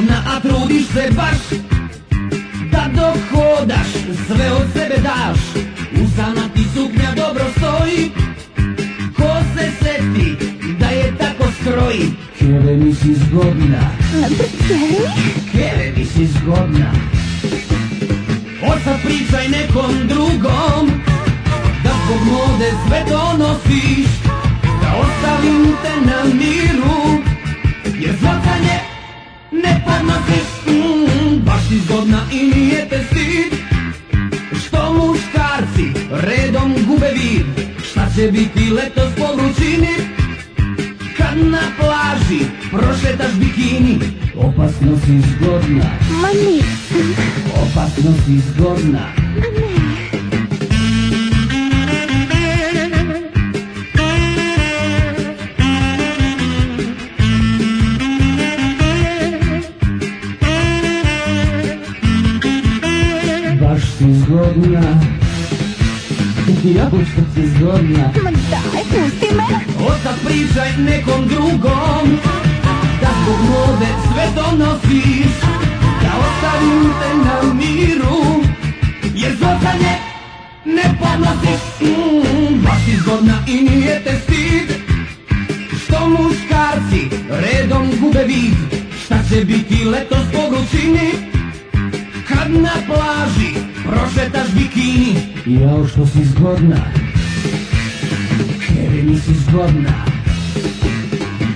zgodna, a trudiš se baš da dok hodaš sve od sebe daš. Usana ti suknja dobro stoji, ko se seti da je tako skroji. Keve mi si zgodna, Keve mi si zgodna. Odsad pričaj nekom drugom da zbog mode sve donosiš, da ostavim te na miru, jer zvrcanje ne podnosiš. Baš si zgodna i nije te stid što muškarci redom gube vid. Šta će biti letos po vrućini kad na plaži prošetaš bikini? Opasno si zgodna, ma nisam. opasno si zgodna. Baš si zgodna, ja što si zgodna. Ma daj, pusti me. Odsad pričaj nekom drugom da zbog mode sve donosiš, da ostavim te na miru, jer zvrcanje ne podnosiš. Baš si zgodna i nije te stid što muškarci redom gube vid. Šta će biti letos po vrućini kad na plaži prošetaš bikini? Jao što si zgodna, Keve mi si zgodna,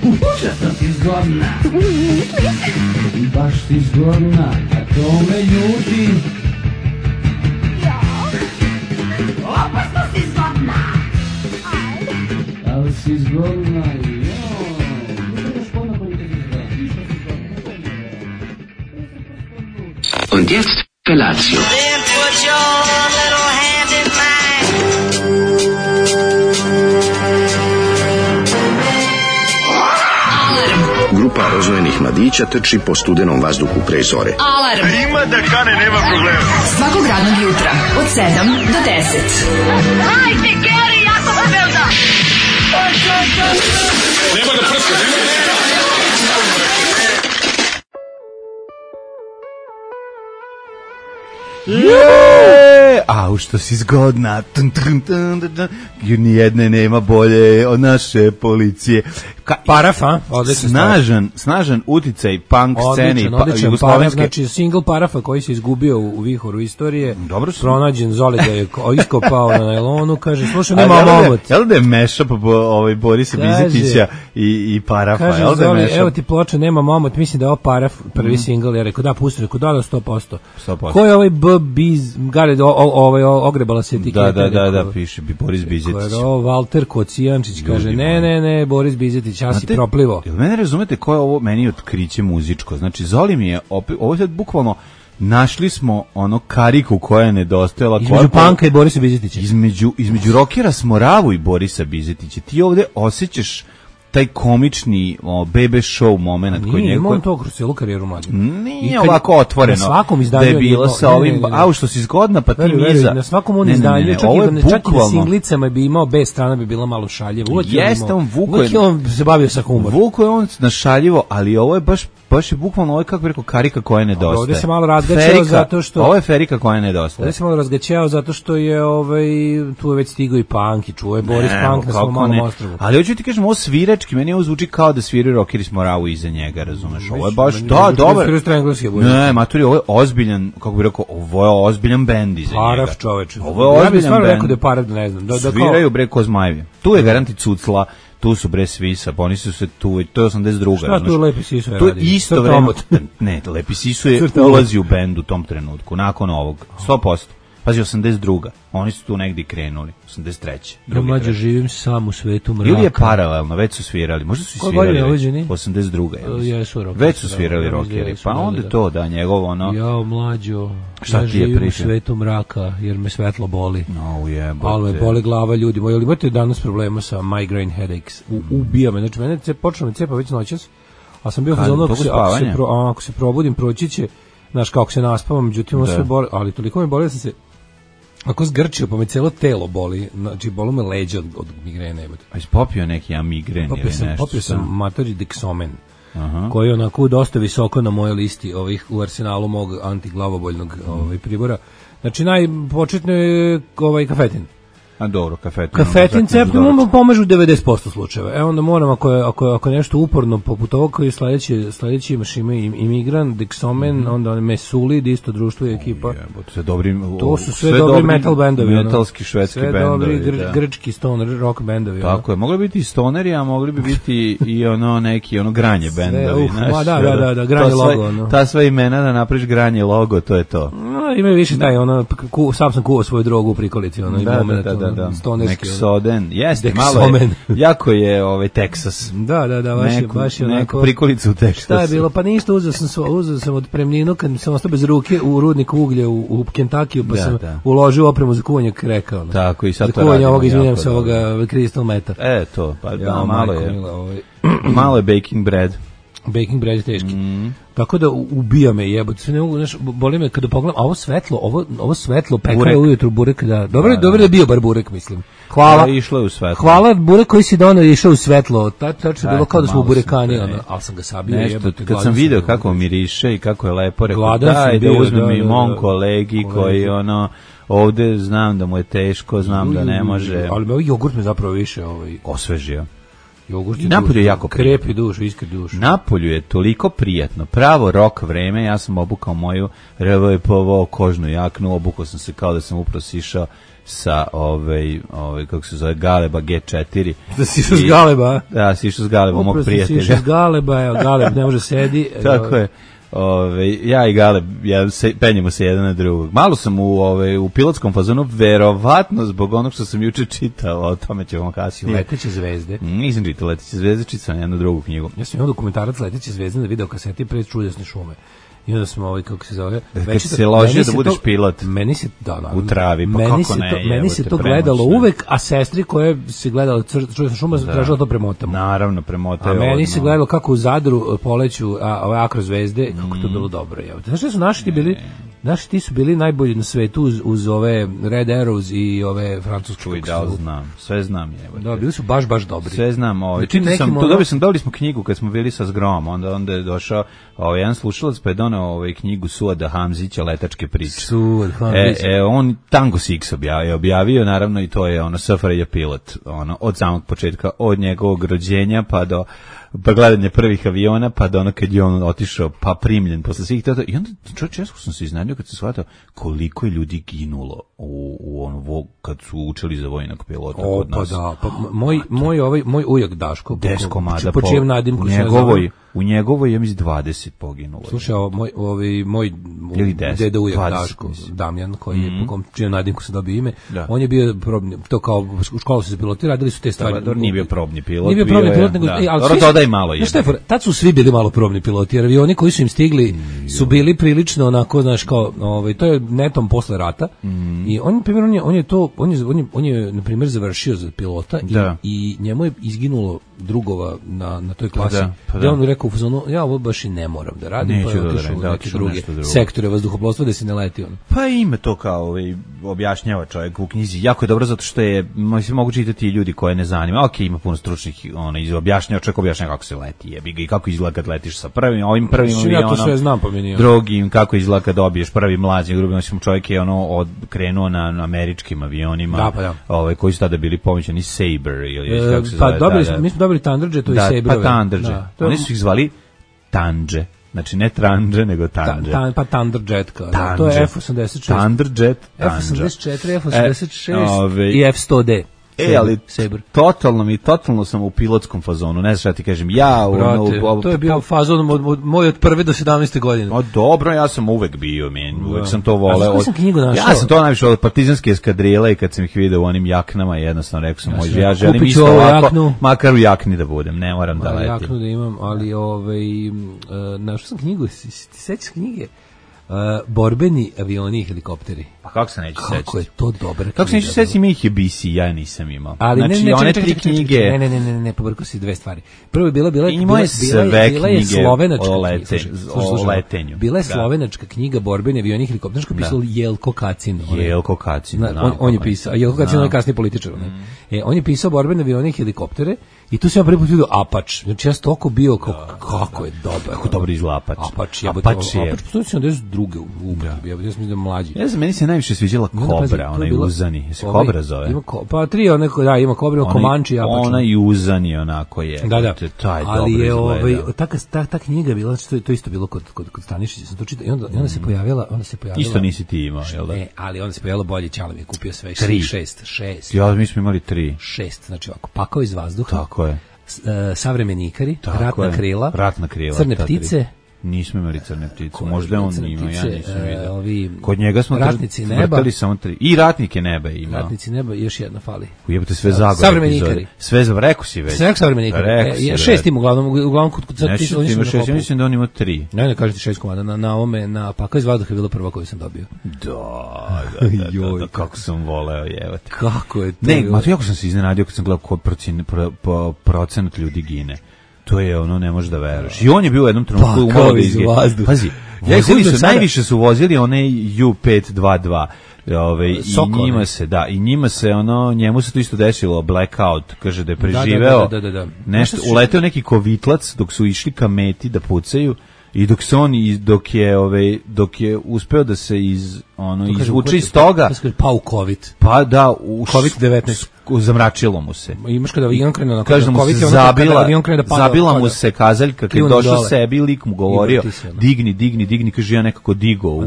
užasno si zgodna. Baš si zgodna, a to me ljuti. Opasno si zgodna, ali si zgodna. Und jetzt Felatio. Then put your little hand in mine. Grupa rozvojenih mladića trči po studenom vazduhu pre zore. Alarm. Ima da kane, nema problema. Svakog radnog jutra od 7 do 10. Hajde, Geri, jako se velda. Nema da prska, nema da... Au, što si zgodna. Nijedne nema bolje od naše policije. Parafa, snažan uticaj punk sceni odličan jugoslovenske. Znači single Parafa koji se izgubio u vihoru istorije. Dobro su. Pronađen, Zoli ga je iskopao na najlonu, kaže slušaj, nema omot. Jel da je mashup Borisa Bizetića i Parafa? Kaže jel da je Zoli, mashup? evo ti ploča, nema omot, mislim da je ovo Paraf prvi single, ja rekao da pusti, rekao da 100%. 100%. Ko je ovaj Biz, Gared, ogrebala se etiketa. Da, piše Boris Bizetić. Walter Kocijančić kaže, ne, Boris Bizetić, ja si proplivo. Jel mene razumete ko je ovo meni otkriće muzičko? Znači, Zoli mi je, ovo je bukvalno, našli smo ono kariku koja je nedostajala. Između Panka i Borisa Bizetića. Između rokera Smoravu i Borisa Bizetića. Ti ovde osjećaš taj komični bebe show moment koji nije imao to kroz celu karijeru mlađe. Nije ovako otvoreno. Na svakom izdanju da je bilo sa ovim, au što si zgodna, pa ti niza. Na svakom on izdanju, čak i na singlicama bi imao, B strana bi bila malo šaljiva. Jeste, on se bavio sa humorom. Vuko je on našaljivo, ali ovo je baš je bukvalno, ovo je kako bi rekao karika koja nedostaje. Ovdje se malo razgaćao zato što... Ovo je ferika koja nedostaje. Ovdje se malo razgaćao zato što je tu je već stigao i punk i čuo je Boris Punk na svom malom ostrvu. Ali hoću ti kažem, ovo svirački, meni ovo zvuči kao da sviraju rockeri Smoravu iza njega, razumeš? Ovo je baš, dobar. Ne, maturi, ovo je ozbiljan, kako bi rekao, ovo je ozbiljan bend iza njega. Paraf, čoveče. Ovo je ozbiljan bend. Ja bih stvarno rekao da je Paraf, ne znam. Sviraju bre ko zmajevi. Tu je garanti Cucla, tu su bre Svisa, pa oni su se tu, to je 82. Šta tu Lepi Sisu je radio? radio? To je isto vreme. Ne, Lepi Sisu je ulazi u bend u tom trenutku, nakon ovog, 100%. Pazi, 82. Oni su tu negdje krenuli, 83. Ja mlađe živim sam u svetu mraka. Ili je paralelno, već su svirali, možda su i svirali već, 82. Jesu, već su svirali rockeri, pa onda to da njegov ono... Ja mlađo, ja živim u svetu mraka jer me svetlo boli. No, jebote. Ali me boli glava, ljudi moji, ali imate danas problema sa migraine headaches, ubija me, znači mene počelo me cepa već noćas, a sam bio fazon, ako se probudim, proći će, znaš, kako se naspavam, međutim, sve boli, ali toliko me boli da sam se ako zgrčio, pa me cijelo telo boli, znači bolu me leđa od migrene. A si popio neki migren ili nešto? Popio sam matori Dexomen. koji je onako dosta visoko na mojoj listi ovih u arsenalu mog antiglavoboljnog pribora. Znači najpočetno je kafetin. A dobro, kafetin ceptom pomažu u 90% slučajeva. Onda moram, ako nešto uporno poput ovog koji sledeći imaš Imigran, Dexomen, onda Mesulid, isto društvo i ekipa. To su sve dobri metal bendovi. Metalski švedski bendovi. Sve dobri grčki stoner rock bendovi. Tako je, mogli biti i stoneri, a mogli bi biti i neki granje bendovi. Da, granje logo. Ta sva imena da napraviš granje logo, to je to. Ima više taj, sam sam kuvao svoju drogu u prikolici, da. Nexoden, jeste, malo je, jako je Texas. Da, baš je onako. Neku prikolicu u Texasu. Šta je bilo? Pa ništa, uzeo sam od premninu, kad sam ostao bez ruke u rudniku uglja u Kentakiju, pa sam uložio opremu za kuvanje kreka. Tako, i sad to radim. Izvinjam se ovoga Crystal Meta. To, pa malo je baking bread. Baking bread je teški. Tako da ubija me jebote, sve ne mogu, boli me kada pogledam, a ovo svetlo pekao ujutru burek, da. Dobro da je bio bar burek, mislim. Hvala. Išlo je u svetlo. Hvala, burek koji si doneo išao u svetlo. Tačno bilo kao da smo u burekani, ali sam ga sabio jebote. Kad sam video kako miriše i kako je lepo, rekao daj da uzmem i mom kolegi koji ovde znam da mu je teško, znam da ne može. Ali ovaj jogurt me zapravo više osvežio. Napolju je jako krepi dušu, iskri dušu. Napolju je toliko prijatno, pravo rok vreme, ja sam obukao moju RVPV kožnu jaknu, obukao sam se kao da sam upravo sišao sa kako se zove, Galeba G4. Da si išao s Galeba? Da, si išao s Galeba, mog prijatelja. Upravo si išao s Galeba, Galeb ne može sedi. Tako je. Ja i Galeb, penjemo se jedan na drugog. Malo sam u pilotskom fazonu, verovatno zbog onog što sam juče čitao, o tome ćemo kasnije. Leteće zvezde. Nisam čitao Leteće zvezde, čitao sam jednu drugu knjigu. Ja sam imao dokumentarac Leteće zvezde na videokaseti pred Čudesne šume. I onda smo kako se zove, kad se ložio da budeš pilot. Meni se u travi, pa kako ne. Meni se to gledalo uvek, a sestri koje se gledalo Čudesna šuma tražila to premotamo. Naravno, premotaju. A meni se gledalo kako u Zadru poleću ove akrozvezde, kako to bilo dobro. Znaš što su naši bili? Naši ti su bili najbolji na svetu uz ove Red Arrows i ove francuske. Sve znam. Da, bili su baš dobri. Sve znam. Dobili smo knjigu kad smo bili sa Zgrom, onda je došao jedan slušalac pa je doneo knjigu Suada Hamzića, Letačke priče. Suad Hamzić. On Tango Six objavio, naravno, i to je SFRJ pilot, od samog početka, od njegovog rođenja pa do gledanje prvih aviona, pa do kad je on otišao, pa primljen posle svih tada. I onda često sam se iznadio kad se shvatao koliko je ljudi ginulo kad su učili za vojnog pilota kod nas. Moj ujak Daško, Deskomada, po čijem nadimku u njegovoj je 20 poginulo. Slušaj, moj deda ujak Daško, Damjan, koji je po čijem nadimku se dobio ime, on je bio probni, to kao u školu su se piloti, radili su te stvari. Nije bio probni pilot. Nije bio probni pilot, nego dodaj malo je. Tad su svi bili malo probni piloti, jer avioni koji su im stigli su bili prilično onako, znaš, kao, to je netom posle rata. I on je na primjer završio za pilota i njemu je izginulo drugova na toj klasi. Da on rekao u fazonu, ja ovo baš i ne moram da radim, pa je otišao u neke druge sektore vazduhoplovstva da se ne leti on. Pa ima to kao objašnjava čovjek u knjizi. Jako je dobro zato što je mogu čitati ljudi koje ne zanima. Ima puno stručnih objašnjava kako se leti, jebi ga, i kako izgleda kad letiš sa ovim prvim avionom. Ja to sve znam, pa mi nije. Drugim, kako izgleda kad dobiješ prvi mlađi, grubo čovjek je krenuo na američkim avionima, koji su tada bili pomoćeni Sabre ili kako se zove. Mi smo dobili Thunderjet, to je Sabre. Pa Thunderjet. Oni su ih zvali Tandže. Znači ne Tranže, nego Tandže. Pa Thunderjet, to je F-86. Thunderjet, F-84, F-86 i F-100D. Ali totalno sam u pilotskom fazonu, ne znam šta ti kažem. To je bio fazon moj od 1. do 17. godine. Dobro, ja sam uvek bio, uvek sam to voleo. Ja sam to najviše od partizanske eskadrile i kad sam ih video u onim jaknama, jednostavno rekao sam, ja želim isto ovako, makar u jakni da budem, ne moram da letim. Jaknu da imam, ali našao sam knjigu, ti sećaš knjige? borbeni avioni i helikopteri. Pa kako se neće sećati? Kako je to dobro. Kako se neće sećati Mihi BC, ja nisam imao. Ali znači, ne, one čekaj, tri knjige... Ne, pobrkao si dve stvari. Prvo je bila je slovenačka o letenju. Bila je slovenačka knjiga borbeni avioni i helikopteri, što pisao Jelko Kacin. Jelko Kacin, on je pisao, a Jelko Kacin je kasniji političar. On je pisao borbene avioni i helikoptere i tu sam ja prvi put vidio Apač. Znači ja sam toliko bio kako je dobro. Kako dobro izgleda Apač. Apač je. Apač postoji 72. u upotrebi. Ja mislim da mlađi. Ja znam, meni se najviše sviđala Kobra, onaj uzani. Se Kobra zove? Pa tri, ima Kobra, ima Komanči i Apač. Ona i uzani onako je. Da. Ali je ta knjiga je bila, to isto bilo kod Stanišića, sam to čitao i onda se pojavila. Isto nisi ti imao, jel da? Ne, ali onda se pojavilo bolje, Ćale mi je kupio sve 6. Ja, mi smo imali 3. 6, znači ovako, Pakao iz vazduha. Tako je. Savremeni ikari, Ratna krila, Crne ptice. Nismo imali Crne ptice, možda on ima, ja nisam vidio. Kod njega smo vrtali samo 3. I Ratnike neba ima. Ratnici neba, još jedna fali. Ujebate sve Zagore. Savremeni ikari. Sve rekao si već. Sve Savremeni ikari. 6 ima uglavnom kod ptice. Ja mislim da on ima 3. Ne, kažete 6 komada. Na Pakao iz vazduha je bila prva koju sam dobio. Da, kako sam voleo, jevati. Kako je to? Ne, ma to jako sam se iznenadio kad sam gledao kod procenat ljudi gine. To je ono, ne možeš da veruješ. I on je bio u jednom trenutku u malo izgleda. Pazi, najviše su vozili one U522. I njima se njemu se to isto desilo, blackout, kaže da je preživeo. Nešto, uleteo neki kovitlac dok su išli ka meti da pucaju. I dok je uspeo da se izvuče iz toga, pa u COVID. Pa da, COVID-19 zamračilo mu se. Imaš kada avion krene na COVID, mu se zabila mu se kazaljka, kad došao sebi, lik mu govorio, digni, kaže ja nekako digo.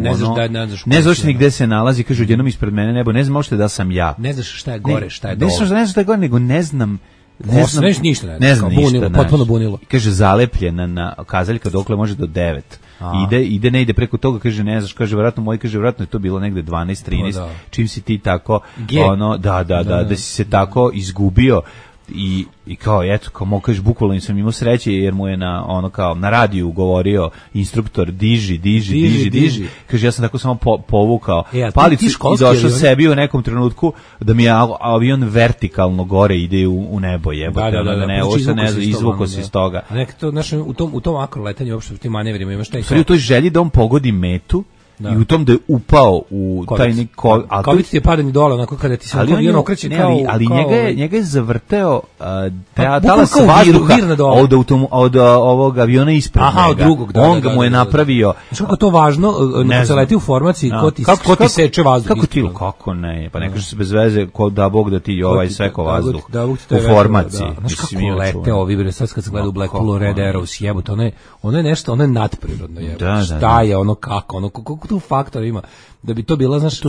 Ne znaš ni gde se nalazi, kaže odjednom ispred mene nebo, ne znam možete da sam ja. Ne znaš šta je gore, šta je dole. Ne znaš šta je gore, nego ne znam ništa, potpuno bunilo. Kaže zalepljena na kazaljka dokle može do 9. Ne ide preko toga, kaže ne znaš, kaže verovatno je to bilo negde 12, 13. Čim si ti tako da si se tako izgubio i kao eto, kao kažeš, bukvalno nisam imao sreće jer mu je na radiju govorio instruktor diži. Kaže ja sam tako samo povukao palicu i došao sebi u nekom trenutku da mi je avion vertikalno gore ide u nebo, jebote. Izvuko se iz toga. A nekako u tom akroletanju uopšte u tim manevrima imaš taj u toj želji da on pogodi metu. I u tom da je upao u taj COVID ti je padanje dole, onako kada ti se avion okreće kao... Ali njega je zavrteo talas vazduha od ovog aviona ispred njega. On ga mu je napravio... Znači kako je to važno, kad se leti u formaciji, ko ti seče vazduh? Kako ne? Pa ne kaže se bez veze, da Bog da ti seko vazduh u formaciji. Znaš kako lete ovi, sad kad se gleda u Blackpoolu, Red Arrows, jebote, ono je nešto, ono je nadprirodno, jebote. Šta je, ono kako, tu faktor ima da bi to bila, znaš,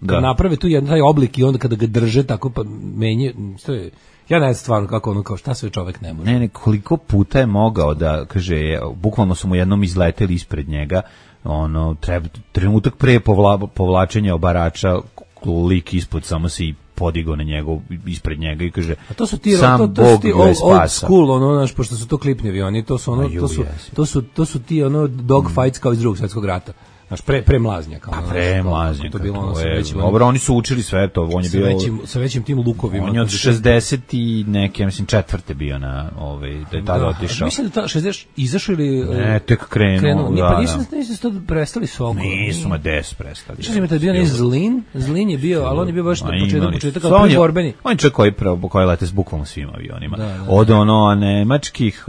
kad naprave tu jedan taj oblik i onda kada ga drže tako pa menje, to je, ja ne znam stvarno kako kao šta sve čovjek ne može. Ne, koliko puta je mogao da, kaže, bukvalno su mu jednom izleteli ispred njega, trenutak pre povlačenja obarača, lik ispod samo se i podigao na njegov, ispred njega i kaže, a to su ti old school, znaš, pošto su to klipni avioni, to su ti dog fights kao iz Drugog svjetskog rata. Znaš, premlaznja. Premlaznja. Dobro, oni su učili sve to. On je bio sa većim tim lukovima. On je od 60 i neke, mislim, četvrte bio na, da je tada otišao. Mislim da 60 izašao ili... Ne, tek krenuo. Pa nisu to prestali s Okolo. Nisu, ma des prestali. Što sam je tad bio ne Zlin je bio, ali on je bio baš na početak kao prvi borbeni. On je čovjek koji lete s bukvalno svim avionima. Od nemačkih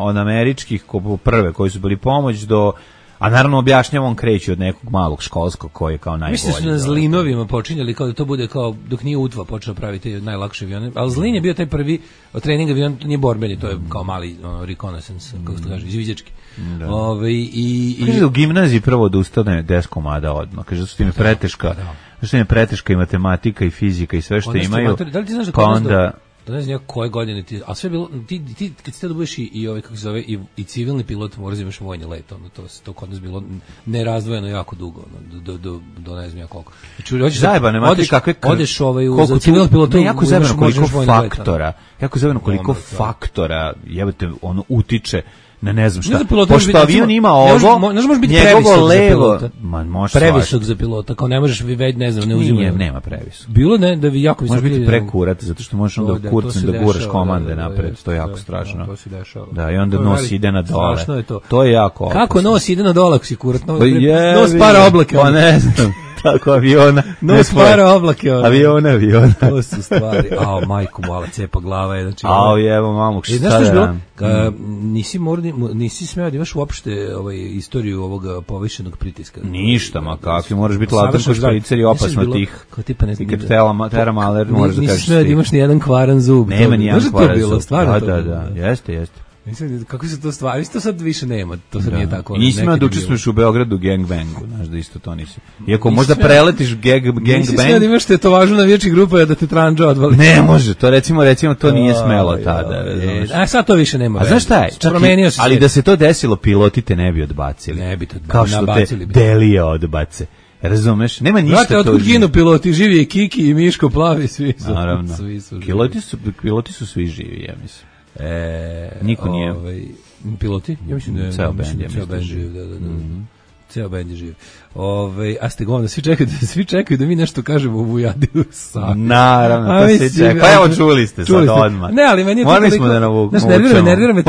od američkih prve koji su bili pomoć do... A naravno objašnjavam, on kreće od nekog malog školskog koji je kao najbolji. Mislim su na Zlinovima počinjali kao da to bude kao dok nije Utva počeo praviti najlakše avione. Ali Zlin je bio taj prvi trening avion, nije borbeni, to je kao mali reconnaissance, kako se to kaže, izviđački. Kaže u gimnaziji prvo da ustane 10 komada odmah. Kaže da su tim preteška i matematika i fizika i sve što imaju. Da li ti znaš da ne znam koje godine ti, a sve bilo, ti kad ste da budeš i kako se zove, i civilni pilot, moraš imaš vojni let, to kod nas bilo nerazdvojeno jako dugo, do ne znam ja koliko. Znači, zajebane, mati kakve... Odeš za civilni pilot, jako zajebano koliko faktora, jebate, utiče ne znam šta. Pošto avion ima ovo, može biti njegovo levo, previsok za pilota, kao ne možeš već, ne znam, ne uzimati. Nema previsok. Bilo ne, da vi jako visok. Može biti prekurat, zato što možeš onda kurcem da guraš komande napred, to je jako strašno. To se dešava. Da, i onda nos ide na dole. Strašno je to. To je jako opasno. Kako nos ide na dole, ako si kurat? Nos para oblake. Pa ne znam. Tako aviona. Nos para oblake. Aviona. To su stvari. Majko, mala cepa glava je. Znači, evo mamu, šta da nisi smeo da imaš uopšte istoriju ovog povišenog pritiska. Ništa, ma kakvi, moraš biti latan ko špricer i opasno tih. I kad teram aler, moraš da kažeš nisi smeo da imaš ni jedan kvaran zub. Nema ni jedan kvaran zub. Da, jeste. Mislim, kako se to stvari, to sad više nema, to sad nije tako. Nisi imao da učestvuješ u Beogradu gangbangu, znaš da isto to nisi. Iako možda preletiš gangbang. Nisi smeo da imaš tetovažu na vječnih grupa da te tranđa odvali. Ne može, to recimo to nije smelo tada. A sad to više nema. A znaš šta je? Ali da se to desilo, piloti te ne bi odbacili. Ne bi te kao što te Delije odbace. Razumeš? Nema ništa to. Brate, otkud ginu piloti? Živi je Kiki i Miško Plavi, svi su. Naravno. Piloti su svi živi, ja mislim. Niko nije. Piloti? Ja mislim da je ceo bend živ. Ceo bend je živ. A ste govno, svi čekaju da mi nešto kažemo u Vujadiju sad. Naravno, to se čeka. Pa evo čuli ste sad odmah. Ne, ali meni je to morali smo da navučemo. Nervira me.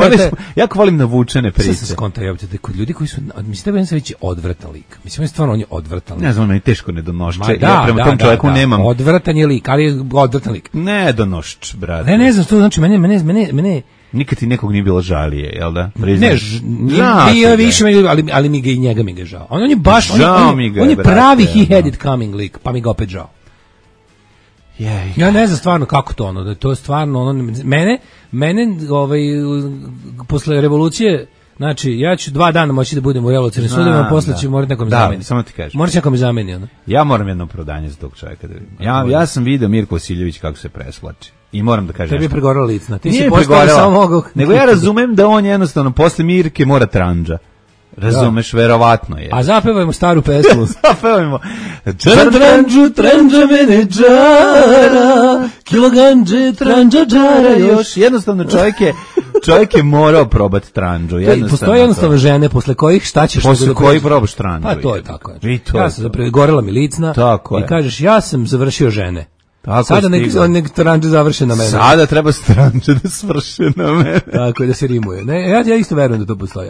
Jako volim navučene priče. Sad se skonta, da kod ljudi koji su, mislim da je već odvratan lik. Mislim da stvarno on je odvratan lik. Ne znam, meni teško nedonošče. Ja prema tom čovjeku nemam. Odvratan je lik, ali je odvratan lik. Nedonošč, brate. Ne znam, to znači mene nikad ti nekog nije bilo žalije, jel da? Ne, više ali mi ga i njega mi ga žao. On je baš, on je pravi he-headed coming lik, pa mi ga opet žao. Ja ne znam stvarno kako to da je to stvarno mene posle revolucije, znači ja ću 2 dana moći da budem u revolucionim sudovima, posle ću morati nekom zameniti. Da, samo ti kažem. Morat će nekom zameni. Ja moram jedno opravdanje za tog čovjeka da vidim. Ja sam vidio Mirko Vasiljević kako se presvlači. I moram da kažem. Tebi je pregorala licna. Ti nije si postao samo mogu. Nego ja razumem da on jednostavno posle Mirke mora tranđa. Razumeš, verovatno je. A zapevajmo staru pesmu. Zapevajmo. Tranđa mene džara, kiloganđe, tranđa džara još. Jednostavno čovjek je morao probati tranđu. Postoje jednostavno žene posle kojih šta ćeš... Posle kojih probaš tranđu. Pa to je tako. Ja sam zapravo gorela mi licna i kažeš ja sam završio žene. Sada nek tranđe završe na mene. Sada treba tranđe da svrše na mene. Tako je, da se rimuje. Ne, ja isto verujem da to postoji.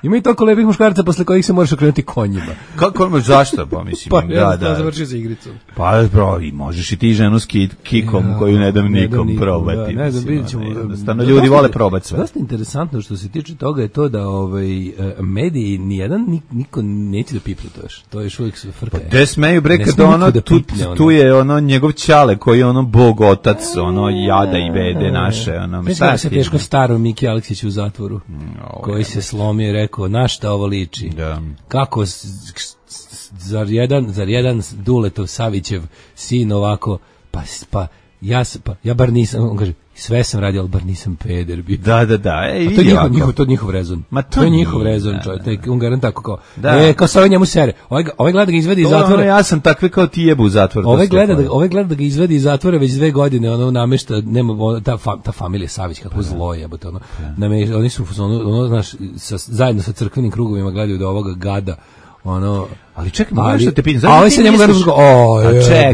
Ima i toliko lepih muškaraca posle kojih se možeš okrenuti konjima. Kako zašto? Pa mislim, da završio za igricom. Pa i možeš i ti ženu s kikom koju ne dam nikom probati. Ne znam, vidjet ćemo. Jednostavno, ljudi vole probati sve. Dosta interesantno što se tiče toga je to da mediji nijedan niko neće da pipne to još. To je još uvijek frka. Pa te smeju bre kad tu je njegov ćale koji je bog otac, jada i vede naše. Mislim da se teško staro Miki Aleksić u zatvoru, koji se slomio i rekao, na šta ovo liči? Kako, zar jedan Duletov Savićev sin ovako, ja bar nisam, on kaže, sve sam radio, ali bar nisam peder bio. Da. To je njihov rezon. To je njihov rezon, čovjek. On garant tako kao, kao sa njemu sere. Ovaj gleda da ga izvedi iz zatvora. Ja sam takve kao ti jebu u zatvoru. Ovaj gleda da ga izvedi iz zatvora već 2 godine, namešta, nema, ta familija Savić, kako zlo jebote, oni su, znaš, zajedno sa crkvenim krugovima gledaju da ovoga gada, ali čekaj, mogu nešto te pitam. A ovaj se njemu gledaju, čekaj,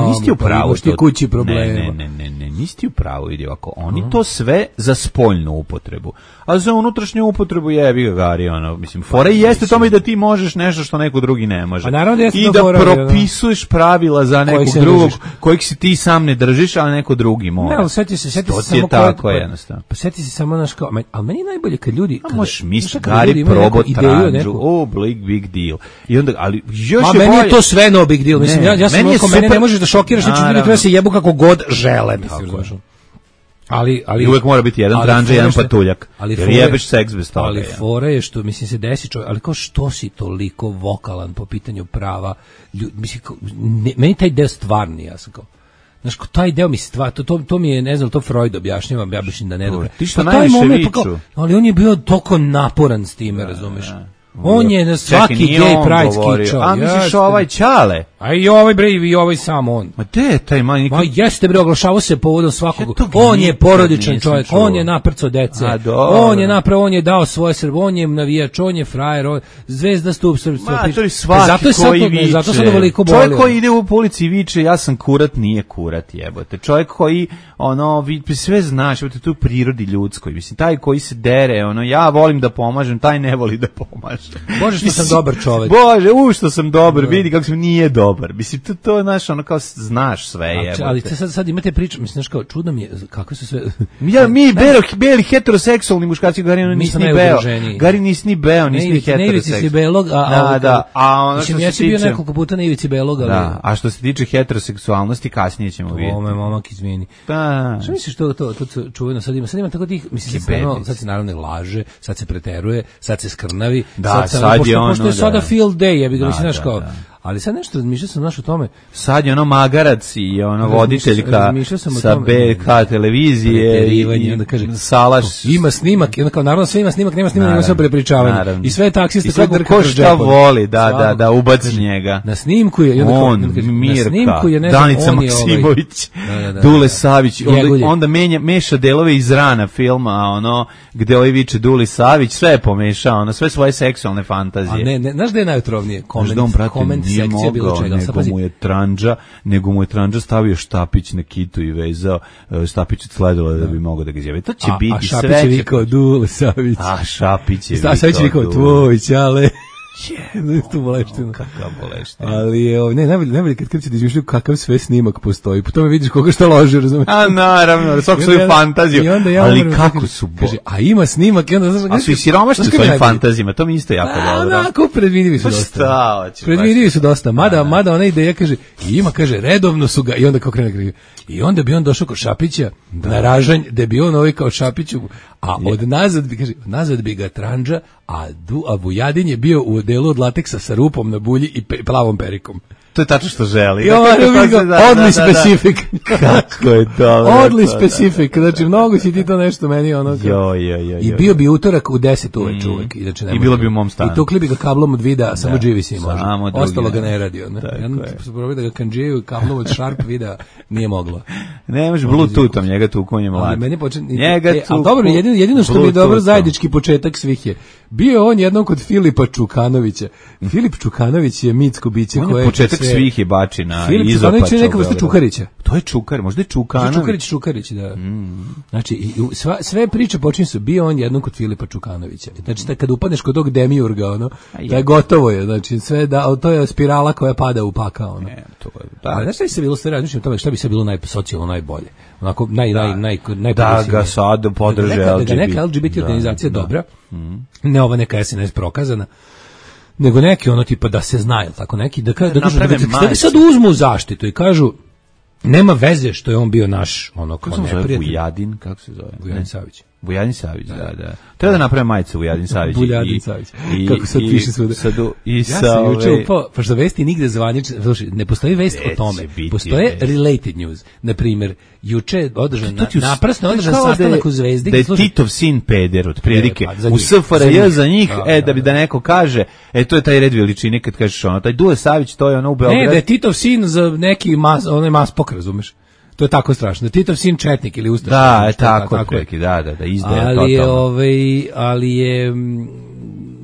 nisi ti u pravu. Imaš ti kući problema. Ne, nisi ti u pravu, vidi ovako. Oni to sve za spoljnu upotrebu. A za unutrašnju upotrebu jebi ga gari, mislim, fora i jeste tome da ti možeš nešto što neko drugi ne može. I da propisuješ pravila za nekog drugog, kojih si ti sam ne držiš, ali neko drugi može. Ne, ali sjeti se samo tako jednostavno. Pa sjeti se samo naš kao, ali meni najbolje kad ljudi... A možeš misli, gari probot tranđu, big deal. I onda, ali još je bolje... Meni je to sve no big deal, mislim, ja sam oko mene ne možeš da šokiraš, znači ljudi treba se jebu kako god žele, mislim. Ali uvek mora biti jedan tranđa, jedan patuljak. Jer jebeš seks bez toga. Ali fora je što, mislim, se desi čovjek, ali kao što si toliko vokalan po pitanju prava, mislim, meni taj deo stvarni, ja sam kao, znaš, taj deo mi to mi je, ne znam, to Freud objašnjava, ja mislim da ne dobro. Ti što najviše viču. Ali on je bio toliko naporan s time, razumeš? On je na svaki gay pride skičao. A misliš ovaj Ćale? A i ovaj bre, i ovaj sam on. Ma gde je taj man? Ma jeste bre, oglašavao se povodom svakog. On je porodičan čovjek, on je naprco dece. On je napravo, on je dao svoje Srbe, on je navijač, on je frajer, zvezda stup srpstva. Zato koji viče. Zato sad veliko boli. Čovjek koji ide u ulici i viče ja sam kurat, nije kurat, jebote. Čovjek koji sve znaš, jebote, to je u prirodi ljudskoj. Mislim, taj koji se dere, ja volim da pomažem, taj ne voli da pomaže. Bože što sam dobar čovjek. Bože, što sam dobar, vidi kako sam nije dobar. Mislim, to je naš, kao znaš sve, jebote. Ali sad imate priču, mislim, kao čudno mi je, kako su sve... Mi beli heteroseksualni muškarci, Gari nisi ni beo. Gari nisi ni beo, nisi ni heteroseksualni. Na ivici si belog, mislim, ja si bio nekoliko puta na ivici belog, ali... Da, a što se tiče heteroseksualnosti, kasnije ćemo vidjeti. Ome, momak, izvini. Što misliš to čuveno sad ima tako tih, mislim, sad se naravno laže, sad se preteruje, sad se skrnavi, sad je ono, pošto je sada field day, ja bih ga mislim, znaš kao... Ali sad nešto razmišljao sam o tome. Sad je magarac i voditeljka sa BK televizije i onda kaže, Salaš. Ima snimak, i onda kao naravno sve ima snimak, nema snimanja, ima sve prepričavanje. I sve taksiste sve ko šta voli, da ubaci njega. Na snimku je on, Mirka, Danica Maksimović, Dule Savić, onda meša delove iz rana filma, gde ovaj viče Duli Savić, sve je pomešao, sve svoje seksualne fantazije. A ne, znaš gde je najotrovnije? Koment nije mogao, nego mu je Tranđa stavio štapić na kitu i vezao štapić od sledila da bi mogao da ga izjavi. To će biti sve. A Šapić je vikao Dule Savić. A Šapić je vikao Savić je vikao tvoj ćale. Tu boleština. Kakav boleština. Ali najbolje kad kreće da izmišljaju kakav sve snimak postoji. Po tome vidiš koga šta loži, razumiješ? A naravno, svako svoju fantaziju. Ali kako su kaže, a ima snimak. A su i siromašni svojim fantazijama, to mi isto jako dobro. Onako, predvidivi su dosta. Predvidivi su dosta. Mada ona ideja kaže, ima, kaže, redovno su ga, i onda kao krene. I onda bi on došao kod Šapića na ražanj, da bi on kao Šapiću, a nazad bi ga Tranđa, a Vujadin je bio u delu od lateksa sa rupom na bulji i plavom perikom. To je tačno što želi. Odli specific. Kako je dobro. Odli specific. Znači, mnogo si ti to nešto meni I bio bi utorak u 10 uveče uvek. I bilo bi u mom stanu. I tukli bi ga kablom od vida, samo dživi si može. Ostalo ga ne radi. Ja sam probao da ga kanđiju kablom od Sharp vida, nije moglo. Ne može Bluetoothom, njega tu konje mlad. Ali dobro, jedino što mi je dobro zajednički početak svih je. Bio on jednom kod Filipa Čukanovića. Filip Čukanović je mitsko biće koje je početak svih je bačina. Filip Čukanović je neka vrsta Čukarića. To je Čukar, možda je Čukanović. Čukarić, da. Znači, sve priče počinju su, bio on jednom kod Filipa Čukanovića. Znači, kad upadneš kod tog demiurga, da je gotovo je. Znači, sve to je spirala koja pada u pakao. Ali znaš šta bi se bilo sve razmišljeno o tome, šta bi se bilo socijalno najbolje? Onako, da ga sad podrže LGBT. Da neka LGBT organizacija dobra, ne ova neka SNS prokazana, nego neki tipa da se zna, tako neki da kažu da sad uzmu zaštitu i kažu nema veze što je on bio naš kako se zove Vujadin, kako se zove? Vujadin Savić. Vujadin Savić, da. Treba da napravim majicu Vujadin Savić. Vujadin Savić. Kako sad piše svuda. Ja sam juče upao, pošto vesti nigde zvanično, ne postoji vest o tome. Postoje related news. Na primjer, juče naprasno održan sastanak u Zvezdi. Da je Titov sin peder, otprilike. U SFRJ za njih, da neko kaže, to je taj red veličine kad kažeš taj Dule Savić, to je u Beogradu. Ne, da je Titov sin za neki maspok, razumeš? To je tako strašno. Titov sin četnik ili ustaš. Da, tako je. Da, izdaje totalno. Ali je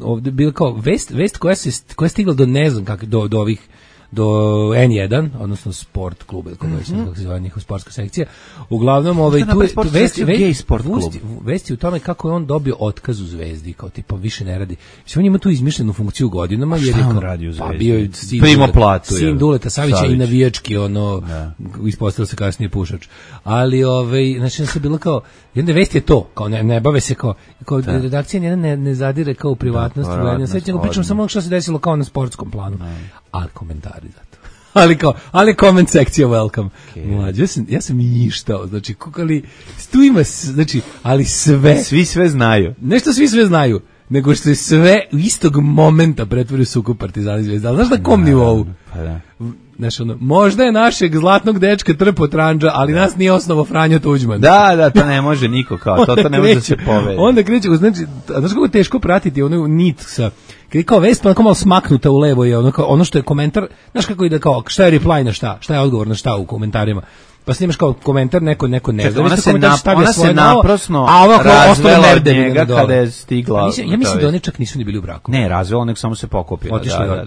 ovdje bilo kao vest koja je stigla do ne znam kako, do ovih do N1, odnosno sport klub, kako se zove njihova sportska sekcija. Uglavnom, vesti u tome kako je on dobio otkaz u Zvezdi, kao tipa više ne radi. On ima tu izmišljenu funkciju godinama, jer je radi u Zvezdi? Bio je sin Duleta Savića i navijački, ispostavilo se kasnije pušač. Ali, znači, se bilo kao, jedna vest je to, kao ne bave se kao redakcija ne zadire kao u privatnost, pričam samo što se desilo kao na sportskom planu. Ali komentari za to. Ali comment sekcija welcome. Mlađe, ja sam njištao, znači, ali tu ima, znači, ali sve. Svi sve znaju. Nešto svi sve znaju. nego što je sve u istog momenta pretvori sukob Partizana i Zvezda. Znaš na kom nivou? Pa da. Znaš, možda je našeg zlatnog dečka trpo Trandža, ali nas nije osnovo Franjo Tuđman. Da, to ne može niko kao, to ne može da se povede. Onda kreće, znači, znaš kako je teško pratiti ono nit sa, kad je kao vest, pa onako malo smaknuta u levo je ono što je komentar, znaš kako ide kao, šta je reply na šta je odgovor na šta u komentarima. Pa snimaš kao komentar, neko ne zna. Ona se naprosno razvela od njega kada je stigla. Ja mislim da oni čak nisu ni bili u braku. Ne, razvela, nek samo se pokupila. Otišla,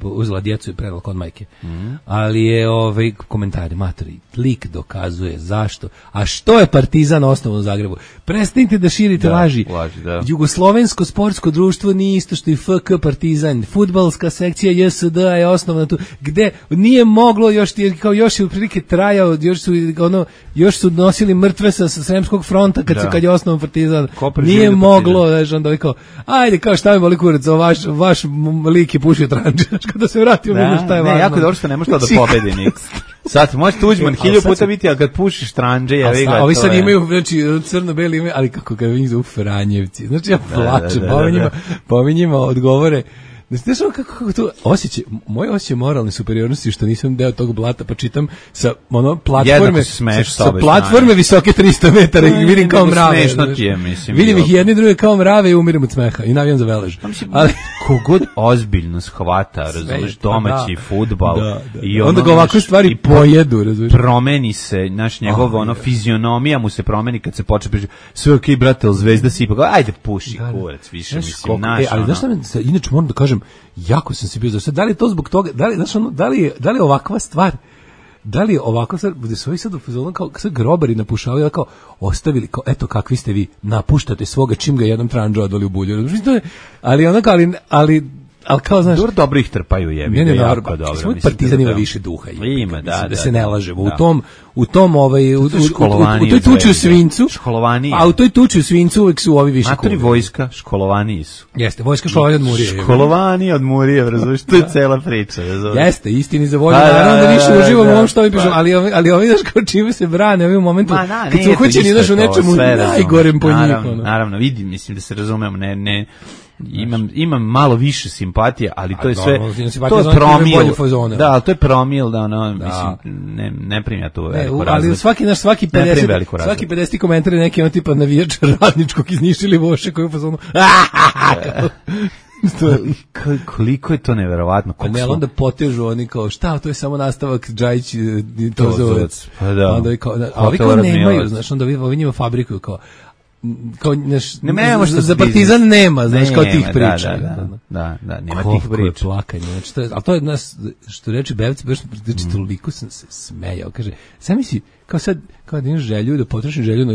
uzela djecu i predala kod majke. Ali je komentari, matori, lik dokazuje zašto. A što je Partizan osnovan u Zagrebu? Prestanite da širite laži. Jugoslovensko sportsko društvo nije isto što i FK Partizan. Fudbalska sekcija JSD je osnovana tu. Gde nije moglo još je u prilike traja, još su nosili mrtve sa Sremskog fronta kad je osnovan Partizan. Nije moglo, znači onda kao ajde kao šta mi boli kurac, vaš lik je pušio Trandža, kada se vratio mi šta je važno. Ne, jako dobro što ne može to da pobedi niko. Sad može Tuđman 1000 puta biti, ali kad pušiš Trandže, ja vi ga. Ovi sad imaju, znači crno-beli imaju, ali kako ga vidim zovu Franjevci. Znači ja plačem, pa ovi njima odgovore. Znaš kako to osjećaj, moj osjećaj moralne superiornosti što nisam deo tog blata, pa čitam sa platforme visoke 300 metara i vidim kao mrave. Vidim ih jedni druge kao mrave i umirim od smeha i navijam za Velež. Ali kogod ozbiljno shvata, razumeš, domaći fudbal i onda ga ovakve stvari pojedu, razumeš. Promeni se, naš njegov fizionomija mu se promeni kad se počne pričati sve okej, brate, Zvezda si ipak, ajde puši kurac, više mislim, naš. Ali znaš šta, inače moram da kažem, jako sam se bio zašto. Da li je to zbog toga, da li je ovakva stvar, gde su ovi sad u fazonu kao sad grobari napušavaju, kao ostavili, kao eto kakvi ste vi, napuštate svoga čim ga jednom Trandža odvali u bulju. Ali kao znaš, dobro ih trpaju jebi, jako dobro. Svoj Partizan ima više duha. Ima, da se ne lažemo. U toj tuči u Svincu, a u toj tuči u Svincu uvek su ovi više kuvi. Vojska, školovani su. Jeste, vojska školovani od Murije. Školovani od Murije, razumiješ, to je cela priča. Jeste, istini za volju, naravno da više uživamo u ovom što ovi pišem, ali ovi znaš kao čime se brane, ovi u momentu, kad su uhoćeni znaš u nečemu najgorem po njih. Naravno, vidim, mislim da se razumemo, ne, imam malo više simpatije, ali to je sve to je promil. Da, to je promil da mislim ne primja to veliku razliku. Ali svaki 50 komentar je neki tipa navijač Radničkog iz Niša ili Voše koji je u fazonu. Koliko je to neverovatno. Ne, onda potežu oni kao šta, to je samo nastavak Džajić Tozovac. Pa da. Onda kao ovi kao nemaju, znaš, onda ovi njima fabrikuju kao za Partizan nema, znaš, kao tih priča. Da, nema tih priča. Plakanje, znači, ali to je nas, što reče Bevac, znači, toliko sam se smejao, kaže, sam misli, kao sad, kao da imaš želju, da potrošim želju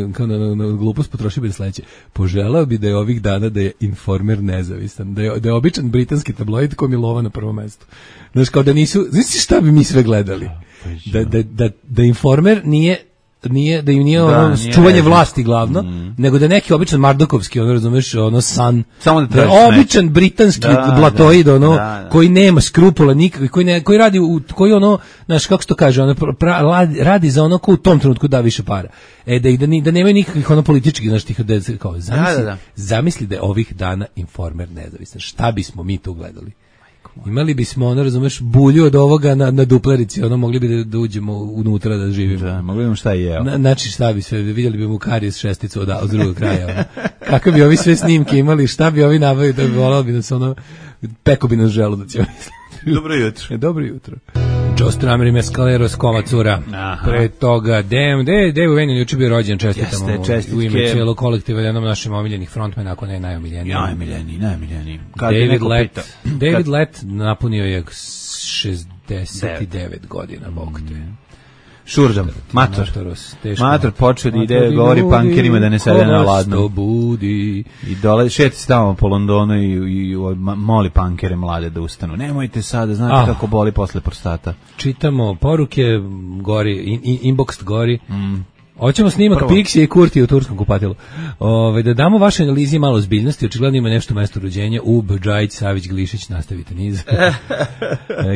na glupost, potroši bi da sledeće. Poželao bi da je ovih dana da je Informer nezavistan, da je običan britanski tabloid ko Milova na prvom mestu. Znaš, kao da nisu, znaš šta bi mi sve gledali? Da Informer nije da im nije ono čuvanje vlasti glavno, nego da neki običan mardokovski, ono razumeš, ono san, da običan britanski blatoid, ono koji nema skrupula nikakvih, koji radi koji ono, znaš kako se to kaže, ono radi za ono ko u tom trenutku da više para. Da nemaju nikakvih ono političkih, znaš, tih kao zamisli da je ovih dana Informer nezavisan. Šta bismo mi tu gledali? Imali bismo, ono, razumeš, bulju od ovoga na duplerici, ono, mogli bi da uđemo unutra da živimo. Da, mogli bi šta je jeo. Znači, šta bi sve, vidjeli bi mu karijes šesticu od drugog kraja. Ono. Kako bi ovi sve snimke imali, šta bi ovi nabavili, da bi volao bi nas, ono, peko bi nas želudac. Dobro jutro. Dobro jutro. Joe Strummer i Mescalero s Koma Cura. Pre toga, Dave Venin juče bio rođen, čestitamo u ime cijelog kolektiva, jednom našim omiljenih frontmena, ako ne najomiljeniji. Najomiljeniji. David Lett napunio je 69 godina, Bog te. Šurdam, mator počeo da ide, govori pankerima da ne sede na ladno. I dole, šeti se tamo po Londonu i moli pankere mlade da ustanu. Nemojte sada, znate kako boli posle prostata. Čitamo poruke, gori, inbox gori. Hoćemo snimak Pixije i Kurti u turskom kupatilu. Da damo vaše analizi malo ozbiljnosti, očigledno ima nešto mesto rođenja u Bđajić, Savić, Glišić, nastavite niz.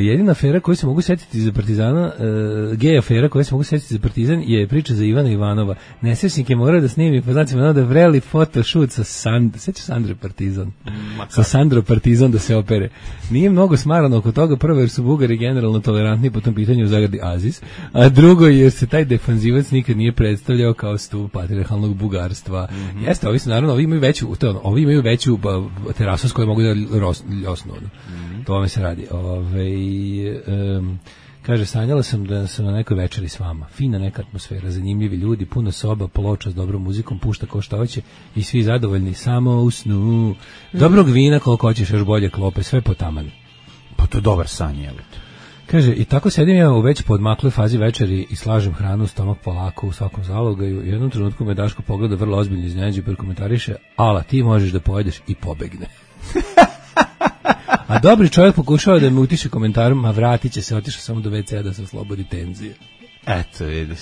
Jedina afera koju se mogu setiti za Partizana, gej afera koju se mogu setiti za Partizan je priča za Ivana Ivanova. Nesrećnik je morao da snimi, pa znači da vreli photoshoot sa Sandre Partizan. Sa Sandro Partizan da se opere. Nije mnogo smarano oko toga, prvo jer su Bugari generalno tolerantni po tom pitanju u zagradi Aziz, a drugo jer se taj defanzivac nikad nije predstavljao kao stup patrijarhalnog bugarstva. Jeste, ovi su naravno, ovi imaju veću terasu s kojoj mogu da ljosnu. To me se radi. Kaže, sanjala sam da sam na nekoj večeri s vama. Fina neka atmosfera, zanimljivi ljudi, puno soba, ploča s dobrom muzikom, pušta ko šta hoće i svi zadovoljni, samo u snu. Dobrog vina koliko hoćeš, još bolje klope, sve po tamanu. Pa to je dobar san, je. Kaže, i tako sedim ja u već podmakloj fazi večeri i slažem hranu u stomak polako u svakom zalogaju. U jednom trenutku me Daško pogleda vrlo ozbiljno iznenađe i prekomentariše, ala ti možeš da pojedeš i pobegne. A dobri čovjek pokušava da me utiše komentarom, a vratit će se, otišao samo do WC-a da se oslobodi tenzije. Eto, vidiš.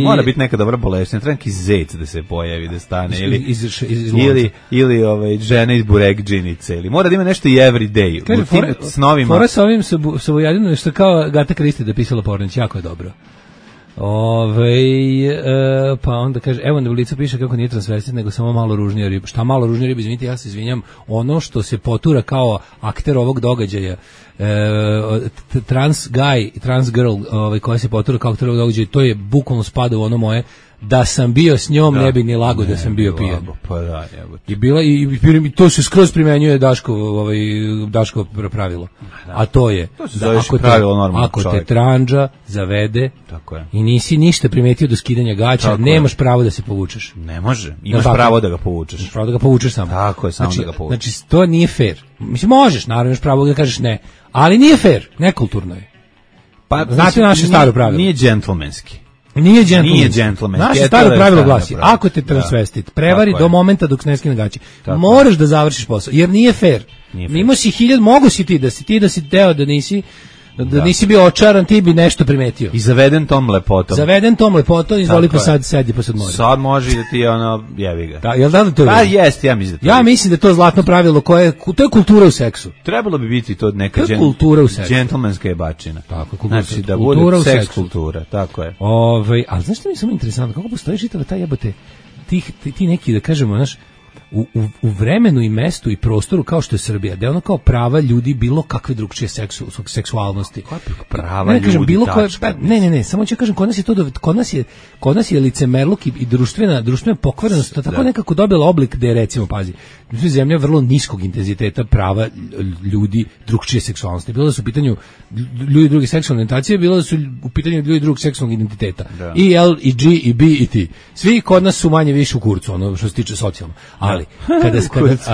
Mora biti neka dobra boleština, treba neki zec da se pojavi, da stane, ili žena iz burekdžinice, ili mora da ima nešto i every day. Kaže, fora sa ovim sa Vojadinom, što kao Gata Kristi da pisala Pornić, jako je dobro. Pa onda kaže, evo na ulicu piše kako nije transvestit, nego samo malo ružnija riba. Šta malo ružnija riba, izvinite, ja se izvinjam, ono što se potura kao akter ovog događaja, trans guy i trans girl koja se potura kao akter ovog događaja, to je bukvalno spada u ono moje, da sam bio s njom, ne bi ni lago da sam bio pijan. Pa da, I bila i to se skroz primenjuje Daško pravilo. A to je da ako te tranđa zavede i nisi ništa primetio do skidanja gaća, nemaš pravo da se povučeš. Ne može. Imaš pravo da ga povučeš. Imaš pravo da ga povučeš samo. Tako je, samo da ga povučeš. Znači to nije fair. Mislim možeš, naravno imaš pravo da kažeš ne, ali nije fair, nekulturno je. Pa znate naše staro pravilo. Nije džentlmenski. Nije džentlmenski. Naše staro pravilo glasi, ako te transvestit prevari do momenta dok ne skine gaće, moraš da završiš posao, jer nije fair. Mimo si 1000, mogu si ti da si teo da nisi bio očaran, ti bi nešto primetio. I zaveden tom lepotom, izvoli pa sad sedi posad mora. Sad može da ti jevi ga. Da, jel da to je? Pa jest, ja mislim da to. Ja mislim da to zlatno pravilo to je kultura u seksu. Trebalo bi biti to neka kultura u seksu. Džentlmenska jebačina. Tako, znači da bude seks kultura, tako je. Ali znaš što mi je samo interesantno, kako postoji čitava ta jebote ti neki, da kažemo, znaš, u vremenu i mestu i prostoru kao što je Srbija, da je ono kao prava ljudi bilo kakve drugčije seksualnosti. Prava ljudi, bilo koje, ne, samo ću kažem, kod nas je licemerluk i društvena pokvarenost tako nekako dobila oblik da je, recimo, pazi, zemlja vrlo niskog intenziteta prava ljudi drugčije seksualnosti. Bilo da su u pitanju ljudi druge seksualne orijentacije, bilo da su u pitanju ljudi drugog seksualnog identiteta. Da. I L, i G, i B, i T. Svi kod nas su manje više u kurcu, ono što se tiče socijalno. Ali,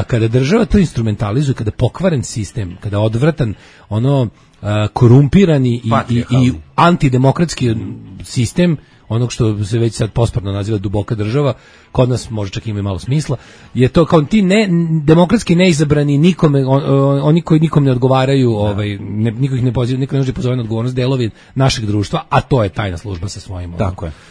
kada država to instrumentalizuje, kada pokvaren sistem, kada odvratan, korumpirani i antidemokratski sistem, onog što se već sad posprdno naziva duboka država, kod nas može čak ima malo smisla, je to kao ti demokratski neizabrani nikome, oni koji nikom ne odgovaraju, niko ih ne poziva, niko ne može pozove na odgovornost, delovi našeg društva, a to je tajna služba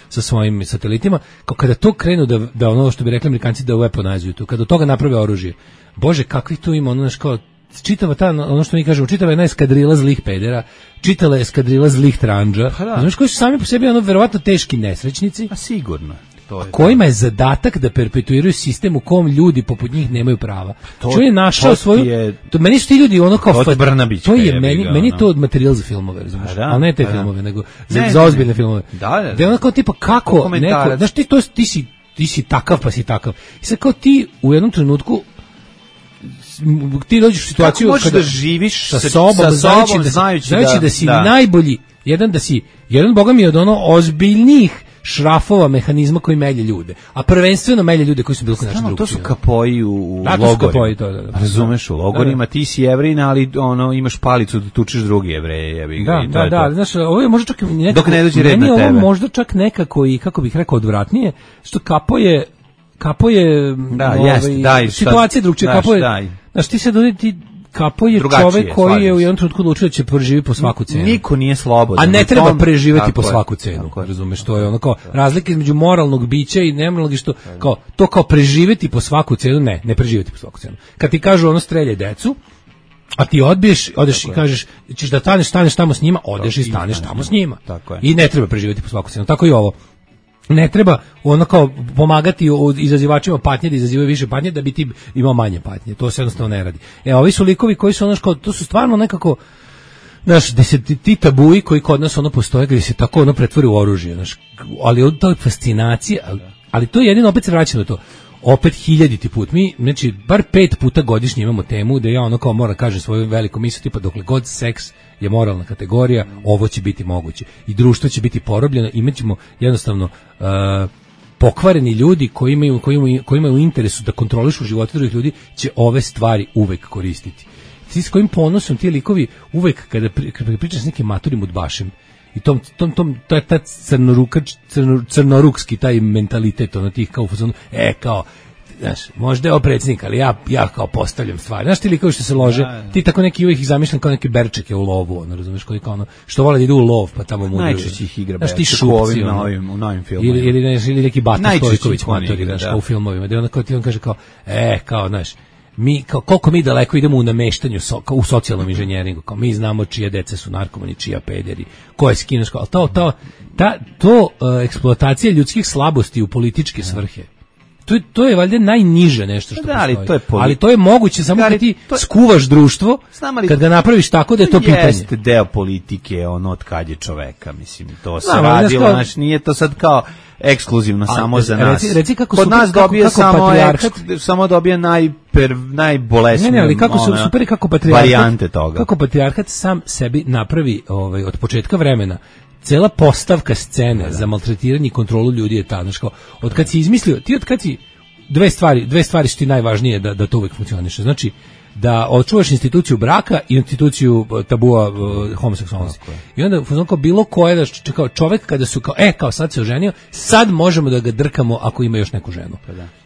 sa svojim satelitima, kao kada to krenu da ono što bi rekli Amerikanci da weaponizuju to, kada od toga naprave oružje, bože, kakvi tu ima, kao čitava ta, ono što mi kažemo, čitava jedna eskadrila zlih pedera, čitala eskadrila zlih tranđa, znaš koji su sami po sebi verovatno teški nesrećnici, a sigurno, kojima je zadatak da perpetuiraju sistem u kom ljudi poput njih nemaju prava. Čo je našao svoju, meni su ti ljudi ono kao to je meni to od materijal za filmove, razumiješ, ali ne te filmove, nego za ozbiljne filmove. Da je ono kao tipa kako neko, znaš ti si takav pa si takav. I sad kao ti u jednom trenutku ti dođeš u situaciju kada da živiš sa sobom, znajući da si najbolji, jedan boga mi je od ozbiljnijih šrafova mehanizma koji melje ljude, a prvenstveno melje ljude koji su bili kod naše drugčije. To su kapoji u logorima. Razumeš, u logorima ti si Jevrin, ali imaš palicu da tučeš drugi Jevreje. Da, znaš, ovo je možda čak dok ne dođe red na tebe. Ovo možda čak nekako i, kako bih rekao, odvratnije, što kapo je situacija drugčija, kapo je, znaš, ti se Kapo je čovek koji je u jednom trenutku odlučio da će preživjeti po svaku cenu. Niko nije slobodan. A ne treba preživjeti po svaku cenu. Razumeš, to je ono kao razlika između moralnog bića i nemoralnog i što kao preživjeti po svaku cenu, ne preživjeti po svaku cenu. Kad ti kažu ono streljaj decu, a ti odeš i kažeš ćeš da staneš tamo s njima, odeš i staneš tamo s njima. I ne treba preživjeti po svaku cenu. Tako i ovo. Ne treba ono kao pomagati izazivačima patnje da izazivaju više patnje da bi ti imao manje patnje. To se jednostavno ne radi. Ovi su likovi koji su ono kao, to su stvarno nekako znaš, ti tabuji koji kod nas ono postoje gdje se tako ono pretvori u oružje, znaš, ali to je fascinacija, ali to je jedino, opet se vraća na to. Opet 1000. put. Mi, znači, bar 5 puta godišnje imamo temu da ja ono kao moram kažem svoju veliku misao, tipa dokle god seks je moralna kategorija, ovo će biti moguće. I društvo će biti porobljeno, imaćemo jednostavno pokvareni ljudi koji imaju u interesu da kontrolišu živote drugih ljudi, će ove stvari uvek koristiti. Ti s kojim ponosom ti likovi uvek kada pričaš s nekim maturim udbašem i taj crnorukski taj mentalitet, ono tih kao u fazonu, kao, znaš, možda je ovo predsjednik, ali ja kao postavljam stvari. Znaš ti likovi što se lože, ti tako neki uvijek ih zamišljam kao neke berčeke u lovu, ono, razumeš, koji kao ono, što vole da idu u lov, pa tamo mu najčešće ih igra berček u novim filmovima. Ili neki Bata Stojković matori, znaš, kao u filmovima, gde on kaže kao, kao, znaš, mi koliko mi daleko idemo u nameštanju u socijalnom inženjeringu, kao mi znamo čije dece su narkomani, čija pederi, ko je skinuško, ali to eksploatacija ljudskih slabosti u političke svrhe. To je valjda najniže nešto što postoji. Ali to je moguće samo kad ti skuvaš društvo, kad ga napraviš tako da je to pitanje. Jeste deo politike, ono od kad je čoveka, mislim, to se radilo, znači nije to sad kao ekskluzivno samo za nas. Reci kako kod nas dobije samo dobije najbolesnije. Ne, ali kako su super i kako patrijarhat, varijante toga. Kako patrijarhat sam sebi napravi od početka vremena. Cela postavka scene za maltretiranje i kontrolu ljudi je ta, znači kao, od kad si izmislio, dve stvari su ti najvažnije da to uvek funkcioniše. Znači, da očuvaš instituciju braka i instituciju tabua homoseksualnosti. I onda kao bilo koje da kao čovjek kada su kao sad se oženio, sad možemo da ga drkamo ako ima još neku ženu.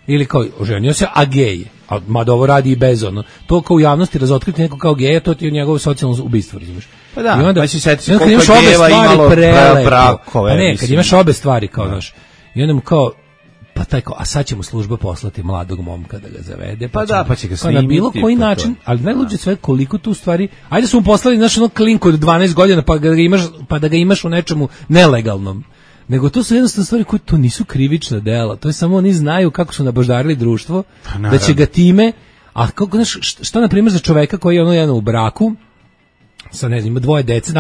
Ili kao oženio se, a gej je. A mada ovo radi i bez ono. To kao u javnosti razotkriti neko kao geja, to ti je njegovo socijalno ubistvo, razumiješ? Pa da, i onda, si seti koliko je gejeva imalo brakove. A ne, kad imaš obe stvari kao znaš. I onda mu kao pa taj kao, a sad će mu služba poslati mladog momka da ga zavede, pa će ga snimiti. Na bilo koji način, ali najluđe sve koliko tu stvari, ajde su mu poslali, znaš, ono klinku od 12 godina, pa da ga imaš u nečemu nelegalnom. Nego to su jednostavno stvari koje to nisu krivična dela, to je samo oni znaju kako su nabaždarili društvo, da će ga time, a kako, znaš, šta na primjer za čoveka koji je ono jedan u braku, sa ne znam, ima 2 dece,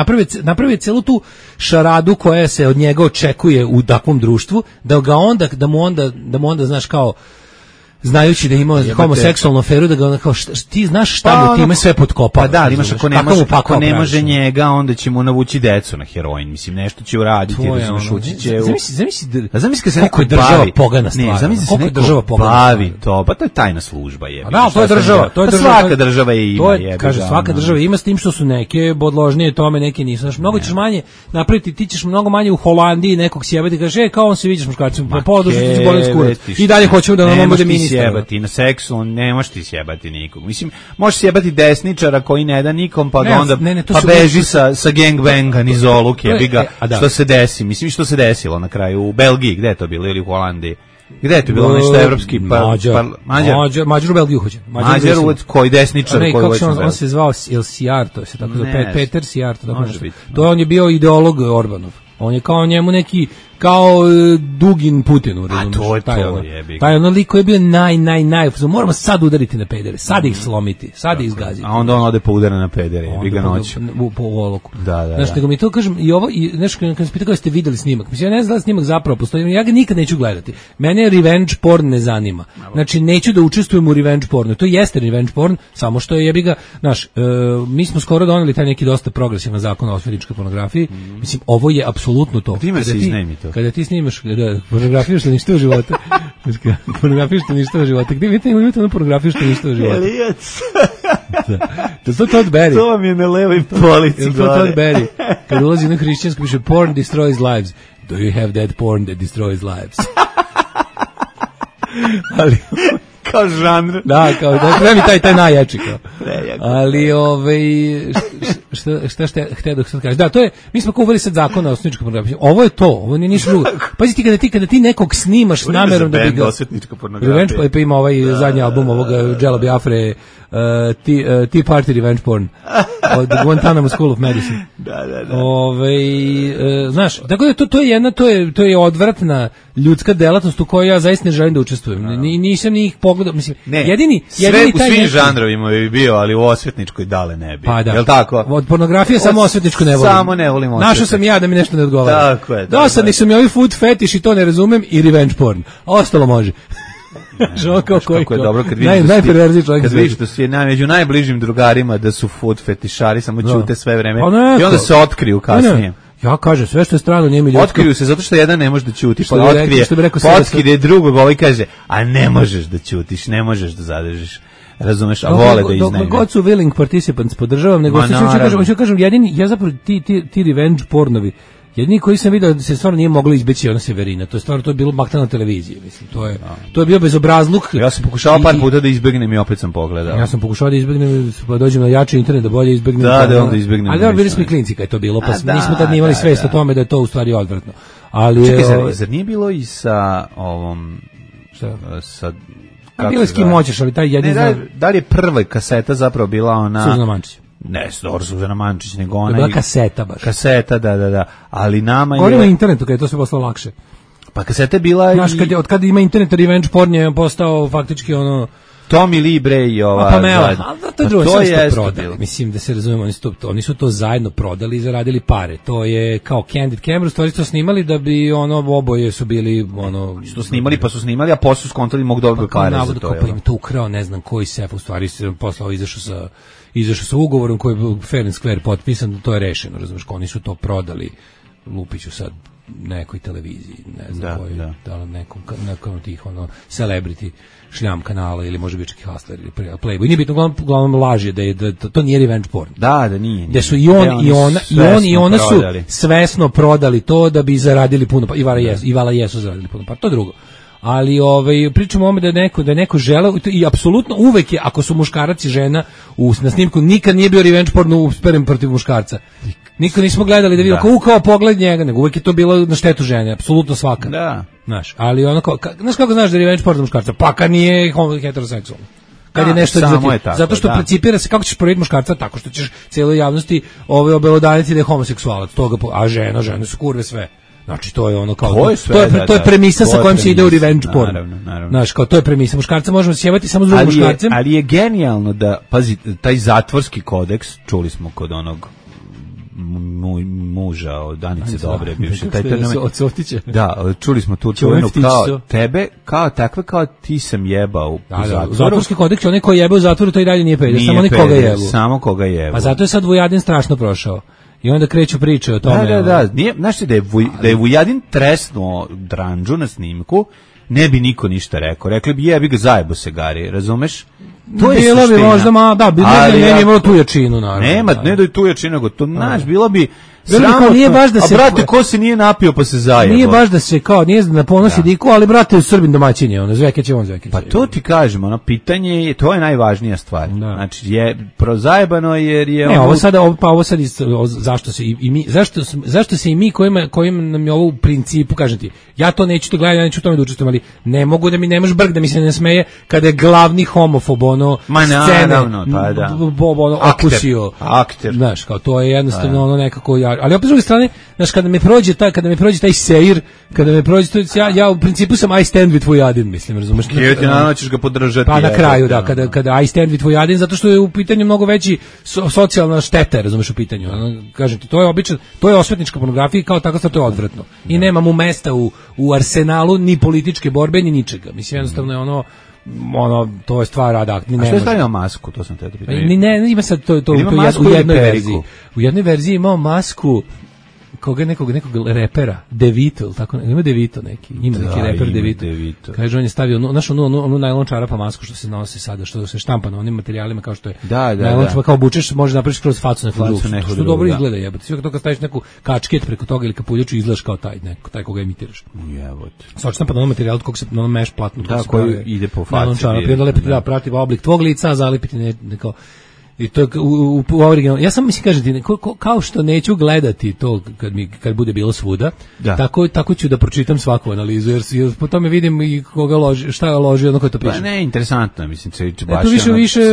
napravi celu tu šaradu koja se od njega očekuje u takvom društvu, da mu onda znaš kao znajući da ima homoseksualnu aferu, da ga onda kao ti znaš šta mu time sve potkopava. Pa da, imaš ako ne može njega, onda će mu navući decu na heroin, mislim nešto će uraditi, ući će. Zamisli se kako je država pogana stvar. Kako je država pogana. To, pa to je tajna služba je. Da, to je država, svaka država je ima, kaže svaka država ima, s tim što su neke podložnije tome, neke nisu. Znaš, mnogo ćeš manje napraviti, ti ćeš mnogo manje u Holandiji nekog sjebati, kaže kao on se vidiš muškarcem, pa poduži ti bolest kurac. I dalje hoćemo da nam bude ministar. Sjebati na seksu, ne možeš ti sjebati nikog. Mislim, možeš sjebati desničara koji ne da nikom, pa onda beži sa gangbanga niz oluke, jebiga, što se desi. Mislim, što se desilo na kraju u Belgiji, gde je to bilo, ili u Holandiji? Gde je to bilo nešto evropski? Mađar u Belgiju hoće. Mađar koji desničar koji hoće. On se zvao Sijar, to se tako zove, Peter Sijar, to on je bio ideolog Orbanov. On je kao njemu neki kao Dugin Putinu, razumiješ? A to je to, jebi. Taj ono lik koji je bio naj, moramo sad udariti na pedere, sad ih slomiti, sad ih izgaziti. A onda on ode po udara na pedere, jebi ga noću. Po oloku. Da. Znaš, nego mi to kažem, i ovo, i nešto kad se pita kako ste videli snimak, mislim, ja ne znam da snimak zapravo postoji, ja ga nikad neću gledati. Mene revenge porn ne zanima. Znači, neću da učestvujem u revenge pornu. To jeste revenge porn, samo što je jebi ga, znaš, mi smo skoro doneli taj neki dosta progresivan zakon o osvetničkoj pornografiji. Mislim, ovo je apsolutno to. Kada ti snimaš pornografiju što ništa u životu. Pornografiju što ništa u životu. Gdje vidite ono pornografiju što ništa u životu? Elijac. To je Todd Berry. To vam je na levoj polici. To je Todd Berry. Kad ulazi na hrišćansku piše porn destroys lives. Do you have that porn that destroys lives? Ali kao žanr. Da, kao da treba mi taj najjači kao. Ali šta hteo da kažeš. Da, to je, mi smo uveli sad zakon o osvetničkoj pornografiji. Ovo je to, ovo nije ništa drugo. Pazi ti kada ti nekog snimaš s namerom da bi ga osvetnička pornografija. Revenge, pa ima ovaj zadnji album ovoga Jela Biafre, Tea Party Revenge Porn od Guantanamo School of Medicine. Da. Znaš, tako da to je odvratna ljudska delatnost u kojoj ja zaista ne želim da učestvujem. Nisam ni ih pogledao, mislim, jedini u svim žanrovima bi bio, ali u osvetničkoj dale ne bi. Pa da. Jel tako? Od pornografije samo osvetničku ne volim. Samo ne volim osvetničku. Našao sam ja da mi nešto ne odgovara. Tako je. Dosadni su mi ovi food fetiš i to ne razumem i revenge porn. A ostalo može. Kako je dobro kad vidiš da si među najbližim drugarima da su food fetišari, samo ćute sve vreme i onda se otkriju kasnije. Ja kažem, sve što je strano nije mi ljudsko. Otkriju se zato što jedan ne može da ćuti, pa otkrije drugog, ovaj kaže, a ne možeš da ćutiš, ne možeš da zadržiš. Razumeš, a vole da iznajme. Dok god su willing participants podržavam, nego što kažem, jedini, ja zapravo ti revenge pornovi, jedini koji sam vidio da se stvarno nije moglo izbeći ona Severina, to je bilo bakta na televiziji, mislim, to je bio bezobrazluk. Ja sam pokušao par puta da izbegnem i opet sam pogledao. Ja sam pokušao da izbegnem, pa dođem na jači internet da bolje izbegnem. Da onda izbegnem. Ali bili smo i klinci kad je to bilo, pa nismo tad imali svest o tome da je to u stvari odvratno. Ali čekaj, zar nije bilo i sa ovom sa bilo s kim hoćeš, ali taj jedini da li je prva kaseta zapravo bila ona Suzana Mančić? Ne, Suzana Mančić, nego ona... To je bila kaseta baš. Kaseta, da. Ali nama je... Govorimo o internetu, kada je to sve postalo lakše. Pa kaseta je bila... Znaš, od kada ima internet, revenge porn je postao faktički ono... Tommy Lee Bre i ova... Pamela, to je drugo, sve što prodali. Mislim da se razumemo, oni su to zajedno prodali i zaradili pare. To je kao Candid Camera, stvari to snimali da bi oboje su bili... Su snimali, pa su snimali, a posle su skontali mogu dobiti pare za to. Pa im to ukrao, ne znam koji sef, u stvari se poslao, izašao sa ugovorom koji je fair and square potpisan, to je rešeno, razumiješ, oni su to prodali Lupiću sad nekoj televiziji, ne znam koji, da nekom od tih celebrity šljam kanala ili može biti čak i Hustler ili Playboy. Nije bitno, uglavnom laži da to nije revenge porn. Da nije. Da su i ona su svesno prodali to da bi zaradili puno, i Vala jesu zaradili puno, pa to je drugo. Ali pričamo o tome da je neko želeo i apsolutno uvek je, ako su muškarac i žena na snimku, nikad nije bio revenge porn usperen protiv muškarca. Nikad nismo gledali da vidimo kao pogled njega, nego uvek je to bilo na štetu žene, apsolutno svaka. Da. Znaš, ali znaš kako znaš da je revenge porn za muškarca? Pa kad nije heteroseksualno. Kad je nešto zato što principira se kako ćeš provjeriti muškarca tako što ćeš cijeloj javnosti obelodaniti da je homoseksualac, a žene su kurve sve. Znači to je ono kao to je premisa sa kojom se ide u revenge porn. Naravno. Znaš, kao to je premisa, muškarca možemo sjevati samo s drugim muškarcem. Ali je genijalno da pazi taj zatvorski kodeks, čuli smo kod onog muža od Danice Dobre, bivši taj od Softića. Da, čuli smo tu čuvenu kao tebe, kao takve kao ti sam jebao u zatvoru. Zatvorski kodeks, onaj koji jebe u zatvoru, to i dalje nije peder, samo onaj koga jebu. Samo koga jebu. A zato je sad Vujadin strašno prošao. I onda kreću priče o tome. Da. Znaš ti da je Vujadin tresnuo Dranđu na snimku, ne bi niko ništa rekao. Rekli bi jebi ga zajebo se Gari, razumeš? To je bilo bi možda ne imalo tu jačinu, naravno. Nema, ne da je tu jačinu, nego to, znaš, bilo bi sramotno, nije baš da se, a brate, ko se nije napio pa se zajebo? Nije baš da se kao, nije na ponosi diku, ali brate, Srbin domaćin je, Zvekeć je on Zvekeć. Pa to ti kažemo, pitanje je, to je najvažnija stvar. Znači, je prozajebano jer je... Ne, ovo sad, zašto se i mi kojim nam je ovo u principu, kažem ti, ja to neću to gledati, ja neću tome da učestvujem, ali ne mogu da mi nemaš brk, da mi se ne smeje kada je glavni homofob, scene, okusio. Akter. Znaš, kao to je jednostavno nekako, ali opet s druge strane, znaš, kada mi prođe taj seir, kada me prođe to, ja u principu sam I stand with Vujadin, mislim, razumeš? Ti naravno ćeš ga podržati. Pa na kraju, kada I stand with Vujadin, zato što je u pitanju mnogo veći socijalna šteta, razumeš, u pitanju. Kažem ti, to je obično, to je osvetnička pornografija i kao tako stvar to je odvratno. I nema mu mesta u arsenalu ni političke borbe, ni ničega. Mislim, jednostavno je to je stvar rada. A što je stavio masku, to sam te da pitam. Ne, ima sad to u jednoj verziji. U jednoj verziji imao masku nekog repera, DeVito, tako, ima DeVito neki, ima neki reper DeVito. Kaže, on je stavio onu najlon čarapa masku što se nosi sada, što se štampa na onim materijalima kao što je najlon čarapa, kao obučeš, može napraviš kroz facu neku drugu, što dobro izgleda, jebote. Sve kad staviš neku kačket preko toga ili kapuljaču, izgledaš kao taj koga imitiraš. Jebote. Sad štampa na onom materijalu kog se na onom meš platnu, koji ide po faci. I onda lepiti, prati oblik tvog lica, zalipiti neko. I to u originalno. Ja sam mislim kažem kao što neću gledati to kad bude bilo svuda, tako ću da pročitam svaku analizu jer po tome vidim i koga loži, šta loži, ono ko to piše. Pa ne, interesantno, mislim se baš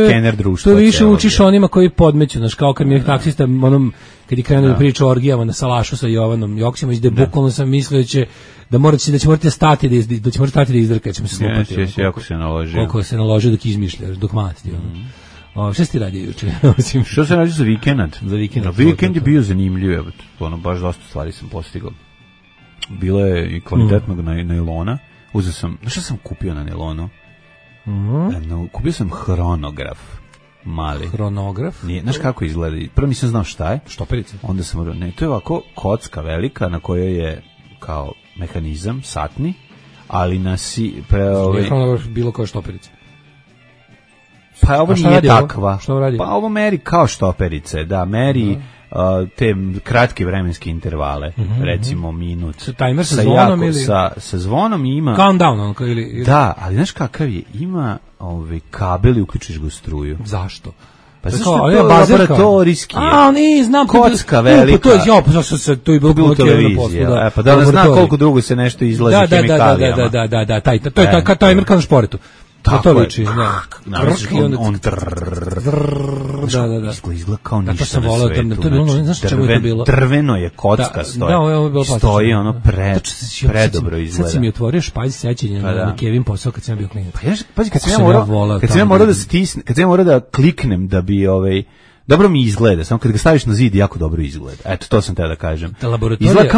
skener društva. To više učiš onima koji podmeću, znači kao kad mi je taksista onom kad je krenuo da priča o orgijama na salašu sa Jovanom Joksimović, da bukvalno sam mislio da će morati stati da izdrka, će mi se slupati. Jako se naložio. Koliko se naložio dok izmišljaš, dok masti. Šta si ti radio juče? Što sam radio za vikend? Vikend je bio zanimljiv, baš dosta stvari sam postigao. Bilo je i kvalitetnog najlona. Uzeo sam, šta sam kupio na najlonu? Kupio sam hronograf. Mali. Hronograf? Nije, znaš kako izgleda? Prvo nisam znao šta je. Štoperica? Onda sam morao, to je ovako kocka velika na kojoj je kao mehanizam, satni, ali Nije hronograf bilo koja štoperica? Pa ovo nije takva. Što radi? Pa ovo meri kao štoperice, meri te kratke vremenske intervale, recimo minut. Timer sa zvonom ili? Sa zvonom ima... Countdown ili... Da, ali znaš kakav je? Ima kabel i uključiš ga u struju. Zašto? Pa zašto je to laboratorijski? Znam. Kocka velika. To je bilo televizije. Pa da zna koliko dugo se nešto izlazi hemikalijama. Da, to je timer kao na šporetu. To liči, izgleda kao ništa na svetu. Drveno je kocka stoji, ono predobro izgleda. Sad si mi otvorio špalj sećanja na Kevin posao kad sam bio klinac. Pazi, kad sam ja morao da kliknem da bi dobro mi izgleda, samo kad ga staviš na zid jako dobro izgleda. Eto, to sam teo da kažem. Izgleda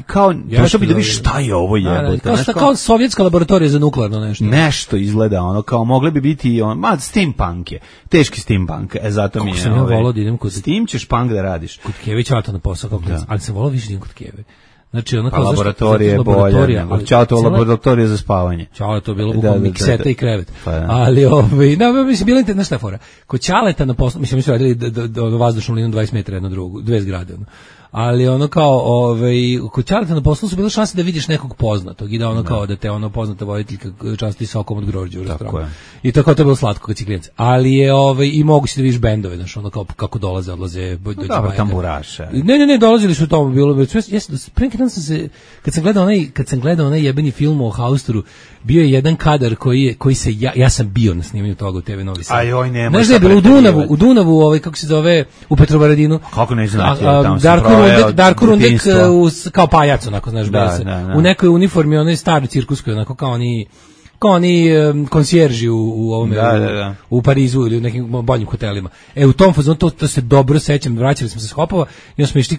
kao došao bi da vidiš šta je ovo jebote. Kao sovjetska laboratorija za nuklearno nešto. Nešto izgleda kao mogle bi biti steampunk je. Teški steampunk. Zato mi je. Kako sam ja volao da idem kod Steam ćeš punk da radiš. Kod Keve Ćata na posao kao klinac, ali sam volao više da idem kod Keve. Znači ona kao laboratorija je bolja, Ćato laboratorija za spavanje. Ćale to bilo bukvalno mikseta i krevet. Ali mislim bilo internetna šta fora. Kod Ćaleta na poslu, mislim mi su radili do vazdušnom linijom 20 metara jedno drugo, dve zgrade. Ali ono kao kod Ćaleta na poslu su bile šanse da vidiš nekog poznatog i da kao da te poznata voditeljka časti sokom od grožđa u restoranu. I tako je bilo slatko kad si klinac. Ali je i mogu si da vidiš bendove, znači ono kao kako dolaze, odlaze, dođe tamburaša. Ne, dolazili su tamo bilo. Kad sam gledao onaj jebeni film o Hausturu, bio je jedan kadar koji se ja sam bio na snimanju toga u TV Novi Sad. Znaš da je bilo u Dunavu, kako se zove, u Petrovaradinu. Kako ne znate, tamo Darko Rundek kao pajac, onako, znaš, u nekoj uniformi, onaj stari cirkuskoj, onako kao oni konsjerži u Parizu ili u nekim boljim hotelima. U tom fazonu to se dobro sećam, vraćali smo se s Hopova i onda smo išli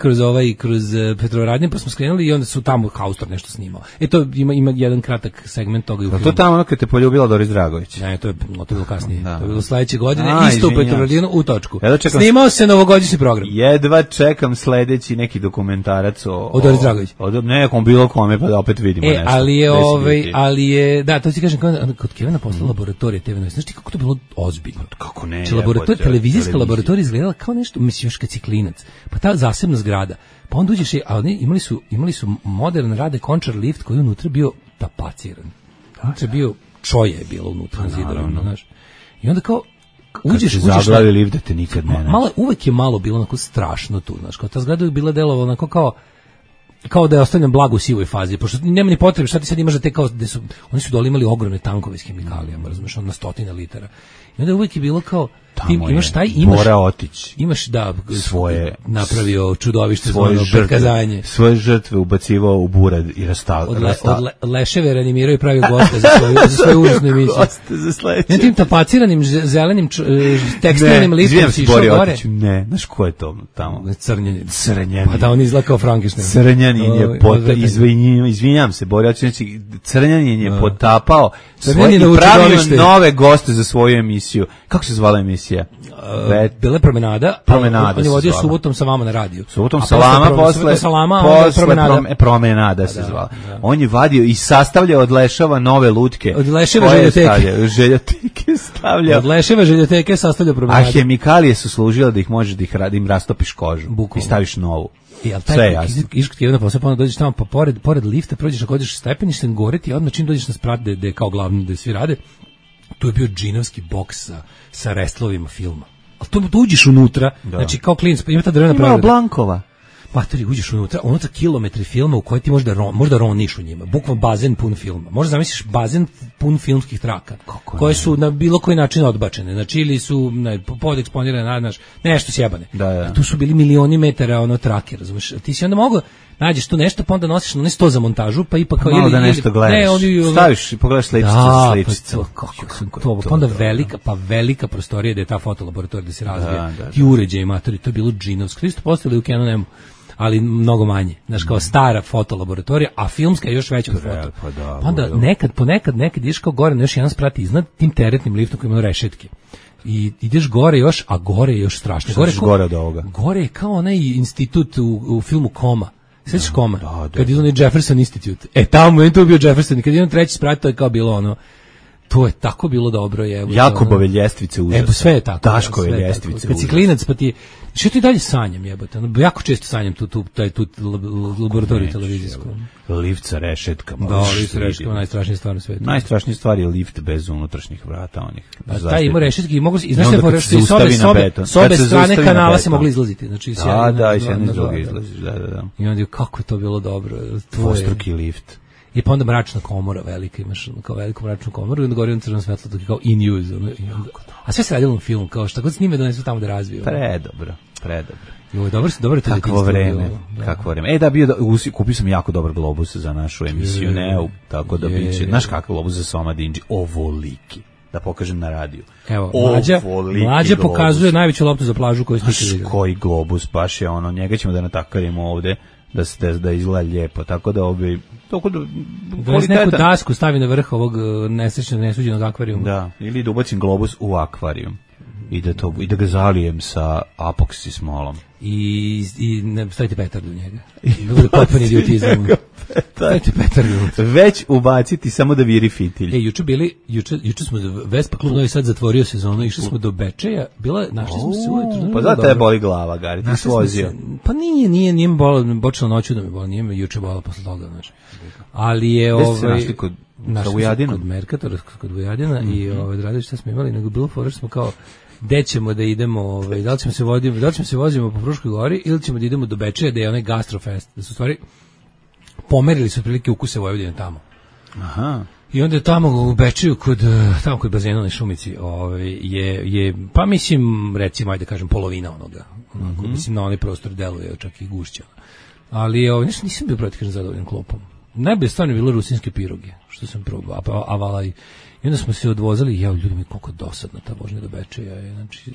kroz Petrovaradin, pa smo skrenuli i onda su tamo Haustor nešto snimao. To ima jedan kratak segment toga i u filmu. To tamo kad te poljubila Doris Dragović. Ne, to je bilo kasnije. To je bilo sledeće godine, isto u Petrovaradinu u točku. Snimao se novogodišnji program. Jedva čekam sledeći neki dokumentarac o Doris Dragović. Nekom bilo kome, pa da opet vidimo nešto. Ali je, da, to ti kažem, kod Kevina postala laboratorija TV Novi. Znaš ti kako to bilo ozbiljno? Kako ne? Televizijska laboratorija izgledala kao nešto, mislim, još kad si klinac. Pa ta zasebna zgrada. Pa onda uđeš, a oni imali su modern Rade Končar lift koji je unutra bio tapaciran. Unutra bio čoje je bilo unutra na zidovima, znaš. I onda kao uđeš zaglavi lift da te nikad ne. Uvek je malo bilo onako strašno tu, znaš, kao ta zgrada je bila delovala onako kao da je ostavljam blago u sivoj fazi, pošto nema ni potrebe, šta ti sad imaš da te kao, oni su dole imali ogromne tankove s hemikalijama, razumiješ, na 100 litara. I onda uvijek je bilo kao, ti imaš svoje napravio čudovište prikazanje. Svoje žrtve ubacivao u burad i od leševe reanimirao i pravio goste za svoju užasnu emisiju. Goste za sledeće. Ne tim tapaciranim zelenim tekstilnim listom si išao gore. Ne, znaš ko je to tamo? Crnjanin. Pa da on izgleda kao Frankenstein. Crnjanin je izvinjam se, Bori, znači Crnjanin je potapao i pravio nove goste za svoju emisiju. Kako se zvala emisija? emisija? Bila je Promenada. On je vodio Subotom sa vama na radiju. Subotom Salama, posle Promenada se zvala. On je vadio i sastavljao od leševa nove lutke. Od leševa željoteke stavljao. Od leševa željoteke sastavljao Promenada. A hemikalije su služile da ih možeš da im rastopiš kožu. I staviš novu. Sve jasno. Iško ti je na posao, pa onda dođeš tamo, pa pored lifta, prođeš ako dođeš stepeništem, gore ti, odmah čim dođeš na sprat, gde je kao glavno, gde svi rade, tu je bio džinovski boks sa restlovima filma. Ali to uđeš unutra, znači kao klinac, ima ta drvena pregrada. Ima Blankova. Matori, uđeš unutra kilometri filma u koje ti možda roniš u njima, bukvalno bazen pun filma. Možda zamisliš bazen pun filmskih traka, koje su na bilo koji način odbačene, znači ili su podeksponirane, nešto sjebane. Tu su bili milioni metara trake, razumiješ? Ti si onda mogao nađeš tu nešto, pa onda nosiš na sto za montažu, pa ipak kao malo da nešto gledaš. Staviš i pogledaš sličicu. Pa onda velika prostorija da je ta fotolaboratorija da se razvija. Ti uređaji, matori, to je bilo džinovsko. Isto postavili u Canon-emu, ali mnogo manje. Znaš, kao stara fotolaboratorija, a filmska je još veća od foto. Pa onda ponekad ideš kao gore na još jedan sprat iznad tim teretnim liftom koji ima rešetke. I ideš gore još, a gore je još strašno. Gore od ovoga. Gore je kao onaj institut u filmu Koma. Svećaš Koma? Kad je onaj Jefferson Institute. Tamo je to bio Jefferson. Kad je on treći sprat, to je kao bilo ono. To je tako bilo dobro. Jakobove ljestvice užasne. Sve je tako. Daškove ljestvice užasne. Kad si klinac, pa ti... Što ti dalje sanjam, jebote? Jako često sanjam tu laboratoriju televizijsku. Lift sa rešetkama. Da, lift sa rešetkama, najstrašnija stvar na svetu. Najstrašnija stvar je lift bez unutrašnjih vrata onih. Taj ima rešetke i mogu se... Znaš s obe strane kanala se mogli izlaziti. Da, i s jedne iz druge izlaziš. I onda kako je to bilo dobro. Dvostruki lift. I pa onda mračna komora velika, imaš kao veliku mračnu komoru i onda gori on crveno svetlo, dok je kao in use. A sve se radilo na film, kao šta god snime donesu tamo da razviju. Predobro. Joj, dobro to kakvo vreme. Kupio sam jako dobar globus za našu emisiju Neu, tako da biće. Znaš kakav globus za Soma Dinđi? Ovoliki. Da pokažem na radiju. Evo, Mlađa pokazuje najveću loptu za plažu koju ste vidjeli. Koji globus, baš je ono, njega ćemo da natakarimo ovde. Da izgleda lijepo, tako da neku dasku stavi na vrh ovog nesuđenog akvarijuma. Da, ili da ubacim globus u akvarijum i da ga zalijem sa apoksi smolom. I stavite petardu u njega. Da bude potpuni idiotizam. Stavite petardu. Već ubaciti samo da viri fitilj. Juče smo Vespa klub Novi Sad zatvorio sezonu, išli smo do Bečeja, našli smo se ujutru. Pa zato je boli glava, Gari, ti si vozio. Pa nije me bolilo, počelo noću da me boli, nije me juče bolilo posle toga, znači. Ali je Gde ste se našli kod Vujadina? Kod Merkatora, kod Vujadina i radili šta smo imali, nego bilo fora što smo kao gde ćemo da idemo, da li ćemo se vozimo po Fruškoj gori ili ćemo da idemo do Bečeja, da je onaj gastrofest, da su stvari pomerili su otprilike ukuse Vojvodine tamo. Aha. I onda je tamo u Bečeju tamo kod bazena na Šumici, je pa mislim recimo ajde kažem polovina onoga. Mislim na onaj prostor deluje čak i gušće. Ali nisam bio protiv zadovoljan klopom. Najbolje stvarno je bilo rusinske piroge, što sam probao, avalaj. I onda smo se odvozali i ljudi mi koliko dosadna ta vožnja do Bečeja. Znači,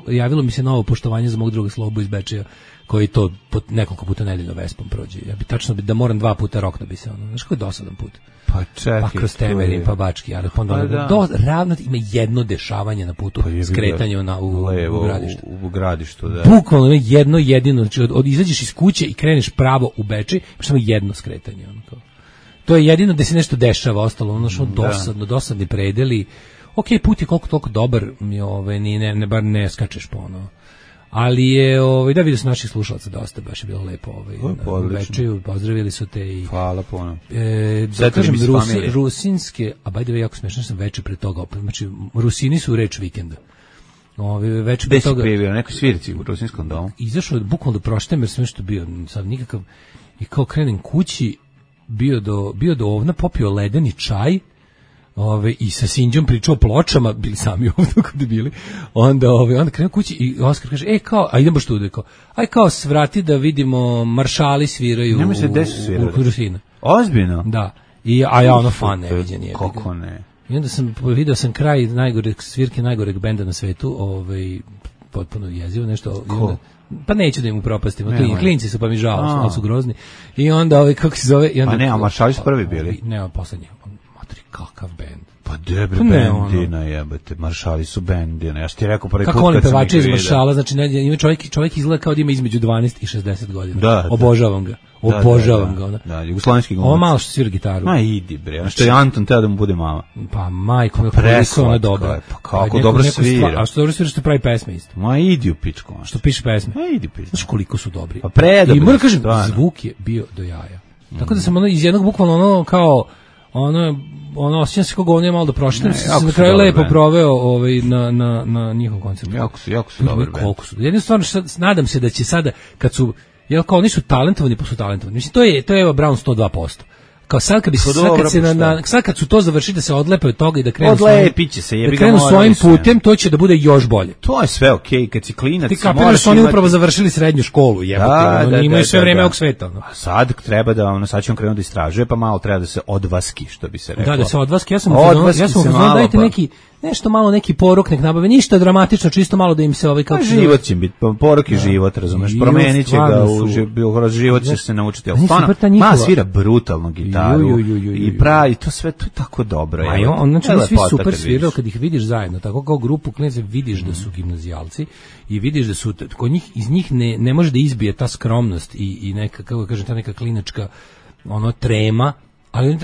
javilo mi se novo poštovanje za mog druga Slobu iz Bečeja, koji to nekoliko puta nedeljno Vespom prođe. Ja bi tačno da moram 2 puta rokno bi se ono. Znaš koji je dosadan put? Pa čekaj. Pa kroz Temerin, pa Bački, ali onda ravno ima jedno dešavanje na putu, skretanje u Gradištu. U Gradištu, da. Bukvalno ima jedno jedino, znači izađeš iz kuće i kreneš pravo u Bečej, pa samo jedno skretanje. Ono to je jedino da se nešto dešava, ostalo ono što dosadni predeli. Okej, put je koliko toliko dobar, bar ne skačeš po ono. Ali je, da vidio sam naših slušalaca dosta, baš je bilo lepo u Bečeju, pozdravili su te i... Hvala puno. Da kažem, rusinske, a by the way, jako smešno sam veče pre toga opet, znači, Rusini su reč vikenda. Veče pre toga... Gde si bio, nekoj svirici u rusinskom domu? Izašao je bukvalno do proštem, jer sam nešto bio, sad nikakav, i kao krenem kući, bio do ovna, popio ledeni čaj, i sa Sinđom pričao o pločama, bili sami ovdje kada bili, onda krenuo kući i Oskar kaže, a idemo što ude, kao svrati da vidimo maršali sviraju u Rusina. Ozbiljno? Da, a ja ono fan neviđen je. Kako ne? I onda vidio sam kraj svirke najgoreg benda na svetu, potpuno jezivo, nešto. Pa neću da im upropastim, klinci su pa mi žao, ali su grozni. I onda kako se zove... Pa ne, a maršali su prvi bili. Ne, poslednji. Matri, kakav bend. Pa debre bendina jebate, maršali su bendina. Ja što ti rekao prvi put kad sam ih vidio. Kako oni pevači iz maršala, znači ima čovjek izgleda kao da ima između 12 i 60 godina. Da, obožavam ga. Obožavam ga. Ona. Da, jugoslovenski glumac. Ovo malo što svira gitaru. Ma idi bre, što je Anton teo da mu bude mama. Pa majko, koliko ona dobra. Pa kako dobro svira. A što dobro svira što pravi pesme isto. Ma idi u pičku. Što piše pesme. Ma idi pičku. Znaš koliko su dobri. Pa predobri. I moram kažem, zvuk je bio do jaja. Tako da sam iz jednog bukvalno ono kao ono osjećam se kako ovdje malo da pročitam, sam na kraju lepo proveo na njihov koncert. Jako su dobri. Koliko su. Jedino stvarno nadam se da će sada kad su jel kao oni su talentovani pa su talentovani. Mislim to je Eva Braun 102%. Kao sad kad bi sad kad su to završili da se odlepe od toga i da krenu odlepiće se, jebi ga, krenu svojim putem, to će da bude još bolje. To je sve okej, kad si klinac. Ti kapiraš su oni upravo završili srednju školu, jebote, oni imaju sve vreme ovog sveta. A sad treba da sad će on krenuti da istražuje, pa malo treba da se odvaski, što bi se reklo. Da se odvaski, ja sam dajte nešto malo neki porok nek nabave, ništa dramatično, čisto malo da im se kako život će biti, porok je život, razumeš, promenit će ga, život će se naučiti. Ma svira brutalno gitaru i pravi, to sve, to je tako dobro. Znači oni svi super sviraju kad ih vidiš zajedno, tako kao grupu klinaca vidiš da su gimnazijalci i vidiš da su, kod njih, iz njih ne može da izbije ta skromnost i neka, kako kažem, ta neka klinačka trema. Ali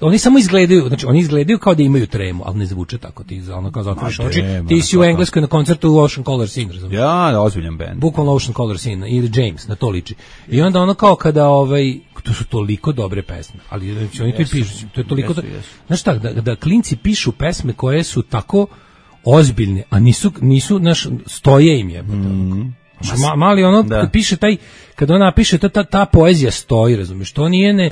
oni samo izgledaju, znači oni izgledaju kao da imaju tremu, ali ne zvuče tako, ti kao zatvoriš oči. Ti si u Engleskoj na koncertu u Ocean Color Scene, razumiješ? Ja, ozbiljan band. Bukvalno Ocean Color Scene ili James, na to liči. I onda ono kao kada to su toliko dobre pesme, ali znači, oni to i pišu, to je toliko znaš šta, da klinci pišu pesme koje su tako ozbiljne, a nisu naš stoje im je. Mali kad piše kad ona piše ta poezija stoji, razumiješ, to nije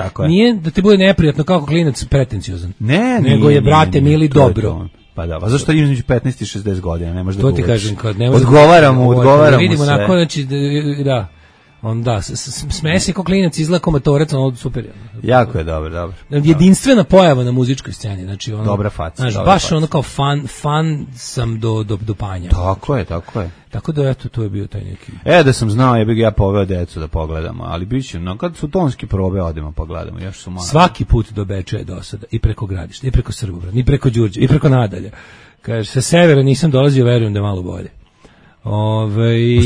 da ti bude neprijatno kako klinac pretenciozan. Nego je, brate mili, dobro. Pa da, pa zašto između 15 i 60 godina, ne možeš da govoriš. To ti kažem, kad ne možeš. Odgovaramo vidimo sve. Vidimo znači da. Onda smeje se kao klinac, izgleda kao matorac, ono super. Jako je dobro. Jedinstvena pojava na muzičkoj sceni, znači ono. Dobra faca. Znači baš ono kao fan sam do panja. Tako je. Tako da eto, to je bio taj neki. Da sam znao, ja poveo decu da pogledamo, ali biće, kad su tonski probe, odemo pogledamo, još su malo. Svaki put do Beča je dosada, i preko Gradišta, i preko Srbobrana, i preko Đurđe, i preko Nadalja. Kaže, sa severa nisam dolazio, verujem da je malo bolje.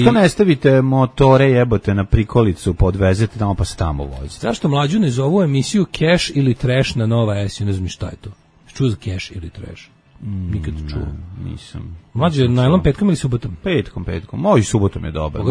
Što ne stavite motore jebote na prikolicu, podvezete tamo pa se tamo vozite? Zašto mlađu ne zovu emisiju Cash ili Trash na Nova S? Ne znam šta je to. Čuo za Cash ili Trash? Nikad čuo. Nisam. Mlađe, najlon petkom ili subotom? Petkom. Moj subotom je dobar.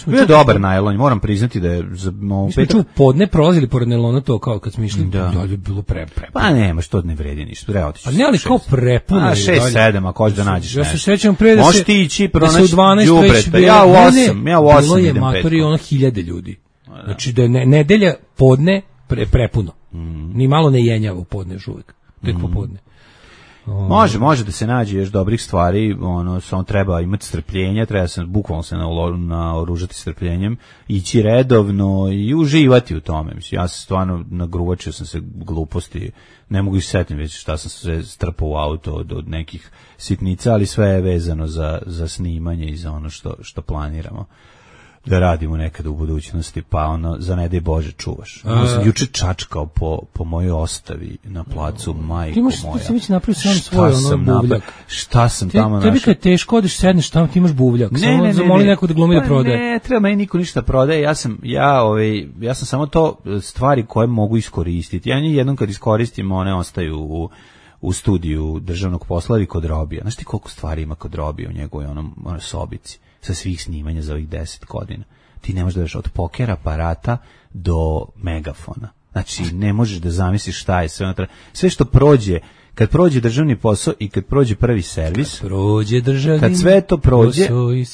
Mi je dobar najlon, moram priznati da je mi smo čuo podne prolazili pored najlona, to kao kad smo išli, da je bilo pre. Pa nema, što ne vredi ništa, treba otići. A ne, ali kao prepuno. 6-7, ako hoćeš da nađeš nešto. Ja se sećam pre da se... Možeš ti ići pronaći đubreta. Ja u 8 idem petkom. Bilo je ono 1000 ljudi. Znači da je nedelja podne prepuno. Ni malo ne jenjava u podne još uvijek. Tek popodne. Može da se nađe još dobrih stvari, samo treba imati strpljenja, treba se bukvalno se naoružati strpljenjem, ići redovno i uživati u tome. Mislim, ja sam stvarno nagruvačio sam se gluposti, ne mogu issetiti već šta sam se strpao u auto od nekih sitnica, ali sve je vezano za snimanje i za ono što planiramo da radimo nekada u budućnosti, pa za ne daj Bože čuvaš. Sam juče čačkao po mojoj ostavi na placu, majko moja. Ti si već napravio sam svoj buvljak. Šta sam tamo našao? Tebi kad je teško, odeš, sedneš tamo, ti imaš buvljak. Samo zamoli neko da glumi da prodaje. Ne, treba meni niko ništa prodaje. Ja sam samo to stvari koje mogu iskoristiti. Ja jednom kad iskoristim, one ostaju u studiju državnog posla i kod Robija. Znaš ti koliko stvari ima kod Robija u njegovoj sobici? Sa svih snimanja za ovih 10 godina. Ti ne možeš da veš od poker aparata do megafona. Znači, ne možeš da zamisliš šta je sve unutra. Sve što prođe, kad prođe državni posao i kad prođe prvi servis, kad sve to prođe,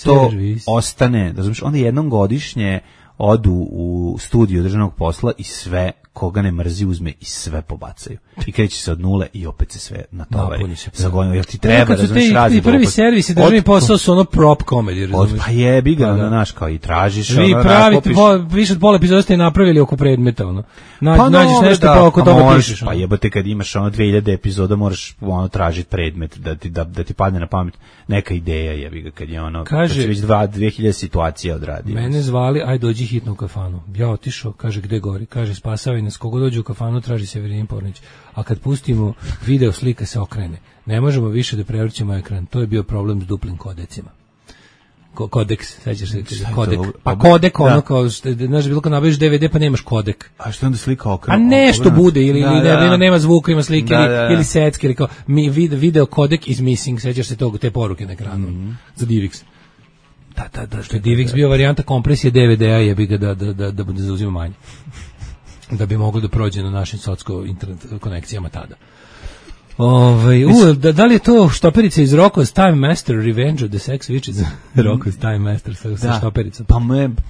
to ostane. Razumiješ, onda jednom godišnje odu u studiju državnog posla i sve koga ne mrzi uzme i sve pobacaju. I kreće se od nule i opet se sve natovari. Zagonilo, jer ti treba da znaš razli. Prvi servis i državni posao su ono prop comedy, razumiješ? Pa jebi ga, naš, kao i tražiš. Vi pravite, više od pola epizoda ste napravili oko predmeta, nađeš nešto pa oko toga pišeš. Pa jebote, kad imaš 2000 epizoda, moraš tražiti predmet, da ti padne na pamet neka ideja, jebi ga, kad je kad se već 2000 situacija odradio. Mene zvali, aj dođi hitno u kafanu. Ja otišao, kaže, gde gori? Kaže, spasavaj nas, kogo dođe u kafanu traži Severin Pornić, a kad pustimo video slika se okrene. Ne možemo više da prevrćemo ekran, to je bio problem s duplim kodecima. Kodeks, sećaš se, kodek. Pa kodek, ono kao, znaš, bilo kao nabaviš DVD pa nemaš kodek. A što onda slika okrenu? A nešto bude, ili nema zvuka, ima slike, ili secke, ili kao, video kodek is missing, sećaš se te poruke na ekranu, za DivX. Da, što je DivX bio varijanta kompresije DVD-a, jebi ga da bude zauzima manje. Da bi moglo da prođe na našim socko internet konekcijama tada. Da li je to štoperica iz Rocko's Time Master Revenge of the Sex Witches? Rocko's Time Master sa štopericom. Pa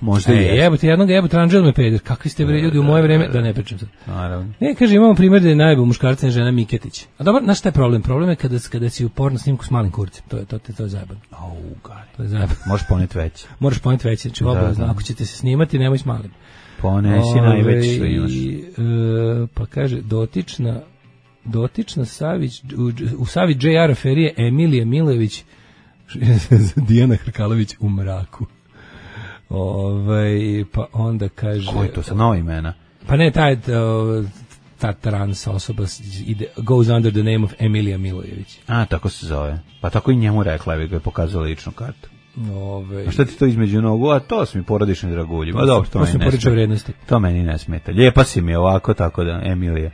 možda je. Jebote, jebote, Anđel me peder. Kakvi ste bre ljudi u moje vreme? Da ne pričam sad. Kaže, imamo primjer da je najbolj muškarca žena Miketić. A dobro, znaš šta je problem? Problem je kada si u porno snimku s malim kurcem. To je zajebano. To je zajebano. Možeš poneti veće. Moraš poneti veće. Znači, obavezno, ako ćete se snimati, nemoj s malim. Ponesi najveći što imaš. Pa kaže, dotična Savić, u Savić J.R. aferije Emilija Milojević, Dijana Hrkalović u mraku. Pa onda kaže... Ko je to sa nova imena? Pa ne, ta trans osoba goes under the name of Emilija Milojević. A, tako se zove. Pa tako i njemu rekla, bi ga je pokazala ličnu kartu. A šta ti to između nogu? A to su mi porodični dragulji. Pa dobro, to meni ne smeta. To meni ne smeta. Lijepa si mi ovako, tako da, Emilija.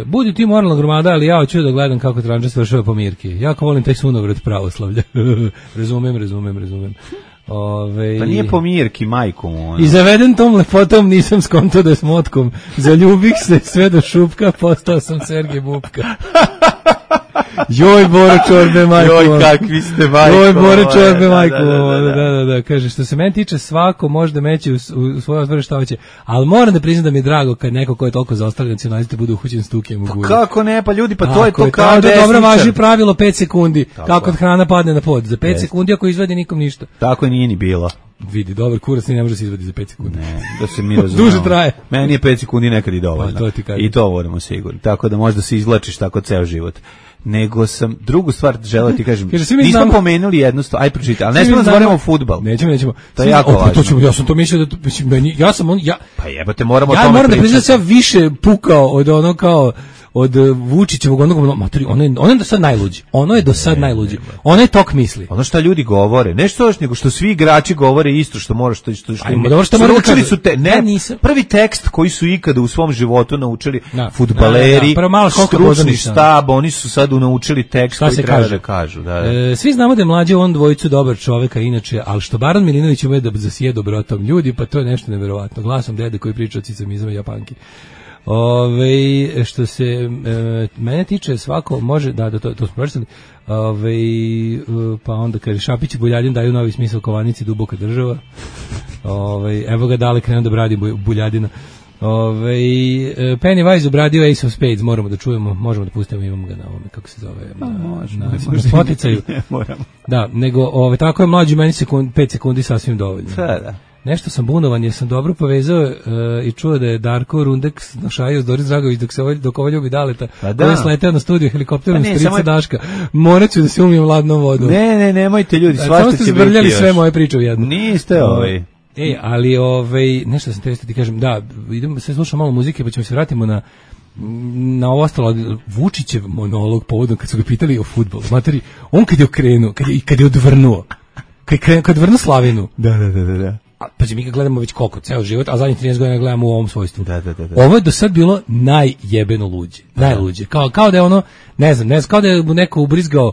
Budi ti moralna gromada, ali ja hoću da gledam kako Tranđa svršava po Mirki. Jako volim taj sunovrat pravoslavlja. Razumem. Pa nije po Mirki, majku mu. I zaveden tom lepotom nisam skonto da s motkom. Zaljubih se sve do šupka, postao sam Sergej Bubka. Joj, Bore čorbe, majko. Joj, kakvi ste, majko. Joj, Bore čorbe, majko. Da. Kaže, što se meni tiče, svako može da meće u svoje odvore šta hoće, ali moram da priznam da mi je drago kad neko ko je toliko zaostali nacionaliste bude uhućen s tukijem u gulju. Pa kako ne, pa ljudi, pa to je to kao desničar. Dobro važi pravilo 5 sekundi, kako kad hrana padne na pod. Za 5 sekundi ako izvadi nikom ništa. Tako nije ni bilo. Vidi, dobar kurac ne može se izvadi za 5 sekundi. Ne, da se mi razumemo. Duže traje. Meni je 5 sekundi nekad i dovoljno. I to vodimo sigurno. Tako da možda se izvlačiš tako ceo život. Nego sam drugu stvar želeo ti kažem. Nismo pomenuli jednu stvar, aj pročitaj, ali ne smemo da zaboravimo fudbal. Nećemo. To je jako važno. Ja sam to mislio da Pa jebote, moramo o tome pričati. Ja moram da priznam da sam više pukao od ono kao od Vučićevog onog materi, ono je do sad najluđi. Ono je do sad najluđi. Ono je tok misli. Ono što ljudi govore, nešto još nego što svi igrači govore isto što mora što naučili su prvi tekst koji su ikada u svom životu naučili fudbaleri, stručni štab, oni su sad naučili tekst koji treba da kažu. Svi znamo da je mlađi on dvojicu dobar čoveka inače, ali što Baran Milinović ume da zasije dobrotom ljudi, pa to je nešto neverovatno. Glasom dede koji priča o cicamizama i Japanki. Što se mene tiče, svako može to smo pročitali. Pa onda kaže Šapić i Buljadin daju novi smisao kovanici duboka država. Evo ga Dale krenuo da bradi Buljadina. Pennywise obradio Ace of Spades, moramo da čujemo, možemo da pustimo, imamo ga na ovome, kako se zove, na Spotify. Da, nego tako je mlađi meni 5 sekundi sasvim dovoljno. Da. Nešto sam bunovan jer sam dobro povezao i čuo da je Darko Rundek našajio s Doris Dragović dok ovo ljubi Daleta, koji je sleteo na studiju helikopterom strica Daška. Morat ću da se umijem ladnom vodom. Ne, nemojte ljudi, svašta će biti još. Samo ste zbrljali sve moje priče u jednu. Niste ali nešto sam te kažem, da, idemo sve slušamo malo muzike pa ćemo se vratimo na ovo ostalo. Vučićev monolog povodom kad su ga pitali o fudbalu. Materi, on kad je okrenuo, kad je odvrnuo, kad vrnu Slavinu. Da. Pa mi ga gledamo već koliko, ceo život, a zadnjih 13 godina gledamo u ovom svojstvu. Da. Ovo je do sad bilo najjebeno luđe. Najluđe. Kao da je ono, ne znam, kao da je mu neko ubrizgao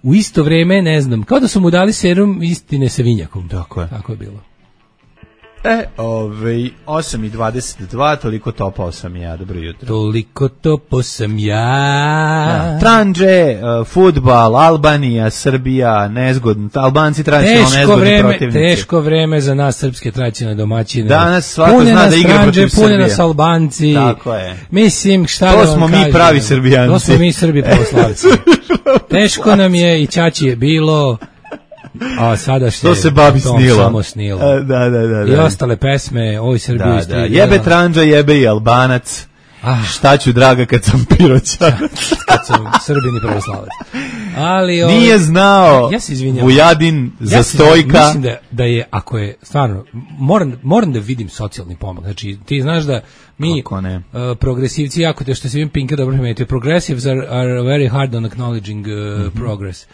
u isto vreme, ne znam, kao da su mu dali serum istine sa vinjakom. Tako je bilo. 8:22, toliko topao sam ja, dobro jutro. Toliko topao sam ja. Tranđe, fudbal, Albanija, Srbija, nezgodno, Albanci tradicionalno nezgodni protivnici. Teško vreme za nas srpske tradicionalne domaćine. Danas svako zna da igra protiv Srbije. Pune nas Albanci. Tako je. Mislim, šta da vam kažem. To smo mi pravi Srbijanci. To smo mi Srbi pravoslavci. Teško nam je i ćaći je bilo. A sada što se babi snilo. Samo snilo. Da. I ostale pesme, oj Srbiji. Da. Jebe Tranđa, jebe i Albanac. Šta ću, draga, kad sam piroćanac? Kad sam Srbin i pravoslavac. Ali nije znao ja se izvinjam. Vujadin za Stojka. Mislim da je, ako je stvarno, moram da vidim socijalni pomak. Znači, ti znaš da mi progresivci, jako te što se vidim Pinka dobro primetio, progressives are very hard on acknowledging progress.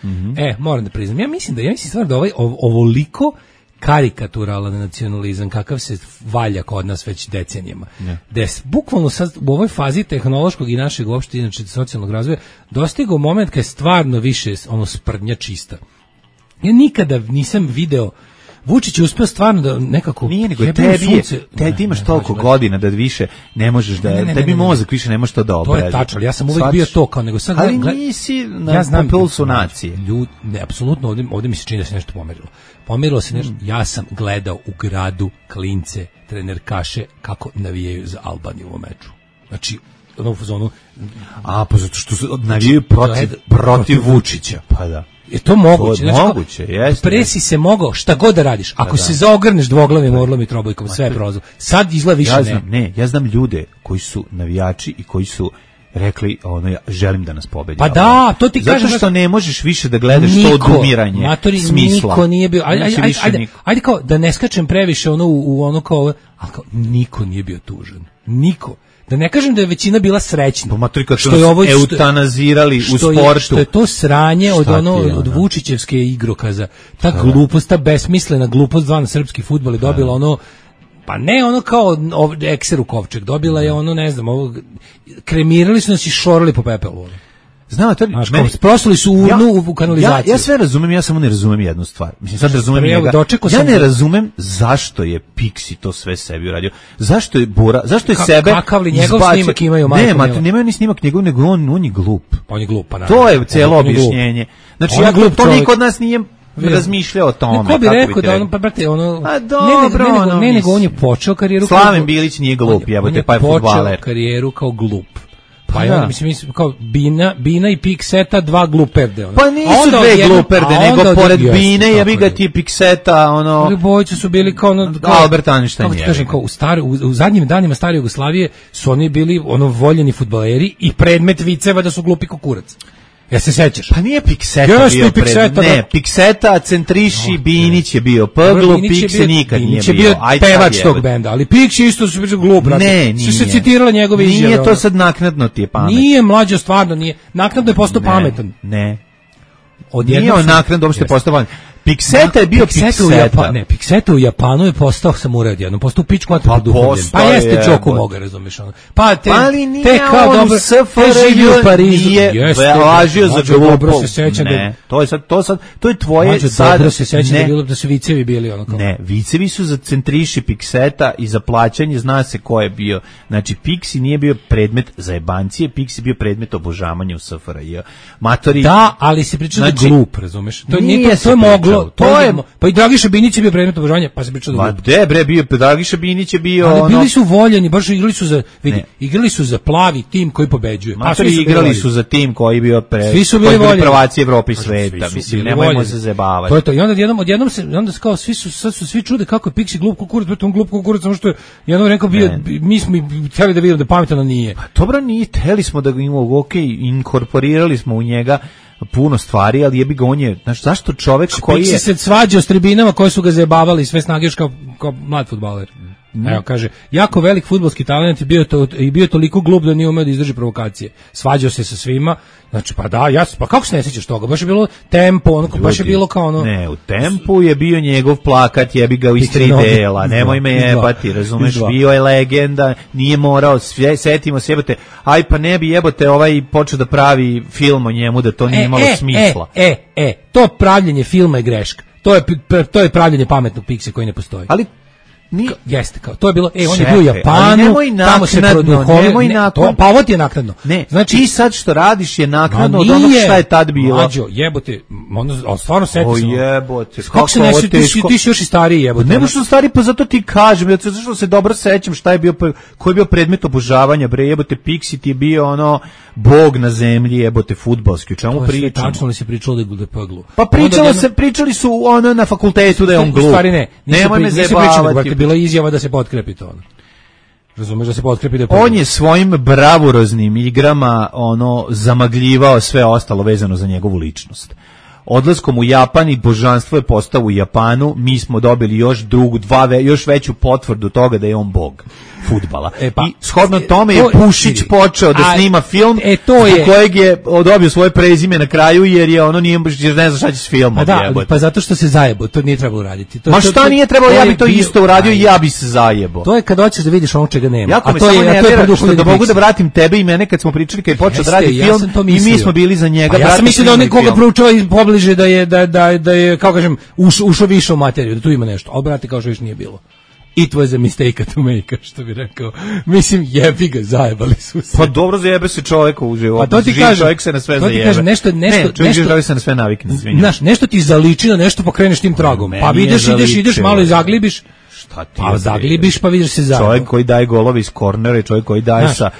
Moram da priznam. Ja mislim stvarno da ovoliko karikaturalan nacionalizam kakav se valja kod nas već decenijama. Da je bukvalno sad u ovoj fazi tehnološkog i našeg uopšte inače socijalnog razvoja dostigao moment kad je stvarno više sprdnja čista. Ja nikada nisam video Vučić je uspeo stvarno da nekako nije nego tebi imaš toliko godina da više ne možeš da tebi mozak više ne može to da obradi. To je tačno, ja sam uvijek bio to kao nego sad ali nisi na pulsu nacije. Ne, apsolutno ovdje mi se čini da se nešto pomerilo. Pomerilo se nešto. Ja sam gledao u gradu klince, trenerkaše kako navijaju za Albaniju u meču. Znači u fazonu pa zato što navijaju protiv Vučića. Pa da. Je to moguće? Znači, moguće, jeste. Presi se mogao šta god da radiš. Ako se zaogrneš dvoglavim orlom i trobojkom, sve je prozor. Sad izgleda više ja znam ljude koji su navijači i koji su rekli ja želim da nas pobedi. Pa da, to ti kažem. Zato što ne možeš više da gledaš to odumiranje smisla. Niko nije bio. Ajde kao da ne skačem previše u ono kao, ali kao niko nije bio tužan. Niko. Da ne kažem da je većina bila srećna. Što je ovo eutanazirali u sportu. Što je to sranje od Vučićevske igrokaza. Ta glupost, ta besmislena glupost zvana srpski fudbal je dobila pa ne kao ekser u kovčeg, dobila je ne znam, kremirali su nas i šorili po pepelu. Znam, prosuli su urnu u kanalizaciju. Ja sve razumem, ja samo ne razumem jednu stvar. Mislim, sad razumem njega. Ja ne razumem zašto je Pixi to sve sebi uradio. Zašto je Bora, zašto je sebe kakav li njegov snimak imaju majko? Ne, nemaju ni snimak njegov, nego on je glup. Pa on je glup, pa to je celo objašnjenje. Znači, to niko od nas nije razmišljao o tome. Ko bi rekao da pa brate, ne, nego on je počeo karijeru Slaven Bilić nije glup, jebote, pa je fudbaler. On je počeo karijeru kao glup. Pa ja mislim kao Bina i Pikseta dva gluperde. Pa nisu dve gluperde, nego pored Bine jebi ga ti Pikseta, Bojice su bili kao Albert Einstein. Kako ti kažem, kao u zadnjim danima stare Jugoslavije su oni bili voljeni fudbaleri i predmet viceva da su glupi kukurac. Ja se sećaš? Pa nije Pikseta bio predmet. Ne, Pikseta, Centriši, Binić je bio Pglu, Pikse nikad nije bio. Binić je bio pevač tog benda, ali Piksi isto su bio glup. Ne, nije. Se citirala njegove izjave. Nije to sad naknadno ti je pamet. Nije, mlađo, stvarno nije. Naknadno je postao pametan. Ne. Nije on naknadno uopšte postao pametan. Pikseta je bio Pikseta. Ne, Pikseta u Japanu je postao samuraj odjednom, postao pičku mater produhovljen. Pa jeste čoku moga, razumiješ. Pa te kao dobro, te živi u Parizu. Nije važio za dobro se sećam da... To je tvoje sad... Dobro se sećam da su vicevi bili ono kao... Ne, vicevi su za Centriši Pikseta i za plaćanje, zna se ko je bio. Znači, Piksi nije bio predmet za jebancije, Piksi je bio predmet obožavanja u SFRJ. Matori... Da, ali se pričao da glup, razumeš. To je moglo. Pa i Dragiša Binić je bio predmet obožavanja, pa se pričao da glup. Ma bre, bio Dragiša Binić je bio ali bili su voljeni, baš igrali su za plavi tim koji pobeđuje. Igrali su za tim koji bio svi su bili voljeni. Prvaci Evrope i sveta, mislim, nemojmo se zajebavati. To je to. I odjednom se kao svi čude kako je Piksi glup kukurac, pa on glup kukurac, samo što je jednom rekao bio mi smo hteli da vidimo da pametan nije. Pa dobro, nije, hteli smo da ga imamo, inkorporirali smo u njega puno stvari, ali jebi ga on je, znaš, zašto čovek koji je... se svađao s tribinama koji su ga zajebavali sve snage još kao mlad fudbaler. Evo, kaže, jako velik fudbalski talent i bio toliko glup da nije umeo da izdrži provokacije. Svađao se sa svima, znači, pa da, pa kako se ne sjećaš toga? Baš je bilo tempo, baš je bilo kao ono... Ne, u tempu je bio njegov plakat, jebi ga u iz 3 dela, nemoj me jebati, razumeš, bio je legenda, nije morao, setimo se, jebote, aj pa ne bi jebote počeo da pravi film o njemu, da to nije imalo smisla. To pravljenje filma je greška. To je pravljenje pametnog Pikse koji ne postoji. Ali jeste, kao to je bilo, on je bio u Japanu, tamo se produhovio, pa ovo ti je naknadno. Ne, znači ti sad što radiš je naknadno od onog šta je tad bilo. Mlađo, jebote, stvarno seti se. Jebote, kako se ne setiš, ti si još i stariji, jebote. Ne možeš stariji, pa zato ti kažem, zato što se dobro sećam šta je bio, koji je bio predmet obožavanja, bre, jebote, Piksi ti je bio bog na zemlji, jebote, fudbalski, o čemu pričamo? Tačno li se pričalo da je Pglu? Pa pričali su na fakultetu da je on glup. Nemoj me zajebavati. Bila izjava da se potkrepi to. Razumeš da se potkrepi da je on je svojim bravuroznim igrama zamagljivao sve ostalo vezano za njegovu ličnost. Odlaskom u Japan i božanstvo je postao u Japanu, mi smo dobili još veću potvrdu toga da je on bog fudbala. I shodno tome je Pušić počeo da snima film u kojeg je dobio svoje prezime na kraju jer je ne zna šta će s filmom. Pa zato što se zajebo, to nije trebalo raditi. Ma šta nije trebalo, ja bi to isto uradio i ja bi se zajebo. To je kad hoćeš da vidiš ono čega nema. Jako me samo nervira što da mogu da vratim tebe i mene kad smo pričali kad je počeo da radi film i mi smo bili za njega. Ja sam mislio da on koga proučava pobliže da je kako kažem ušao više u materiju, da tu ima nešto. Al brate kao što više nije bilo. It was a mistake to make, što bi rekao. Mislim, jebi ga, zajebali su se. Pa dobro, zajebe se čovjek u životu. Pa to ti kažem, čovjek se na sve zajebe. To ti kažem, čovjek se na sve navikne, izvinjam. Znaš, nešto ti zaliči na nešto, pokreneš tim tragom. Pa ideš, malo i zaglibiš. Pa zaglibiš, pa vidiš se zajedno. Čovjek koji daje golove iz kornera i čovjek koji daje sa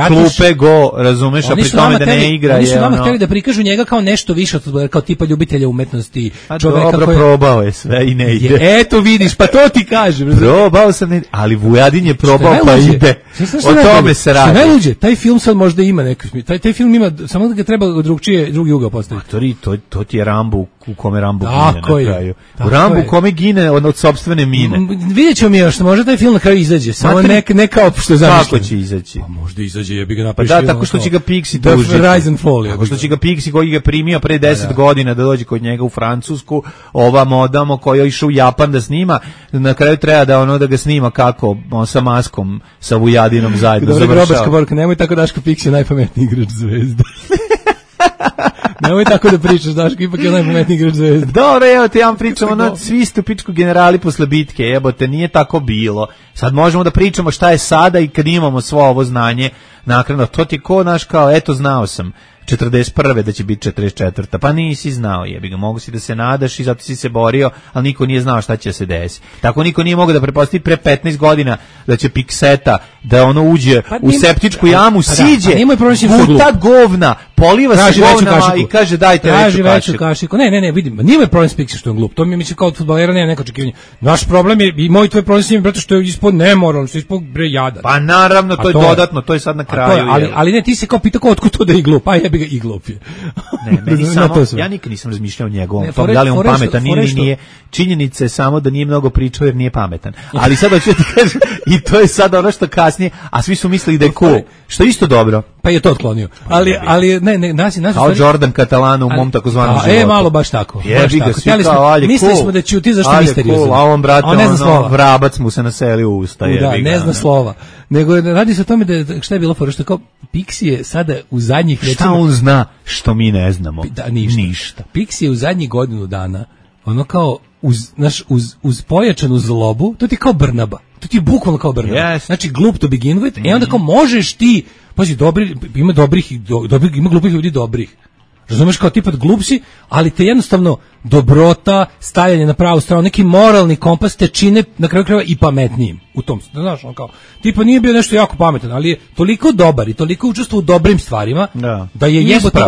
klupe go, razumeš, a pri tome da ne igra. Oni su nama htjeli da prikažu njega kao nešto više, kao tipa ljubitelja umetnosti. Dobro, probao je sve i ne ide. Eto vidiš, pa to ti kažem. Probao sam, ali Vujadin je probao pa ide. O tome se radi. Što najluđe, taj film sad možda ima neki, taj film ima, samo da ga treba drugi ugao postaviti. To ti je Rambo u kome Rambo gine na kraju. U Rambo u kome gine od sopstvene mine. Vidjet ćemo mi još, možda taj film na kraju izađe, samo ne kao što je zamišljeno. Kako će izaći? Pa možda izađe, jebi ga napiši. Pa da, tako što će ga Pixi tužiti. Tako što će ga Pixi koji ga primio pre 10 godina da dođe kod njega u Francusku, ova modamo koja je išao u Japan da snima, na kraju treba da ga snima kako, sa maskom, sa Vujadinom zajedno završava. Dobro, grobarska borka, nemoj tako Daško Pixi najpametniji igrač Zvezde. Nemoj tako da pričaš, Daško, ipak je najpametniji igrač Zvezde. Dobro, evo te ja vam pričam, svi ste u pičku generali posle bitke, jebote, nije tako bilo. Sad možemo da pričamo šta je sada i kad imamo svo ovo znanje naknadno. To ti ko, naš, kao, eto, znao sam 41. da će biti 44. Pa nisi znao, jebi ga, mogu si da se nadaš i zato si se borio, ali niko nije znao šta će se desiti. Tako niko nije mogao da pretpostavi pre 15 godina da će Pikseta da uđe u septičku jamu, siđe, puta govna, poliva se govnama i kaže dajte veću kašiku. Ne, vidim, nije moj problem s Piksom što je glup, to mi misli kao od fudbalera nema neko očekivanje. Naš problem je, i moj tvoj problem s njim, zato što je ispod nemoralno, što je ispod jadan. Pa naravno, to je dodatno, to je sad na kraju. Ali ne, ti se kao pitao otkud to da je glup, ga i glup je. Ja nikad nisam razmišljao o njegovom tom, da li on pametan ili nije. Činjenica je samo da nije mnogo pričao jer nije pametan. Ali sada ću ti kažem, i to je sada ono što kasnije, a svi su mislili da je cool, što je isto dobro. Pa je to otklonio. Ali ne, nas kao Jordan Catalano u mom takozvanom životu. Malo baš tako. Mislili smo da ćuti zašto misteriozno. A on, brate, vrabac mu se naselio u usta. Ne zna slova. Nego radi se o tome da šta je bilo fora, što kao Pixi je sada u zadnjih šta on zna što mi ne znamo? Ništa. Pixi je u zadnjih godinu dana ono kao uz pojačanu zlobu, to ti kao Brnaba. To ti je bukvalno kao Brnaba. Yes. Znači glup to begin with, onda kao možeš ti, pazi, ima glupih ljudi dobrih. Razumeš, kao tipa glup si, ali te jednostavno dobrota, stajanje na pravu stranu, neki moralni kompas te čine na kraju krajeva i pametnijim u tom. Znaš, on kao, tipa nije bio nešto jako pametan, ali je toliko dobar i toliko učestvovao u dobrim stvarima, da je jebote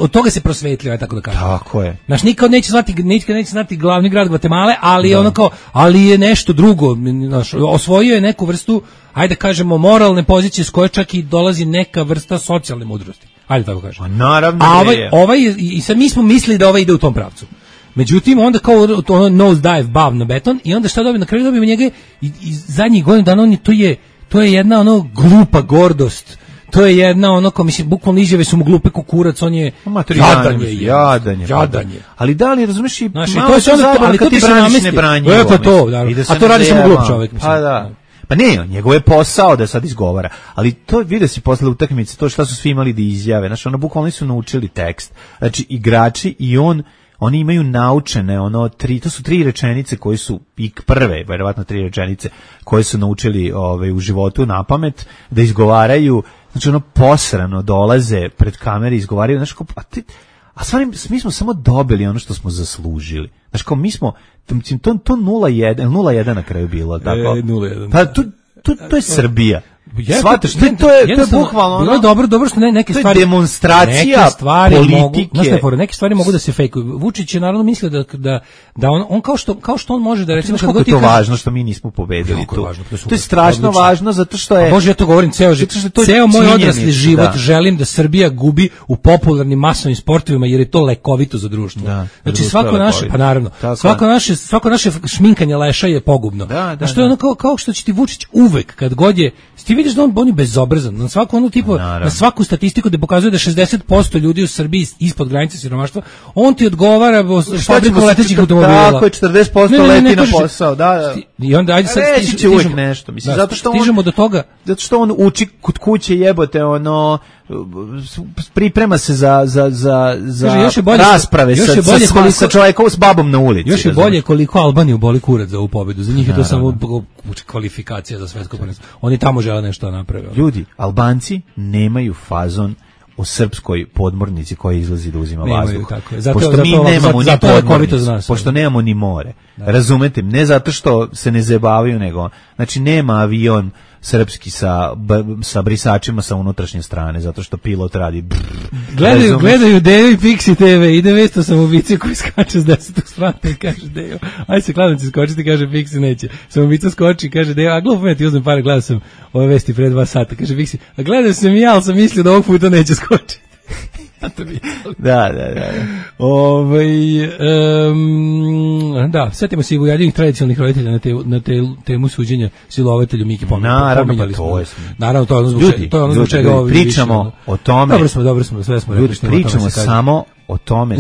od toga se prosvetlio, tako da kažem. Tako je. Znaš, nikad neće znati glavni grad Gvatemale, ali ono kao, ali je nešto drugo, znaš, osvojio je neku vrstu, ajde kažemo, moralne pozicije s koje čak i dolazi neka vrsta socijalne mudrosti. Ajde tako kažem. A naravno i sad mi smo mislili da ovaj ide u tom pravcu. Međutim, onda kao ono nose dive, bav na beton i onda šta dobije? Na kraju dobijemo njega i zadnjih godina dana to je jedna ono glupa gordost. To je jedna ono kao, mislim, bukvalno izjave su mu glupe kukurac, on je jadan je. Ali da li razumeš i malo se zabavno kad ti braniš nebranjivo. A to radi samo glup čovjek. Pa da. Pa ne, njegov je posao da sad izgovara, ali to vidio si posle utakmice, to šta su svi imali da izjave, znači ono bukvalno su naučili tekst, znači igrači i oni imaju naučene to su 3 rečenice koje su prve, verovatno 3 rečenice koje su naučili u životu na pamet da izgovaraju, znači ono posrano dolaze pred kamere i izgovaraju, znači a stvarno mi smo samo dobili ono što smo zaslužili. Znači kao mi smo, to 0-1 na kraju bilo, tako? 0-1. Pa to je Srbija. Shvataš, to je bukvalno ono. Bilo dobro što neke stvari demonstracija politike. Neke stvari mogu da se fejkuju. Vučić je naravno mislio da on kao što on može da recimo kako je to važno što mi nismo pobedili tu. To je strašno važno zato što je Bože, ja to govorim ceo moj odrasli život želim da Srbija gubi u popularnim masovnim sportovima jer je to lekovito za društvo. Znači svako naše, pa naravno, svako naše šminkanje leša je pogubno. Što je ono kao što će ti Vučić uvek kad god je, ti vidiš da on je bezobrazan, na svaku onu tipu, na svaku statistiku da pokazuje da 60% ljudi u Srbiji ispod granice siromaštva, on ti odgovara fabriku letećih automobila. Tako je, 40% leti na posao, da. I onda ajde sad će uvek nešto, mislim, zato što stižemo do toga. Zato što on uči kod kuće jebote, ono priprema se za rasprave sa čovjekom s babom na ulici. Još je bolje koliko Albaniju boli kurac za ovu pobedu. Za njih je to samo kvalifikacija za svetsko prvenstvo. Oni tamo žele nešto naprave. Ljudi, Albanci nemaju fazon o srpskoj podmornici koja izlazi da uzima vazduh. Pošto mi nemamo ni podmornicu, pošto nemamo ni more. Razumete? Ne zato što se ne zajebavaju, nego znači nema avion srpski sa brisačima sa unutrašnje strane, zato što pilot radi gledaju Dejo i Pixi TV, ide vesto samoubice koji skače s 10. sprata i kaže Dejo, aj se kladnici skočiti, kaže Pixi neće. Samoubica skoči, kaže Dejo, a glupo me ti uzmem pare, gledao sam ove vesti pre 2 sata, kaže Pixi, a gledao sam i ja, ali sam mislio da ovog puta neće skočiti. Da. Da, setimo se i ujadivih tradicionalnih roditelja na temu suđenja silovatelju Miki pominjali smo. Naravno, to je ono zbog čega ovi pričamo o tome. Dobro smo, sve smo rekli. Pričamo samo o tome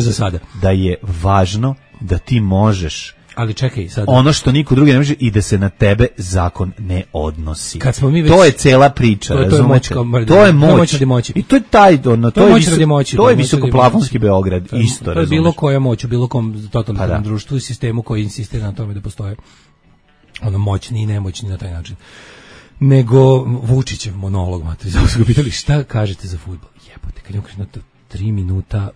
da je važno da ti možeš. Ali čekaj sad. Ono što niko drugi ne može i da se na tebe zakon ne odnosi. Kad smo mi već, to je cela priča, razumete? To je moć. I to je taj to je visokoplafonski Beograd isto, razumeš? To je bilo koja moć u bilo kom totalitarnom društvu i sistemu koji insistira na tome da postoje ono moćni i nemoćni na taj način. Nego Vučićev monolog, matri, zato su ga pitali šta kažete za fudbal. Jebote, kad je na 3 minuta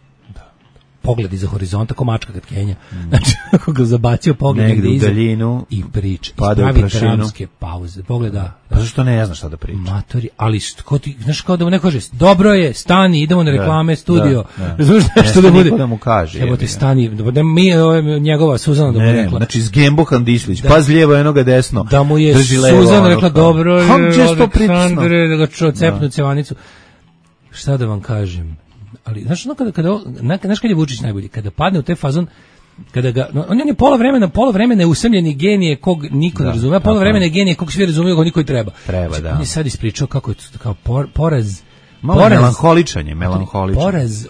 pogled iza horizonta, ko mačka kad kenja. Znači, ako ga zabacio pogled negde u daljinu i priča, pravi dramske pauze, pogleda. Pa zašto ne znaš šta da priča? Matori, ali što ti, znaš, kao da mu neko kaže, dobro je, stani, idemo na reklame, studio. Znaš nešto da bude? Da mu kaže. Evo ti stani, mi je njegova Suzana da mu rekla. Znači, s Gembohan Dislić, paz lijevo, enoga desno. Da mu je Suzana rekla, dobro je, Aleksandre, da ga cepnu cevanicu. Šta da vam kažem? Ali znaš, znaš kad je Vučić najbolji, kada padne u taj fazon, kada ga, on je pola vremena je usamljeni genije kog niko ne razume, pola vremena je genije kog svi razumiju, kog niko i treba. Da. On je sad ispričao kako je kao poraz. Melanholičan je. Poraz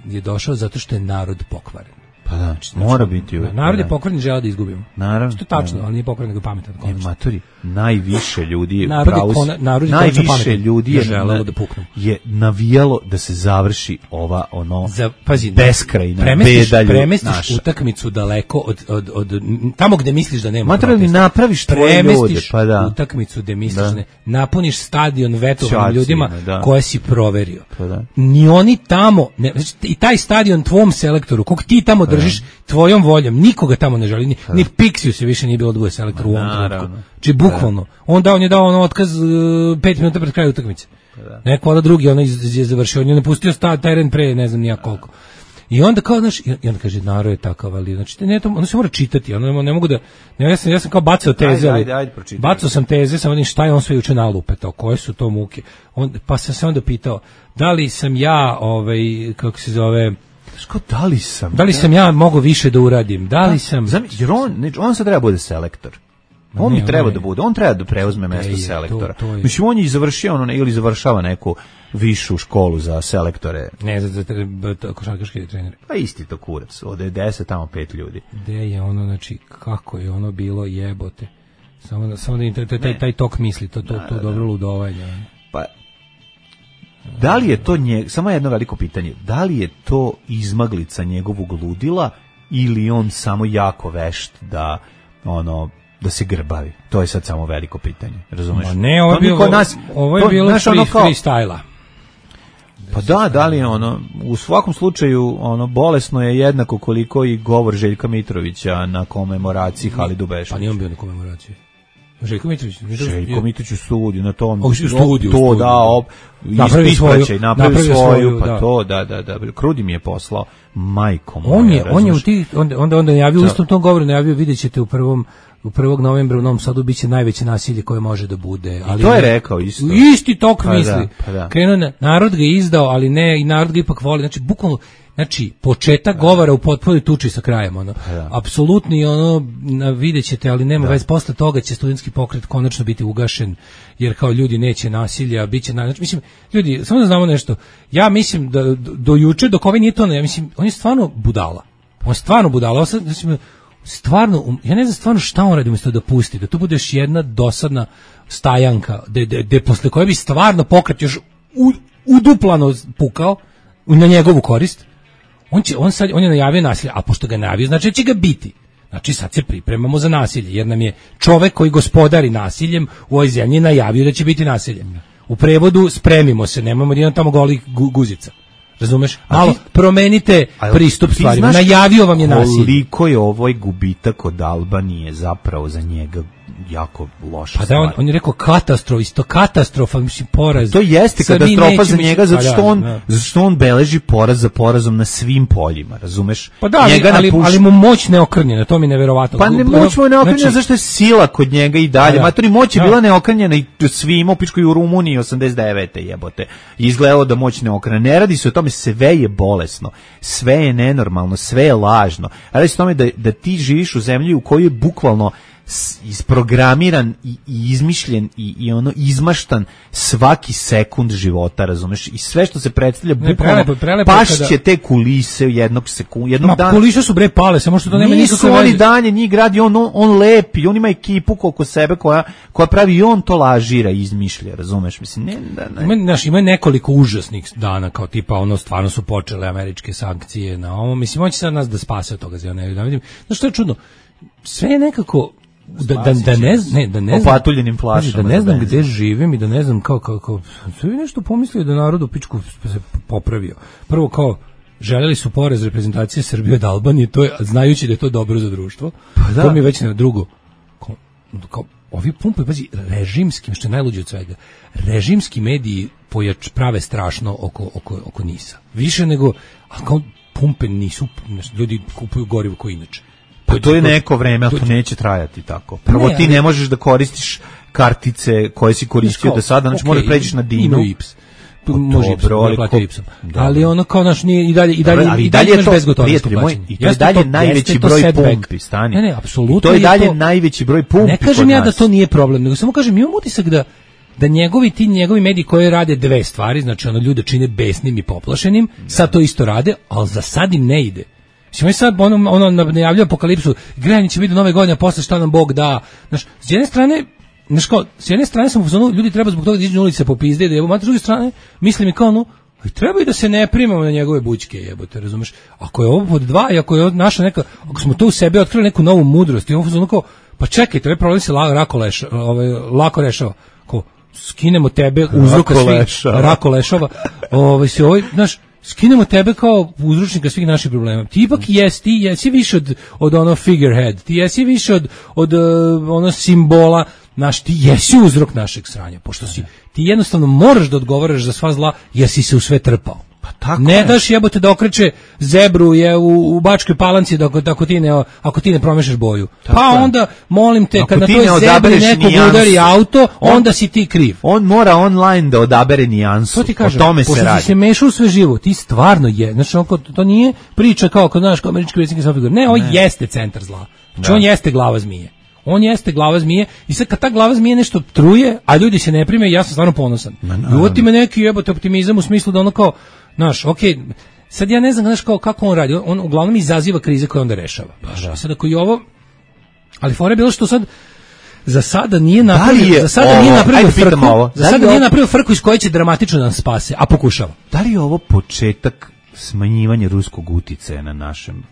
je došao zato što je narod pokvaren. Pa da, mora biti uvijek. Narod je pokvaren, žele da izgubimo. Naravno. Što je tačno, ali nije pokvaren nego pametan. Matori, najviše ljudi je najviše ljudi je želelo da puknu. Je navijalo da se završi ova beskrajna beda. Premestiš utakmicu daleko od tamo gde misliš da nema. Matori, napraviš tvoje ljude, pa da. Utakmicu gde misliš da napuniš stadion vetovanim ljudima koje si proverio. Pa da. Ni oni tamo, znači i taj stadion tvom selektoru, kog ti tamo držiš tvojom voljom, nikoga tamo ne želi, ni Pixiju se više nije bilo da bude selektor u ovom trenutku. Znači bukvalno. On je dao otkaz 5 minuta pred krajem utakmice. Neko ono drugi je završio, on je napustio teren pre ne znam nijak koliko. I onda kao, znaš, i onda kaže, narod je takav, ali, znači, ono se mora čitati, ono ne mogu da, ja sam kao bacao teze, bacao sam teze, sam onim šta je on sve juče nalupetao, koje su to muke, pa sam se onda pitao, da li sam ja, kako se zove, da li sam ja mogao više da uradim, da li sam... Jer on sad treba bude selektor. On bi treba da bude, on treba da preuzme mesto selektora. Mislim, on je završio ili završava neku višu školu za selektore. Ne, za košarkaške trenere. Pa isti to kurac, ovde je 10, tamo 5 ljudi. Gde je ono, znači, kako je ono bilo jebote. Samo da taj tok misli, to dobro ludovanje. Pa, da li je to samo jedno veliko pitanje, da li je to izmaglica njegovog ludila ili on samo jako vešt da se grbavi? To je sad samo veliko pitanje, razumeš? Ne, ovo je bilo freestyle-a. Pa da li je u svakom slučaju bolesno je jednako koliko i govor Željka Mitrovića na komemoraciji Halidu Bešića. Pa nije on bio na komemoraciji. Željko Mitrović u studiju na tom. U studiju. To da, napravi svoju, pa da. to, da. Krudi mi je poslao, majkom. On je u tih, onda najavio u istom tom govoru, najavio, vidjet ćete u 1. novembra u Novom Sadu biće najveće nasilje koje može da bude. Ali to je rekao isto. Isti tok misli. Krenuo, narod ga je izdao, ali ne, i narod ga ipak voli. Znači, bukvalno, početak govora u potpunoj tuči sa krajem, apsolutni, vidjet ćete, ali nema veze, posle toga će studentski pokret konačno biti ugašen, jer kao ljudi neće nasilja, bit će, znači, mislim, ljudi, samo da znamo nešto, ja mislim da do juče, dok ovaj nije to, ja mislim, on je stvarno budala, stvarno, ja ne znam stvarno šta on radi umjesto da pusti, da to bude još jedna dosadna stajanka, gde posle koje bi stvarno pokret još uduplano pukao na njegovu korist. On je najavio nasilje, a pošto ga je najavio, znači će ga biti. Znači sad se pripremamo za nasilje, jer nam je čovek koji gospodari nasiljem u ovoj zemlji najavio da će biti nasilje. U prevodu spremimo se, nemamo jedan tamo golih guzica. Razumeš? Malo promenite pristup stvarima. Najavio vam je nasilje. Koliko je ovaj gubitak od Albanije zapravo za njega jako loša stvar. On je rekao katastrofa, mislim, poraz. To jeste katastrofa za njega, zato što on beleži poraz za porazom na svim poljima, razumeš? Pa da, ali mu moć neokrnjena, to mi je neverovatno. Pa ne, moć mu je neokrnjena, zašto je sila kod njega i dalje. Matori, moć je bila neokrnjena i svima, pičko i u Rumuniji 89. jebote. Izgledalo da moć neokrnjena. Ne radi se o tome, sve je bolesno, sve je nenormalno, sve je lažno. Radi se o tome da ti živiš u zemlji u kojoj je bukvalno isprogramiran i izmišljen i izmaštan svaki sekund života, razumeš? I sve što se predstavlja bukvalno pašće te kulise jednog dana. Kulise su bre pale, samo što to nema nikakve veze. Nisu oni danje, njih gradi, on lepi, on ima ekipu oko sebe koja pravi i on to lažira i izmišlja, razumeš? Mislim, ima nekoliko užasnih dana, kao tipa stvarno su počele američke sankcije na ovo, mislim, on će sad nas da spase od toga, da vidim. Znaš što je čudno? Sve je nekako da ne znam gde živim i da ne znam kako sve nešto pomislio da narod u pičku se popravio. Prvo kao želeli su porez reprezentacije Srbije od Albanije, to je, znajući da je to dobro za društvo. To mi je već na drugo. Kao ovi pumpaju, pazi, režimski, što je najluđe od svega, režimski mediji prave strašno oko NIS-a. Više nego, a kao pumpe nisu, ljudi kupuju gorivo koji inače. Pa to je neko vreme, a to neće trajati tako. Prvo ti ne možeš da koristiš kartice koje si koristio do sada, znači moraš pređeš na Dinu. Može Ipsom, ali ono kao naš nije i dalje je to bezgotovinsko plaćanje. I to je dalje najveći broj pumpi, stani. Ne, apsolutno. To je dalje najveći broj pumpi. Ne kažem ja da to nije problem, nego samo kažem, imam utisak da njegovi mediji koji rade dve stvari, znači ljude čine besnim i poplašenim, sad to isto rade, ali za sad im ne ide. Mislim, sad najavljaju apokalipsu, grejanje će biti do nove godine, a posle šta nam Bog da. Znaš, s jedne strane sam u fazonu, ljudi treba zbog toga da iđu na ulice popizde, da jebo, a s druge strane, mislim i kao, treba i da se ne primamo na njegove bućke, jebote, razumeš? Ako je ovo pod dva i ako je naša neka, ako smo to u sebi otkrili neku novu mudrost i ovo fazonu kao, pa čekajte, ovaj problem se lako rešava. Kao, skinemo tebe, uzroka svih, rako lešava, znaš, skinemo tebe kao uzročnika svih naših problema. Ti ipak jesi više od ono figurehead, ti jesi više od ono simbola, ti jesi uzrok našeg sranja, pošto ti jednostavno moraš da odgovaraš za sva zla, jer si se u sve trpao. Pa tako ne daš jebote da okreće zebru u Bačkoj Palanci ako ti ne promešaš boju. Tako pa onda, molim te, kad na toj zebri nekog udari auto, onda si ti kriv. On mora online da odabere nijansu. O tome se radi. Pošto si se mešao u sve živo, ti stvarno je. Znači, to nije priča kao kod naš američki predsjednik sam figur. Ne, on jeste centar zla. Znači, on jeste glava zmije. On jeste glava zmije i sad kad ta glava zmije nešto truje, a ljudi se ne prime, ja sam stvarno ponosan. I uvoti me neki jebote optimizam u smislu da ono kao, znaš, okej, sad ja ne znam kako on radi, on uglavnom izaziva krize koje onda rešava. Sad ako i ovo, ali fora je bilo što sad za sada nije napravio frku iz koje će dramatično da nas spase, a pokušava. Da li je ovo početak smanjivanje ruskog uticaja na našem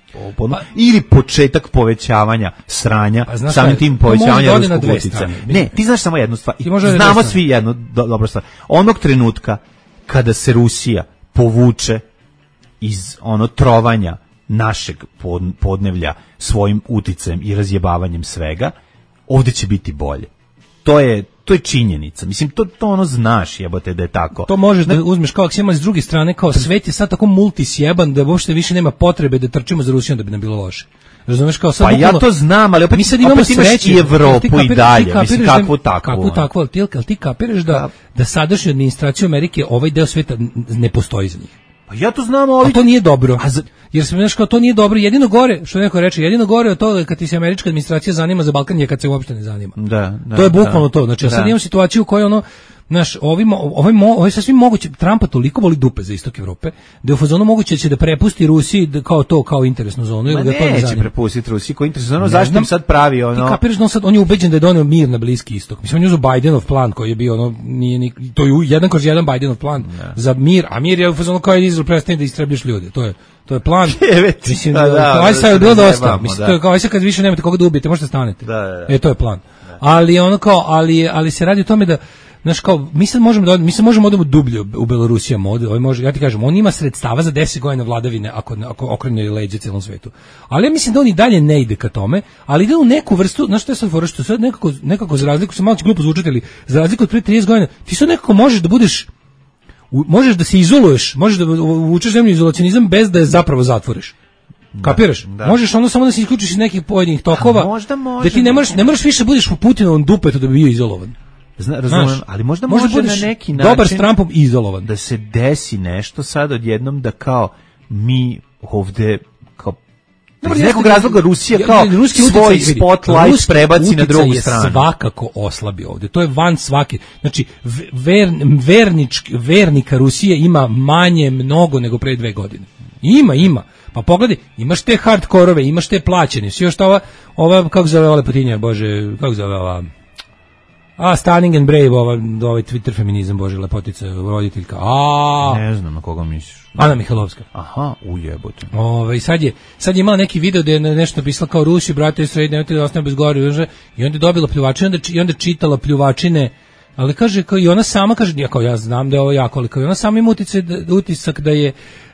ili početak povećavanja sranja, samim tim povećavanja ruskog uticaja. Ne, ti znaš samo jednu stvar. Znamo svi jednu dobru stvar. Onog trenutka kada se Rusija povuče iz trovanja našeg podnevlja svojim uticajem i razjebavanjem svega, ovdje će biti bolje. to je činjenica. Mislim, to ono znaš, jebote, da je tako. To možeš da uzmeš kao aksijom, ali s druge strane, kao svet je sad tako multisjeban da uopšte više nema potrebe da trčimo za Rusijom da bi nam bilo loše. Razumeš, kao sad pa ja to znam, ali opet, mi sad imamo sreće i Evropu i dalje, mislim, kakvu takvu, ali ti kapiraš da sadašnju administraciju Amerike ovaj deo sveta ne postoji za njih. Pa ja to znam, ali to nije dobro. Jer se znaš kao to nije dobro, jedino gore, što neko reče, jedino gore od toga kad ti se američka administracija zanima za Balkan je kad se uopšte ne zanima. To je bukvalno to. Znači, sad imamo situaciju u kojoj ono naš ovaj sasvim moguće Trumpa toliko voli dupe za istok Evrope da je u fazonu moguće će da prepusti Rusiji kao interesnu zonu ili ga to ne zanima. Neće prepustiti Rusiji kao interesnu zonu, zašto im sad pravi ono? Ti kapiraš da on je ubeđen da je doneo mir na Bliski istok. Mislim, on je uzeo Bidenov plan koji je bio ono to je 1/1 Bidenov plan za mir, a mir je u fazonu kao Izrael prestane da istrebljaš ljude. To je plan. Mislim da sad je bilo dosta. Mislim to je kao kad više nemate koga da ubijete, možete stanete. To je plan. Ali ono kao ali se radi o tome da znaš kao, mi sad možemo odemo dublje u Belorusija mod, ja ti kažem, on ima sredstava za 10 godina vladavine ako okrene leđe celom svetu. Ali ja mislim da on i dalje ne ide ka tome, ali ide u neku vrstu, znaš što je sad fora, što sad nekako za razliku, se malo će glupo zvučati, ali za razliku od pre 30 godina, ti sad nekako možeš da se izoluješ, možeš da uvučeš zemlju izolacionizam bez da je zapravo zatvoriš. Kapiraš? Možeš ono samo da se isključiš iz nekih pojedinih tokova, da ti ne možeš više budeš po Putinovom dupetu da bi bio izolovan. Razumem, ali možda može na neki način dobar s Trumpom izolovan. Da se desi nešto sad odjednom da kao mi ovde kao iz nekog razloga Rusija kao svoj spotlight prebaci na drugu stranu. Svakako oslabi ovde. To je van svake. Znači, vernika Rusije ima manje mnogo nego pre 2 godine. Ima. Pa pogledaj, imaš te hardkorove, imaš te plaćene. Svi još ova kako zove ova lepotinja, bože, kako zove ova Stunning and Brave, ovaj Twitter feminizam, bože, lepotica, roditeljka. Ne znam na koga misliš. Ana Mihajlovska. Aha, ujebote. Sad je imala neki video da je nešto napisala kao Rusi, brate, Israel, nemojte da ostane bez gori, i onda je dobila pljuvačine, i onda čitala pljuvačine, ali kaže, kao i ona sama kaže, ja znam da je ovo jako, ali kao i ona sama ima utisak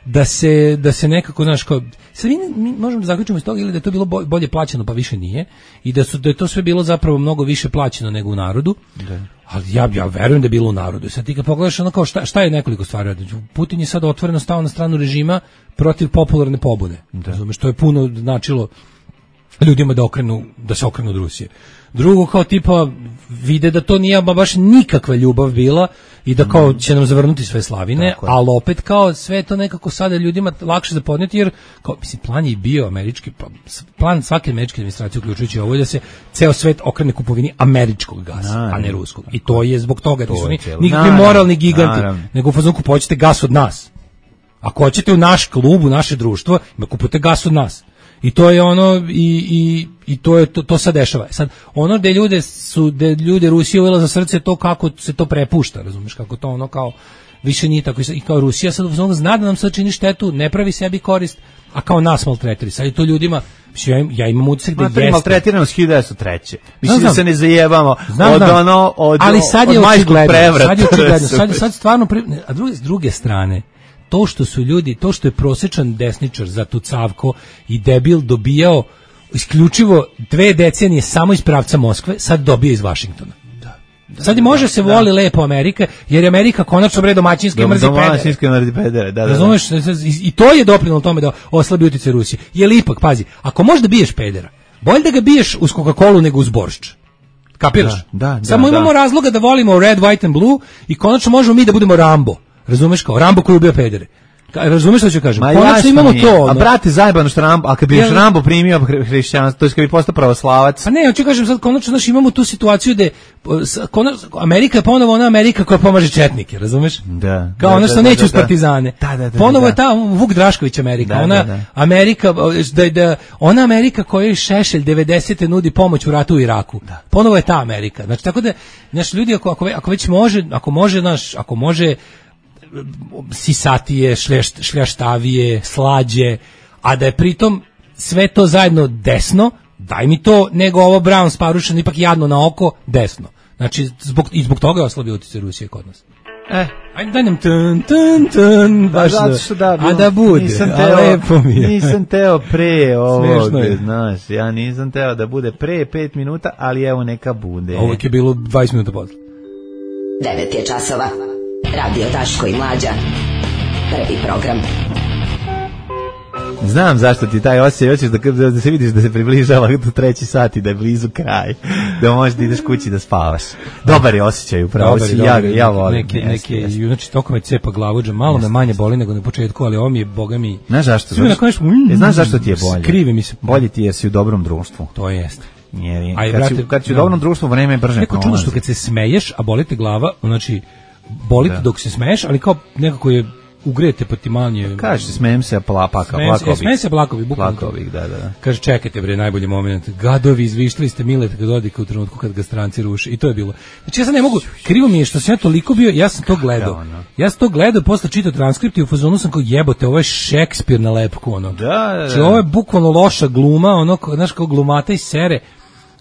da se nekako, znaš, kao, sad mi možemo da zaključimo iz toga ili da je to bilo bolje plaćeno, pa više nije, i da je to sve bilo zapravo mnogo više plaćeno nego u narodu, ali ja verujem da je bilo u narodu. Sad ti kad pogledaš ono kao šta je nekoliko stvari, Putin je sad otvoreno stao na stranu režima protiv popularne pobune, razumeš, to je puno značilo ljudima da se okrenu od Rusije. Drugo, kao tipa vide da to nije baš nikakva ljubav bila i da kao će nam zavrnuti sve slavine, ali opet kao sve to nekako sada ljudima lakše za podnijeti, jer kao, mislim, plan je bio američki, plan svake američke administracije uključujući ovo je da se ceo svet okrene kupovini američkog gasa, a ne ruskog. I to je zbog toga, to su nikakvi moralni giganti, nego u fazonu kupovite gas od nas. Ako hoćete u naš klub, u naše društvo, kupujte gas od nas. I to je ono i to se dešava. Sad ono da ljude Rusija uvela za srce to kako se to prepušta, razumiješ, kako to ono kao više nije tako i kao Rusija sad zna da nam sad čini štetu, ne pravi sebi korist, a kao nas maltretiri. Sad je to ljudima, ja imam utisak da jeste. Maltretiranost 1903. Mislim da se ne zajebamo od ali sad je očigledno. Sad stvarno, a s druge strane, to što su ljudi, to što je prosječan desničar za tucavko i debil dobijao isključivo 2 decenije samo iz pravca Moskve, sad dobije iz Vašingtona. Sad i može se voli lepo Amerika, jer je Amerika konačno domaćinski mrzi pedere. Razumeš, i to je doprinelo tome da oslabi utjecaj Rusije. Jer ipak, pazi, ako možeš da biješ pedera, bolje da ga biješ uz Coca-Colu nego uz boršč. Kapiraš? Samo imamo razloga da volimo Red, White and Blue i konačno možemo mi da budemo Rambo. Razumeš, kao Rambo koji ubija pedere. Razumeš što ću kažem? Konačno imamo to. A brate, zajebano što Rambo, a kad bi Rambo primio hrišćanstvo, to je kad bi postao pravoslavac. Pa ne, hoću kažem sad konačno, znači imamo tu situaciju da Amerika je ponovo ona Amerika koja pomaže četnike, razumeš? Da. Kao ono što neće uz partizane. Ponovo je ta Vuk Drašković Amerika, ona Amerika, ona Amerika kojoj Šešelj 90. nudi pomoć u ratu u Iraku. Ponovo je ta Amerika. Znači tako da, znači ljudi ako već može, ako može sisatije, šljaštavije, slađe, a da je pritom sve to zajedno desno, daj mi to, nego ovo Brown sparušeno ipak jadno na oko, desno. Znači, zbog toga je oslabio utjecaj Rusije kod nas. Ajde daj nam tun, baš a da bude, a lepo mi je. Nisam teo pre ovog, znaš, ja nisam teo da bude pre 5 minuta, ali evo neka bude. Ovo je bilo 20 minuta posle. 9 je časova, Radio Daško i Mlađa, prvi program. Znam zašto ti taj osjećaj, hoćeš da se vidiš da se približava do 3 sati, da je blizu kraj, da možeš da ideš kući da spavaš. Dobar je osjećaj, upravo si, ja volim. Neke, znači, toko me cepa glavuđa, malo me manje boli nego na početku, ali ovo mi je, boga mi... Znaš zašto? Znaš zašto ti je bolje? Skrivi mi se. Bolje ti jer si u dobrom društvu. To jeste. Kad si u dobrom društvu, vreme je brže neko čudno što kad se smeješ, a boli te glava, znači, boli te dok se smeješ, ali kao nekako je ugrete pa ti manje. Kaže, smejem se plakovi, bukvalno. Plakovi, da. Kaže, čekajte bre, najbolji moment. Gadovi, izvištili ste Mileta Dodika u trenutku kad ga stranci ruše. I to je bilo. Znači ja sad ne mogu, krivo mi je što sam ja toliko bio, ja sam to gledao, posle čitao transkript i u fazonu sam kao jebote, ovo je Šekspir na lepku, ono. Da. Znači ovo je bukvalno loša gluma, ono, znaš, kao glumata i sere.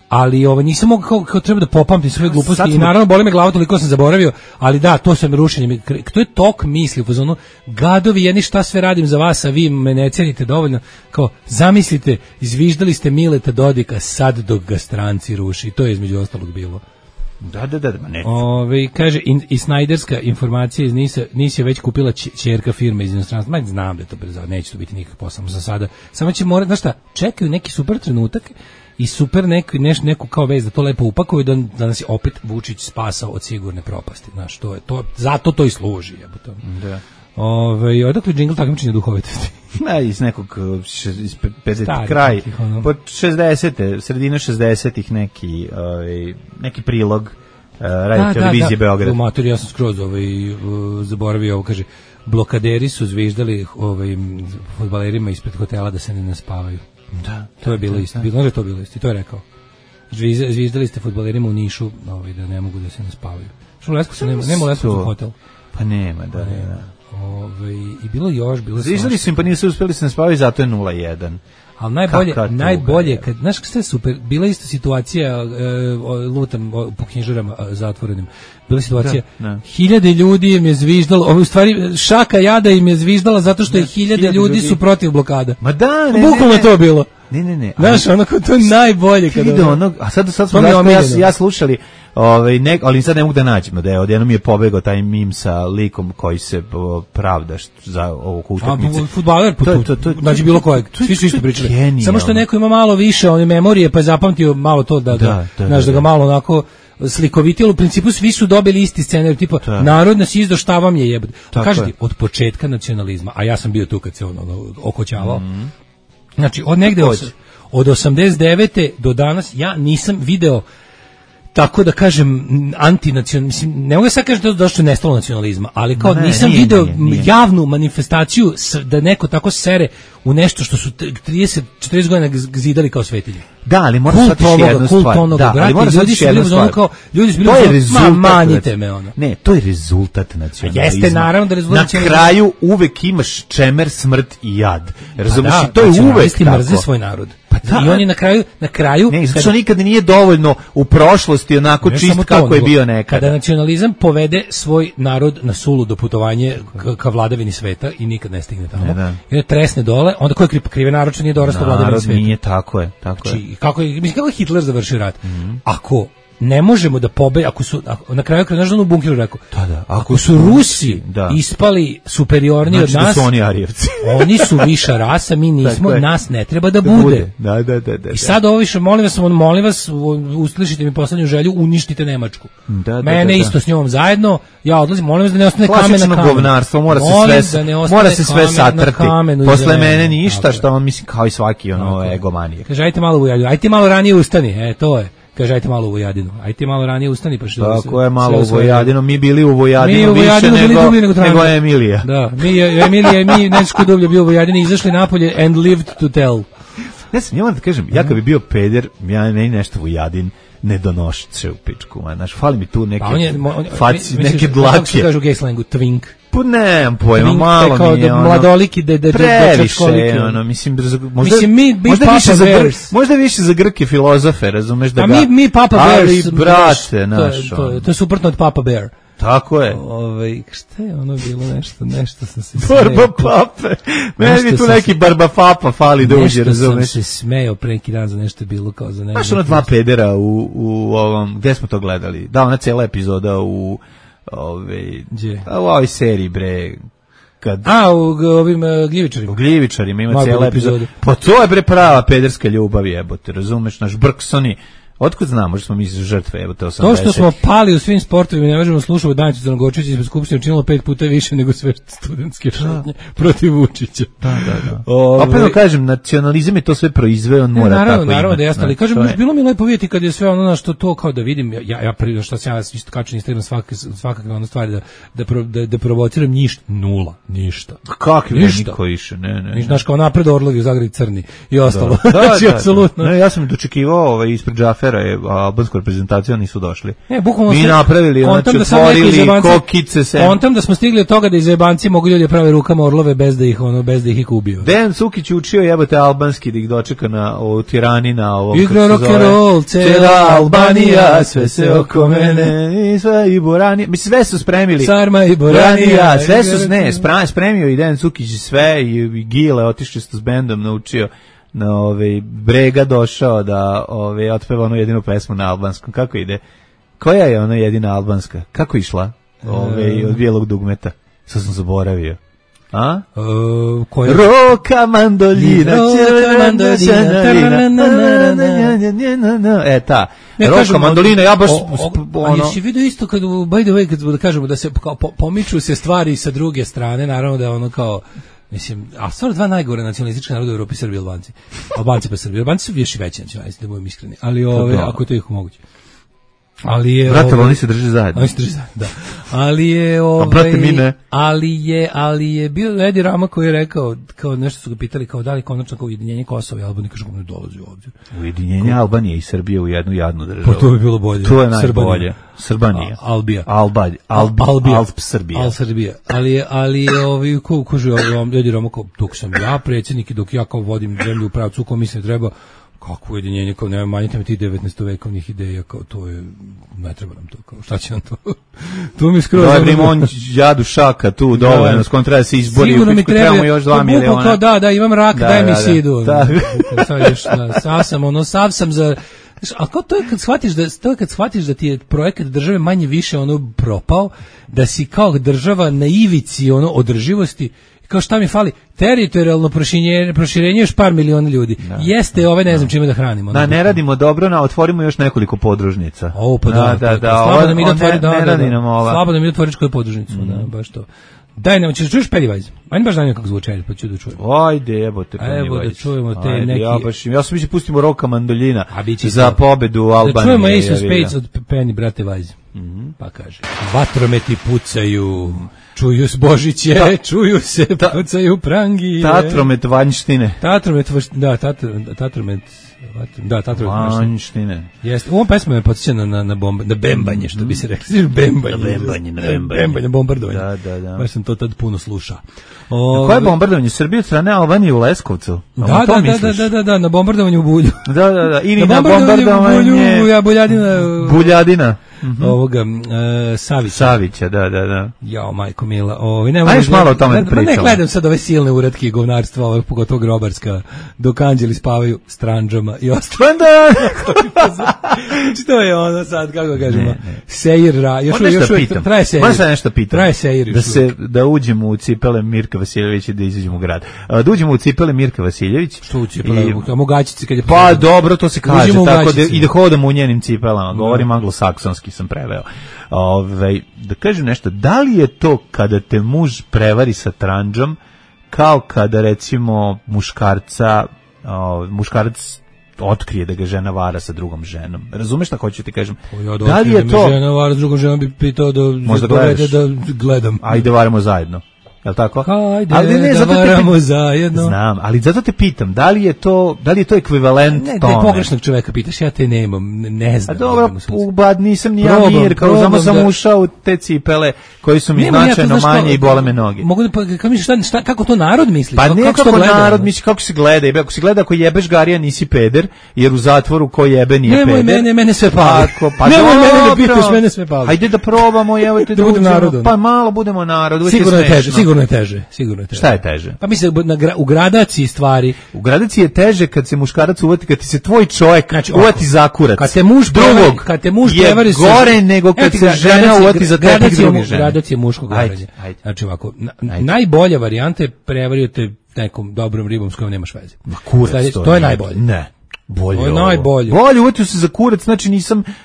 Ali nisam mogao kao treba da popamtim svoje gluposti i naravno boli me glava, toliko sam zaboravio, ali da, to sam rušenje, to je tok misli u fazonu, gadovi jedni šta sve radim za vas, a vi me ne cenite dovoljno, kao zamislite, izviždali ste Mileta Dodika sad dok ga stranci ruši, i to je između ostalog bilo. Da, ne. Kaže, i snajderska informacija iz NIS je već kupila ćerka firme iz inostranstva, znam da je to brzo, neće to biti nikak posao za sada, samo će morati, znaš šta, čekaju neki super trenutak, i super neku kao vez da to lepo upakuju da nas je opet Vučić spasao od sigurne propasti, znaš, to je to, zato to i služi, jebote. Da. Odakle džingl takmičenja duhovitosti? Iz nekog iz 50 kraj, pod 60-te, sredina 60-ih neki prilog radio televizije Beograd. Mater, ja sam skroz zaboravio ovo, kaže, blokaderi su zviždali fudbalerima ispred hotela da se ne naspavaju. Da, to je bilo isto. Bilo je to bilo isto. I to je rekao. Zvizdali ste fudbalerima u Nišu, da ne mogu da se naspavaju. Što u Leskovcu nema Leskovcu hotel. Pa nema, da. I bilo još, zvizdali su im, pa nisu uspeli se naspavaju, zato je 0-1. Ali najbolje, kad, znaš što je super, bila isto situacija, lutam po knjižarama zatvorenim, bila situacija, hiljade ljudi im je zviždalo, u stvari šaka jada im je zviždala zato što je hiljade ljudi su protiv blokada. Ma da, bukvalno to bilo. Ne. Znaš, onako, to je najbolje. A sad smo ja slušali, ali sad ne mogu da nađemo da je odjednom je pobegao taj mim sa likom koji se pravda za ovu utakmicu. Fudbaler, znači bilo kojeg, svi su isto pričali. Samo što neko ima malo više memorije, pa je zapamtio malo to da ga malo onako slikovitilo. U principu svi su dobili isti scenarij, tipa narod nas izdo, šta vam je jebati. Kažete, od početka nacionalizma, a ja sam bio tu kad se on okoćavao, znači od negde od 89. do danas ja nisam video, tako da kažem, antinacionalizam, mislim, ne mogu sad kažem da je došlo nestalo nacionalizma, ali kao nisam video javnu manifestaciju da neko tako sere u nešto što su 30-40 godina zidali kao svetinje. Da, ali moraš shvatiti jednu stvar. Ali moraš shvatiti jednu stvar. Ljudi su bili manjite me ono. Ne, to je rezultat nacionalizma. Jeste, naravno da rezultat nacionalizma. Na kraju uvek imaš čemer, smrt i jad. Razumiješ, to je uvek tako. Mrze svoj narod. I oni na kraju ne, zato što nikad nije dovoljno u prošlosti onako čist kako je bio nekada. Kada nacionalizam povede svoj narod na suludo putovanje ka vladavini sveta i nikad ne stigne tamo. I tresne dole, onda ko je krive narod što nije dorastao vladavini sveta. Nije, tako je. Kako je Hitler završio rat? Ako ne možemo da na kraju znaš da u bunkeru rekao, ako su Rusi ispali superiorni od nas, da su oni Arijevci. Oni su viša rasa, mi nismo, nas ne treba da bude. Da. I sad ovo više, molim vas, uslišite mi poslednju želju, uništite Nemačku. Mene isto s njom zajedno, ja odlazim, molim vas da ne ostane kamen na kamenu. Klasično govnarstvo, mora se sve satrti. Posle mene ništa, što on mislim kao i svaki egomanije. Kaže, ajte malo ranije ustani, to je. Kaže, ajte malo u Vojadinu. Ajte malo ranije ustani, pa što... Tako je, malo u Vojadinu. Mi bili u Vojadinu više nego Emilija. Da, Emilija i mi nešto dublje bio u Vojadini, izašli napolje and lived to tell. Ne znam, ja vam da kažem, ja kad bi bio peder, ja nešto Vojadin ne donošće u pičku. Znaš, fali mi tu neke faci, neke dlake. Kako se kaže u gay slangu? Twink. Pa nemam pojma, malo mi je ono... Mladoliki, previše, mislim, možda više za Grke filozofe, razumeš da ga... A mi Papa Bear... Ali, brate, naš... To je suprotno od Papa Bear. Tako je. Šta je ono bilo nešto sam se Barba pape. Meni bi tu neki barba papa fali da uđe, razumeš? Nešto sam se smejao pre neki dan za nešto bilo kao za nešto. Znaš ono dva pedera u ovom, gde smo to gledali? Da, ona cijela epizoda u ovoj seriji, bre. U ovim gljivičarima. U gljivičarima ima cijela epizoda. Pa to je bre prava pederska ljubav, jebote, razumeš, naš Brksoni. Otkud znamo, možda smo mi žrtve, evo te 80. To što smo pali u svim sportovima, ne možemo slušati Danicu Crnogorčića ispred Skupštine učinilo 5 puta više nego sve studentske šetnje protiv Vučića. Da. Opet kažem, nacionalizam je to sve proizveo, on mora tako imati. Naravno da jeste, ali kažem, bilo mi lepo vidjeti kad je sve ono na što to kao da vidim, ja prije što sam ja isto kačem Instagram svakakve ono stvari da provociram ništa. Kakvi niko više, ne. Znaš kao napred Orlovi u Zagradi crni i ostalo. Znači, apsolutno. Ja sam dočekivao ispred Džafera albansku reprezentaciju, nisu došli. Bukvalno mi napravili, znači otvorili kokice se. Kontam da smo stigli od toga da iz jebanci mogu ljudi prave rukama orlove bez da ih ubiju. Dejan Cukić učio jebote albanski da ih dočeka na Tirani na ovom. Igra rock and roll, cela Albanija, sve se oko mene, i sve i Borani. Mi sve su spremili. Sarma i Boranija, sve su spremio i Dejan Cukić sve i Gile otišli s bendom naučio. Na Brega došao da otpeva onu jedinu pesmu na albanskom. Kako ide? Koja je ona jedina albanska? Kako išla? Od bijelog dugmeta. Sad sam zaboravio. A? Roka mandoljina. Ta. Roka mandolina, ja baš jesi vidio isto kad, by the way, kad da kažemo da se pomiču se stvari sa druge strane, naravno da je ono kao mislim, a stvarno dva najgore nacionalistička naroda u Evropi, Srbi i Albanci. Albanci pa Srbi. Albanci su još i veći nacionalisti, da budem iskreni. Ali ako je to ih moguće. Ali je brate, oni se drže zajedno. Oni se drže zajedno, da. Ali je brate, mi ne. Ali je bio Edi Rama koji je rekao, kao nešto su ga pitali, kao da li konačno kao ujedinjenje Kosova i Albanije, kaže ne dolazi ovdje. Ujedinjenje Albanije i Srbije u jednu jadnu državu. Pa to bi bilo bolje. To je najbolje. Srbanija. Albija. Alp Srbija. Srbija. Ali je kaže Edi Rama kao dok sam ja predsjednik i dok ja kao vodim zemlju u pravcu ko mislim treba. Kako ujedinjenje, kao nema manjite mi ti 19. vekovnih ideja, kao to je, ne treba nam to, kao šta će nam to, to mi skroz... Dobre, on jadu šaka tu, dovoljno, s kojom treba se izbori, sigurno mi trebamo još 2 miliona. Kao da, imam rak, daj mi sidu. Sav sam za... A kao to je kad shvatiš da ti je projekat države manje više propao, da si kao država na ivici održivosti, kao šta mi fali, teritorijalno proširenje još par miliona ljudi. Jeste, ne znam čime da hranimo. Da, ne radimo dobro, otvorimo još nekoliko podružnica. Slabo da mi ide otvoriš koju podružnicu, baš to. Daj nam, ćeš čuješ Pennywise? Ajde baš znam kako zvuče, pa ću da čujem. Ajde, jebote Pennywise. Evo da čujemo te neki... Ja sam pustimo Roka mandoljina za pobedu u Albaniji. Da čujemo Ace of Spades od Penny, brate Vajze. Pa kaže, vatrometi pucaju... Čuju se Božiće, čuju se, pucaju prangije. Tatromet vanjštine. Tatromet vanjštine. Jeste, u ovom pesmu me podsjeća na bembanje, što bi se rekli. Bembanje, bombardovanje. Da. Baš sam to tad puno slušao. Koje je bombardovanje? Srbije od strane Albanije u Leskovcu? Da, na bombardovanju u Bulju. Da, ili na bombardovanje... Buljadina. Ovoga Savića, da. Jao, majko mila. Ajš malo o tome da pričamo. Ne gledam sad ove silne uratke i govnarstva, pogotovo grobarska, dok anđeli spavaju s tranđama i ostalo. Znači to je ono sad, kako kažemo, sejir, još traje sejir. Možda nešto pitam. Traje sejir. Da uđemo u cipele Mirka Vasiljevića i da izađemo u grad. Da uđemo u cipele Mirka Vasiljević. Što u cipele? Mogačice kad je... Pa dobro, to se kaže, tako i da hodamo u njenim cipelama. Govorim anglosaksonski, sam preveo. Da kažem nešto, da li je to kada te muž prevari sa tranđom kao kada recimo muškarac otkrije da ga žena vara sa drugom ženom? Razumeš šta hoću ti kažem? Da li je to... žena vara sa drugom ženom bi pitao da gledam. Ajde varamo zajedno. jel tako? Hajde, ali ne, da varamo zajedno. Znam, ali zato te pitam, da li je to ekvivalent tome? Ne, da je pogrešnog čoveka pitaš, ja te nemam, ne znam. A dobro, nisam ni ja Mirka, samo sam ušao u te cipele koji su mi značajno manje i bole me noge. Mogu da, kako to narod misli? Pa ne kako narod misli, kako se gleda, ako se gleda ako jebeš garija nisi peder, jer u zatvoru ko jebe nije peder. Mene sve pali. Pa nemoj mene da pitaš, mene sve pali. Hajde da probamo, evo te da budemo narod. Pa malo budemo narod. Sigurno je teže. Šta je teže? Pa mislim u gradaciji stvari. U gradaciji je teže kad se muškarac uvati, kad ti se tvoj čovjek uvati za kurac. Kad te muž prevari je gore nego kad se žena uvati za tepih druge žene. Gradacija muškog varanja. Znači ovako, najbolja varijanta je prevario te nekom dobrom ribom s kojom nemaš veze. To je najbolje. Ne. Bolje. To je najbolje. Bolje uvati se za kurac, znači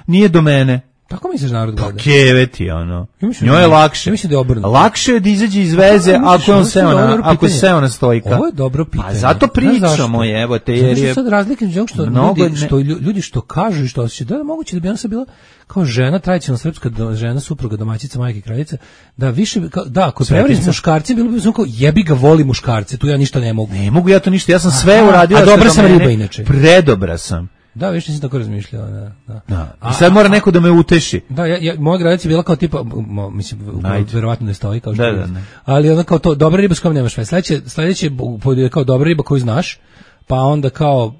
nije do mene. Tako misliš narod gleda? Pa keveti, ono. Njoj je lakše. Ja mislim da je obrnuto. Lakše je da izađe iz veze ako je seo na stojka. Ovo je dobro pitanje. Pa zato pričamo, evo te, jer je... Sad razlike među što ljudi što kažu i što osjećaju, da moguće da bi ona sad bila kao žena, tradicionalna srpska žena, supruga, domaćica, majka i kraljica, da više, ako prevari s muškarcem, bilo bi kao jebi ga, voli muškarce, tu ja ništa ne mogu. Ne mogu ja to ništa, ja sam sve uradio. A dobra sam riba inače. Predobra sam. Da, više nisam tako razmišljao, da. I sad mora neko da me uteši. Da, moja gradacija je bila kao tipa, mislim, verovatno ne stoji kao što je. Da. Ali ona kao to, dobra riba s kojom nemaš veze. Sledeće je kao dobra riba koju znaš, pa onda kao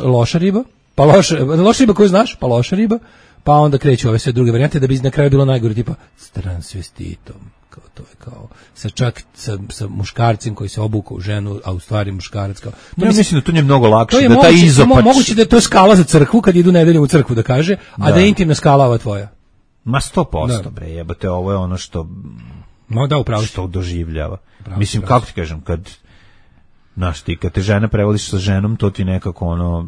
loša riba, pa loša riba koju znaš, pa loša riba, pa onda kreću ove sve druge varijante da bi na kraju bilo najgore, tipa s transvestitom. To je kao sa muškarcem koji se obuka u ženu, a u stvari muškarac kao. Ja mislim da to je mnogo lakše, da taj izopač. Moguće da je to skala za crkvu kad idu nedeljom u crkvu da kaže, a da je intimna skala ova tvoja. Ma 100%, bre, jebote, ovo je ono što upravo što doživljava. Mislim, kako ti kažem, kad kad te žena prevodiš sa ženom, to ti nekako ono,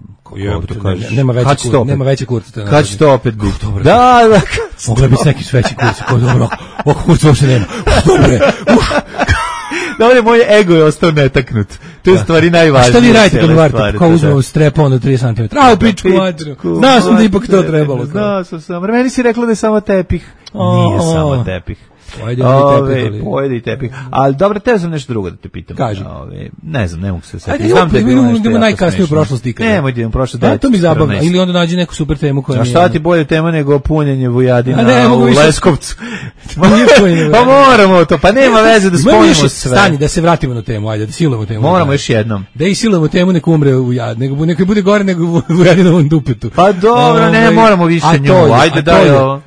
nema veće kurca. Kad će to opet biti? Da. Mogla bi se neki sveći kurci, kao dobro, ovako kurca uopšte nema. Dobre, moj ego je ostao netaknut. To je stvari najvažnije. Šta vi radite kad varite? Kao uzmemo strepon do 3 cm. A, pičku materinu. Znao sam da ipak to trebalo. Znao sam. Meni si rekla da je samo tepih. Nije samo tepih. Pojede i tepih. Ali dobro, te sam nešto drugo da te pitam. Kaži. Ne znam, ne mogu se setiti. Ajde, idemo najkasnije u prošlosti. Nemoj da idemo prošlost. To mi zabavno. Ili onda nađi neku super temu koja mi je... Šta ti bolje tema nego punjenje Vujadina u Leskovcu? Pa moramo to, pa nema veze da spojimo sve. Stani, da se vratimo na temu, ajde, da silujemo temu. Moramo još jednom. Da i silujemo temu, nek umre Vujad, nek bude gore nego Vujadinovom dupetu. Pa dobro, ne moramo više nju, ajde daj ovo.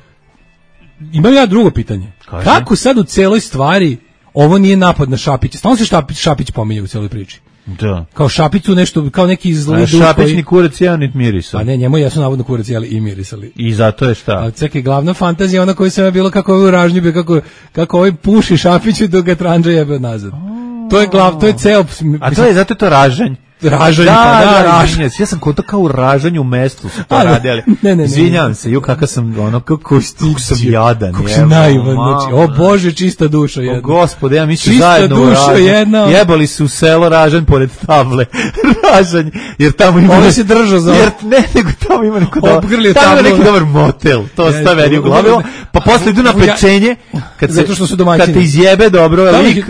Imam ja drugo pitanje. Kako sad u celoj stvari ovo nije napad na Šapića? Stalno se Šapić pominje u celoj priči. Da. Kao Šapiću nešto, kao neki zli duh koji... Šapićni kurac jeo nit mirisao. Pa ne, njemu jesu navodno kurac jeli i mirisali. I zato je šta? A čekaj, glavna fantazija ona koja se je bilo kako ovaj ražnju bio, kako ovaj puši Šapiću dok ga tranđa jebe nazad. To je ceo... A to je, zato je to ražanj. Ražanj, ražanj. Ja sam kod to kao u ražanju u mestu su to radili. Ne. Izvinjavam se, kakav sam ono, kako sam jadan. Kako si naivan, znači, o Bože, čista duša jedna. O Gospode, ja mislim zajedno u ražanj. Jebali su u selo Ražanj pored table. Ražanj, jer tamo ima... Ovo se držao za... Jer ne, nego tamo ima neki dobar motel. To stavi u glavi. Pa posle idu na pečenje, kad te izjebe dobro,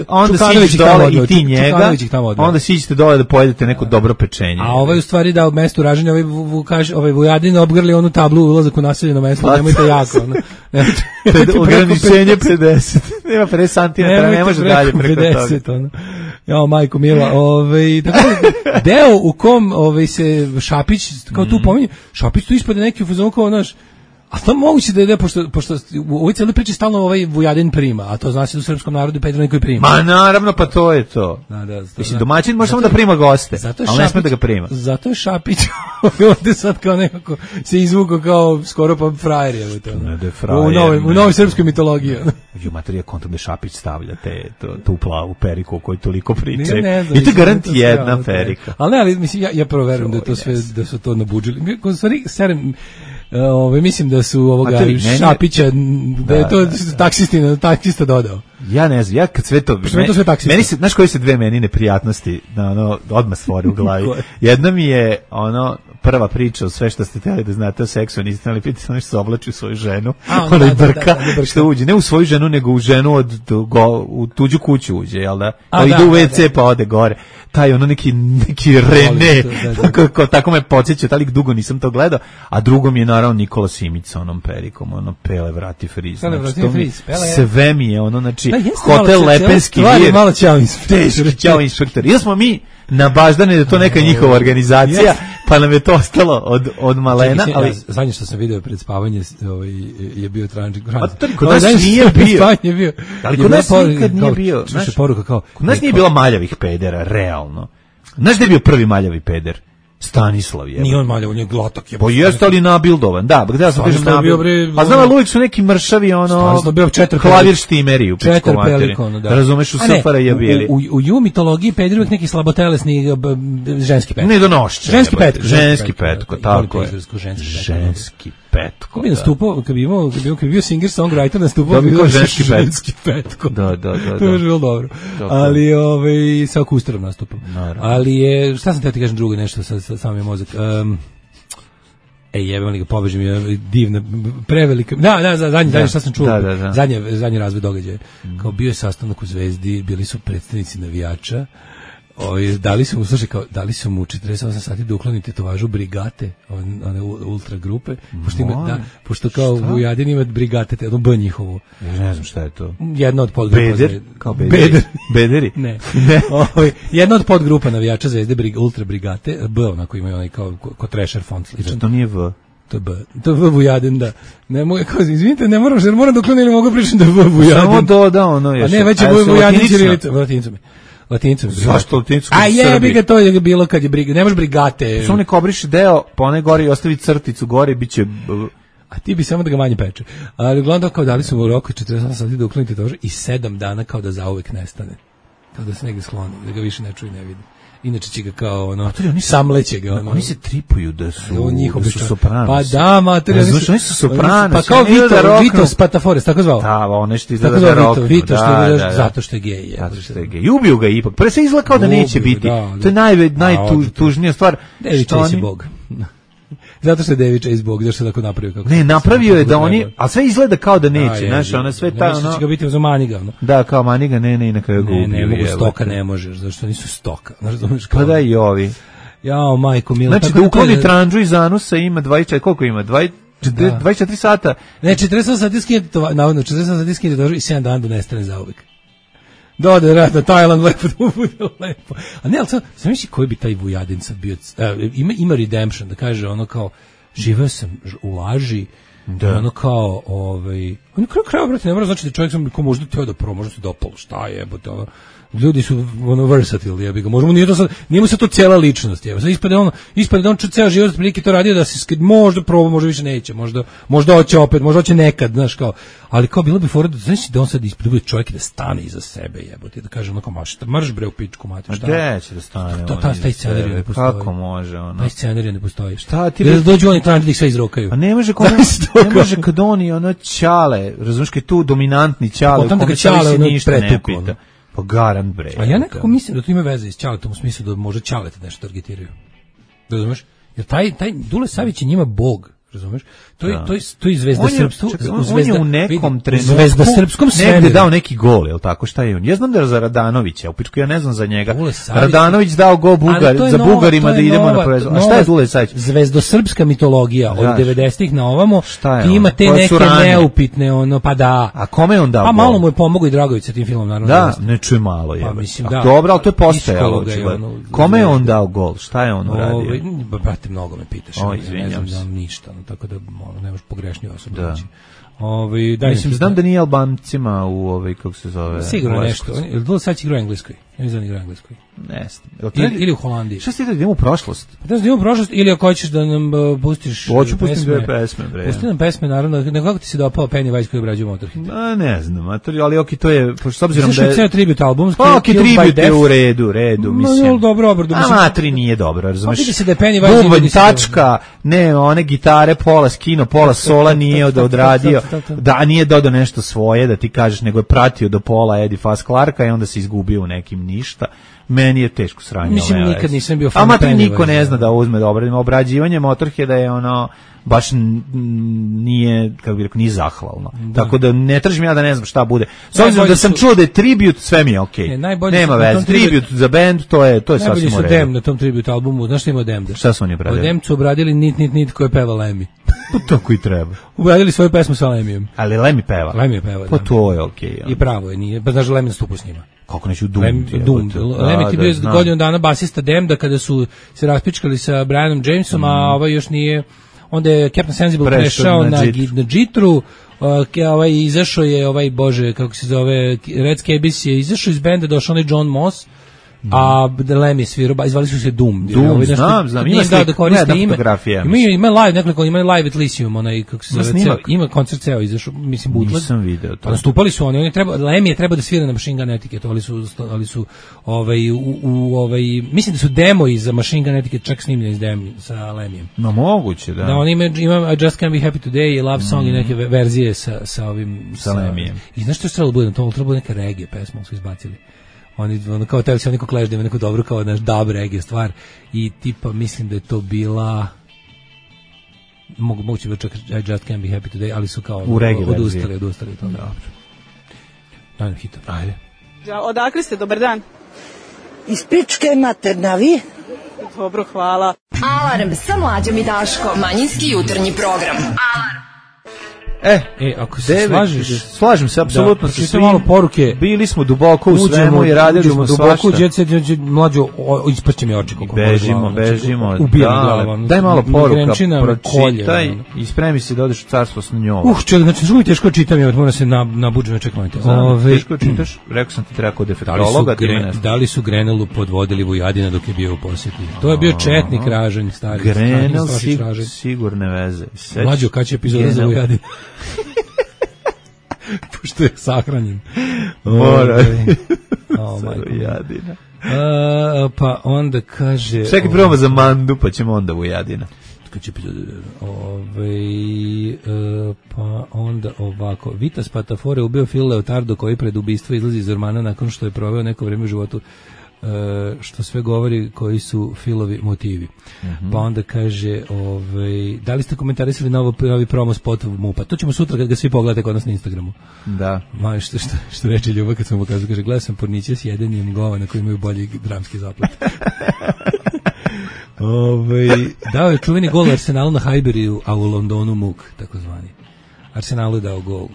onda siđeš dole i ti njega, onda siđete dole da pojedete neko dobro pečenje. A ovaj u stvari da u mestu Ražanja ovaj Vujadin obgrli onu tablu ulazak u naseljeno mesto, nemojte jako. Ograničenje 50. Nema 50 cm, ne može dalje preko 50, toga. Jao, majko mila, tako deo u kom se Šapić, kao tu pominje, Šapić tu ispade neki u fazonu kao, znaš, a to moguće da je, pošto u ovoj cijeloj priči stalno ovaj Vujadin prima, a to zna se da u srpskom narodu Pedro koji prima. Ma naravno, pa to je to. Mislim, domaćin može samo da prima goste, ali ne sme da ga prima. Zato je Šapić ovdje sad kao nekako se izvukao kao skoro pa frajer je u novoj srpskoj mitologiji. U materija kontom da Šapić stavlja tu plavu periku o kojoj toliko pričaju. I to garant jedna perika. Ali mislim, ja prvo verujem da je to sve, da su to nabuđili. U stvari, mislim da su ovoga Šapića, da je to taksista dodao. Ja ne znam, ja kad sve to... Meni se, znaš koje se dve meni neprijatnosti odmah stvori u glavi? Jedna mi je prva priča o sve što ste htjeli da znate o seksu, niste ali pitali se nešto se oblači u svoju ženu, ona je brka, što uđe, ne u svoju ženu, nego u ženu u tuđu kuću uđe, jel da? Ide u WC pa ode gore. Taj ono neki Rene, tako me podsjeća, taj lik dugo nisam to gledao, a drugo mi je naravno Nikola Simić sa onom perikom, ono Pele vrati friz. Sve mi je ono, znači, hotel Lepenski vir. Malo Ćao inspektor. Ili smo mi nabaždani da to neka njihova organizacija, pa nam je to ostalo od malena. Ali zadnje što sam video pred spavanje je bio Trančik. Kod nas nije bio. Ali kod nas nikad nije bio. Kod nas nije bilo maljavih pedera, realno. Znaš gde je bio prvi maljavi peder? Stanislav je. Nije on maljav, on je glotok. Pa jeste li nabildovan? Da, gde sam kažem nabildovan. A znam, uvijek su neki mršavi, klavir štimeri u pičku materi. Razumeš, u SFRJ je bili. U ju mitologiji peder uvijek neki slabotelesni ženski petko. Ne donošće. Ženski petko, tako je. Ženski petko. Kad bi nastupao, kad bi bio singer-songwriter, nastupao bi bio ženski petko. Da. To je bilo dobro. Ali, sa akustarom nastupam. Ali je, šta sam te ti kažem drugo nešto, sam je mozak. Jebem li ga, pobeži mi je divna, prevelika. Zadnje šta sam čuo. Zadnji razvoj događaja. Kao bio je sastanak u Zvezdi, bili su predstavnici navijača. Dali su mu 48 sati da ukloni tetovažu brigate, one ultra grupe, pošto kao Vujadin ima brigate, ono B njihovo. Ne znam šta je to. Jedna od podgrupa. Beder? Kao bederi? Ne. Jedna od podgrupa navijača Zvezde, ultra brigate, B onako imaju onaj kao Thrasher font sličan. To nije V. To je B. To je V Vujadin, da. Ne mogu, izvinite, ne moram da uklonim ili mogu pričati da je V Vujadin. Samo doda ono još. A ne, već je Vujadin ćirilica. Latinicom. Zašto latinicom? A jebi ga, to je bilo kad je briga. Nemaš brigate. Samo nek obriše deo, pa one gore i ostavi crticu gore i bit će... A ti bi samo da ga manje peče. Ali uglavnom kao dali su mu roku 48 sati da uklonite tože i 7 dana kao da zauvek nestane. Kao da se negdje skloni, da ga više ne čuje i ne vidi. Inače će ga kao ono, samleće ga ono. Oni se tripuju da su sopranos. Pa da, materi, oni su sopranos. Pa kao Vito Spatafores, tako zvao. Da, ono što izgleda da rock. Vito zato što je gej. Zato što je gej. I ubiju ga ipak. Pre se izgleda kao da neće biti. To je najtužnija stvar. David Chase je bog. Zato što je David Chase bog, zašto je tako napravio kako. Ne, napravio je da oni, a sve izgleda kao da neće, znaš, ona sve ta ono. Će ga biti za maniga, ono. Da, kao maniga, ne, i na kraju ga ubiju. Ne mogu stoka, ne možeš, zato što nisu stoka. Znaš, pa da i ovi. Jao, majko mila. Znači da ukloni tranđu iz anusa ima 24, koliko ima? 24 sata. Ne, 48 sati skinete, navodno 48 sati skinete i 7 dana da nestane zauvek. Dode rada Tajland lepo da mu bude lepo. A ne, ali sam misli koji bi taj Vujadin sad bio, ima redemption, da kaže ono kao, živeo sam u laži, ono kao, on kraju kraja, brate, ne mora znači da čovjek sam ko možda teo da prvo, možda se dopalo, šta je, ono, ljudi su ono versatile, jebi ga. Možemo nije mu se to cijela ličnost, jebi. Sad ispade on ceo život prilike to radio da se možda proba, možda više neće, možda hoće opet, možda hoće nekad, znaš kao. Ali kao bilo bi fora da znači da on sad ispred bude čovjek da stane iza sebe, jebote, da kaže onako marš bre u pičku mater, šta? Gde će da stane? Taj scenarij ne postoji. Kako može ono? Taj scenarij ne postoji. Šta ti da dođu oni tamo da ih sve izrokaju. A ne može kad oni ono ćale, razumiješ, kad tu dominantni ćale, kome se ništa ne pita. Pa garant bre. A ja nekako mislim da to ima veze s Ćaletom u smislu da može Ćalete nešto targetiraju. Razumeš? Jer taj Dule Savić je njima bog, razumeš? To je zvezda srpstva. On je u nekom trenutku zvezda srpskom svemiru. Negde dao neki gol, je li tako? Šta je on? Ja znam da je za Radanovića, u pičku ja ne znam za njega. Radanović dao gol za Bugarima da idemo na prvenstvo. A šta je Dule Savić? Zvezdosrpska mitologija od 90-ih na ovamo. Ima te neke neupitne ono, pa da. A kome je on dao? Pa malo mu je pomogao i Dragović sa tim filmom, naravno. Da, ne čuje malo je. Pa mislim da. Dobro, al to je postojalo. Kome je on dao gol? Šta je on uradio? Brate, mnogo me pitaš. Ne znam ništa, tako da ne možeš pogrešnije osobe. Da. Mislim, znam da nije Albancima u kako se zove. Sigurno nešto. Dule Savić igra u Engleskoj. Ja ne znam igra u Engleskoj. Ne znam. Ili u Holandiji. Šta si da idemo u prošlost? Pa da idemo u prošlost ili ako hoćeš da nam pustiš pesme. Hoću pustiti dve pesme, bre. Pusti nam pesme, naravno. Nekako ti se dopao Pennywise koji obrađuje Motorhead? Ne znam, ali okej, to je, s obzirom da je... Ceo tribute album. Okej, tribute je u redu, mislim. Dobro. Matri nije dobro, razumeš? Vidi se da je Pennywise... Bubanj, tačka, ne, one gitare, pola skino, pola sola nije odradio, da nije dodao nešto svoje, da ti kažeš, nego je pratio do pola Eddie Faz Clarka i onda se izgubio u nekim radim ništa. Meni je teško sranje. Mislim, nikad nisam bio fan. A mater niko ne zna da uzme da obradim. Obrađivanje Motorheada je ono baš nije, kako bih rekao, nije zahvalno. Da. Tako da ne tražim ja da ne znam šta bude. S obzirom da sam čuo da je tribute, sve mi je okej. Nema veze. Tribute za band, to je sasvim u redu. Najbolji su Damned na tom tribute albumu. Znaš što ima Damned? Šta su oni obradili? Damned su obradili Nit koje peva Lemmy. Pa tako i treba. Obradili svoju pesmu sa Lemmyjem. Ali Lemmy peva. Lemmy peva, pa to je okej. I pravo je, nije. Pa znaš da Lemmy nastupa s njima. Kako neću Doom? Lemmy ti bio godinu dana basista Damneda kada su se raspičkali sa Brianom Jamesom, a ovaj još nije. Onda je Captain Sensible prešao na Jitru, izašao je bože, kako se zove, Red Scabies je izašao iz benda, došao onaj John Moss, a Lemmy svirao, izvali su se Doom, znam, ima fotografija. Ima live, nekoliko, ima live at Lyceum, onaj, kako se zove, ima koncert ceo izašao, mislim, bootleg. Nisam video to. Nastupali su oni Lemmy je trebao da svira na Machine Gun Etiquette, ali su mislim da su demoji za Machine Gun Etiquette čak snimljeni sa Lemmyjem. No, moguće, da. Da, on ima I Just Can't Be Happy Today i Love Song i neke verzije sa ovim... Sa Lemmyjem. I znaš što je trebalo bude na tomu? Trebalo neka reggae pesma, su izbacili. Oni kao teli se oni ko Clash da ima neku dobru kao naš dub reggae stvar i tipa mislim da je to bila moguće bi čak I Just Can't Be Happy Today, ali su kao odustali od toga. Dobro. Dajem hita. Ajde. Odakle ste, dobar dan? Iz Pičke materne, vi? Dobro, hvala. Alarm sa Mlađom i Daškom. Manjinski jutarnji program. Alarm. Ako se slažem se apsolutno sa svim. Malo poruke. Bili smo duboko u svemu i radili smo duboko u jet set, Mlađo ispašće mi oči kako bežimo. Daj malo poruka, pročitaj i spremi se da odeš u carstvo s njom. Čovjek, znači zvuči teško čitam, ja moram se nabuđem, čekajte. Teško čitaš? Rekao sam ti treba kod defektologa. Da li su Grenelu podvodili Vujadina dok je bio u posjeti? To je bio četnik ražanj, stari. Grenel sigurne veze. Mlađo, kad će epizoda za Vujadina? Pošto je sahranjen. Mora. Vujadina. Pa onda kaže... Čekaj, probamo za Mandu, pa ćemo onda Vujadina. Pa onda ovako. Vita Spatafore ubio Phil Leotardo koji pred ubistvo izlazi iz ormana nakon što je proveo neko vrijeme u životu, što sve govori koji su Philovi motivi. Pa onda kaže, da li ste komentarisali novi promo spot MUP-a? To ćemo sutra kad ga svi pogledate kod nas na Instagramu. Da. Što reče Ljubav kad sam mu pokazao, kaže, gledao sam porniće s jedenjem govana koji imaju bolji dramski zaplet. Dao je čuveni gol Arsenalu na Highbury, a u Londonu Muk, takozvani. Arsenalu je dao gol.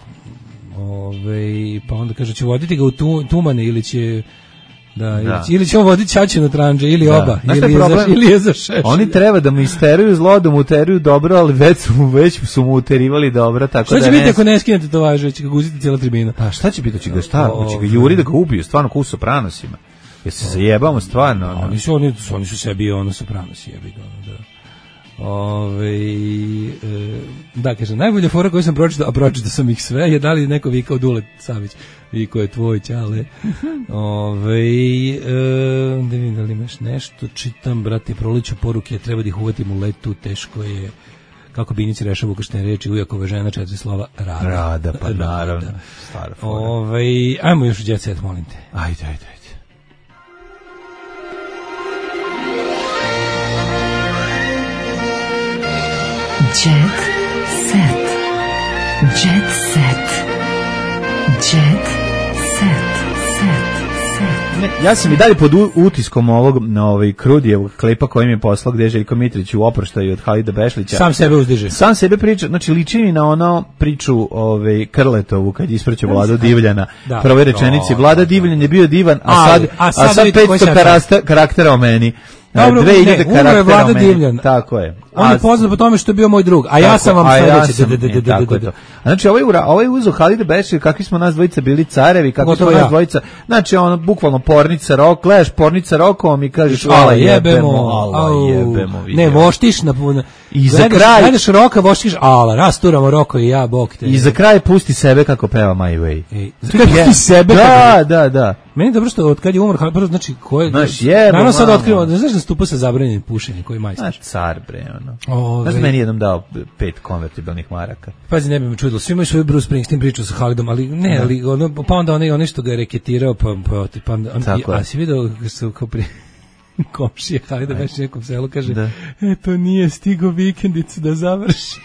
Pa onda kaže, će voditi ga u Tumane ili će... Ili će on voditi Čačinu tranđe, ili oba, ili je za šeš. Oni treba da mu isteruju zlo, da mu uteruju dobro, ali već su mu uterivali dobro, tako da... Šta će biti ako ne skinete to važe, će ga guziti cijela tribina? Pa šta će biti, će ga juri da ga ubiju, stvarno ko u Sopranosima. Jer se zajebamo stvarno. Oni su sebi Sopranosi jebi ga, da. Da, kaže, najbolja fora koju sam pročitao, a pročitao sam ih sve, je da li neko vikao Dule Savić, viko je tvoj ćale. Da vidim da li imaš nešto, čitam, brate, proliću poruke, treba da ih uvatim u letu, teško je, kako Binici rešava ukrštene reči, ujakove žena 4 slova, rada. Pa naravno, stara fora. Ajmo još u jet set, molim te. Ajde. Jet set. Jet set. Jet set. Ja sam i dalje pod utiskom ovog Krudijevog klipa koji mi je poslao gde je Željko Mitrić u oproštaju od Halida Bešlića. Sam sebe uzdiže. Sam sebe priča, znači liči mi na ono priču Krletovu kad ispraćao Vladu Divljana. Prvoj rečenici, Vlada Divljan je bio divan, a sad 500 karaktera o meni. Dobro, umro je Vlada Divljan. Tako je. On je poznat po tome što je bio moj drug, a ja sam vam sledeći. Znači, ovaj uzo Halide Bešir, kakvi smo nas dvojica bili carevi, kakvi smo nas dvojica, znači, ono, bukvalno pornica rok, gledaš pornica rokom i kažeš, ala jebemo. Ne, voštiš na puno. I za kraj... Gledaš roka, voštiš, ala, rasturamo roko i ja, bok te. I za kraj pusti sebe kako peva My Way. Pusti sebe? Da. Meni je dobro što od kad je umro Halid, znači ko je... Naravno sad otkrivamo, znaš da stupa sa zabranjenim pušenjem, koji je majstor? Znaš, car, bre, ono. Znaš da meni jednom dao 5 konvertibilnih maraka. Pazi, ne bi me čudilo, svi imaju svoju Bruce Springsteen priču sa Halidom, ali ne, ali ono, pa onda onaj što ga je reketirao, a si vidio su kao prije... komšije Halida već nekom selu kaže eto nije stigo vikendicu da završi.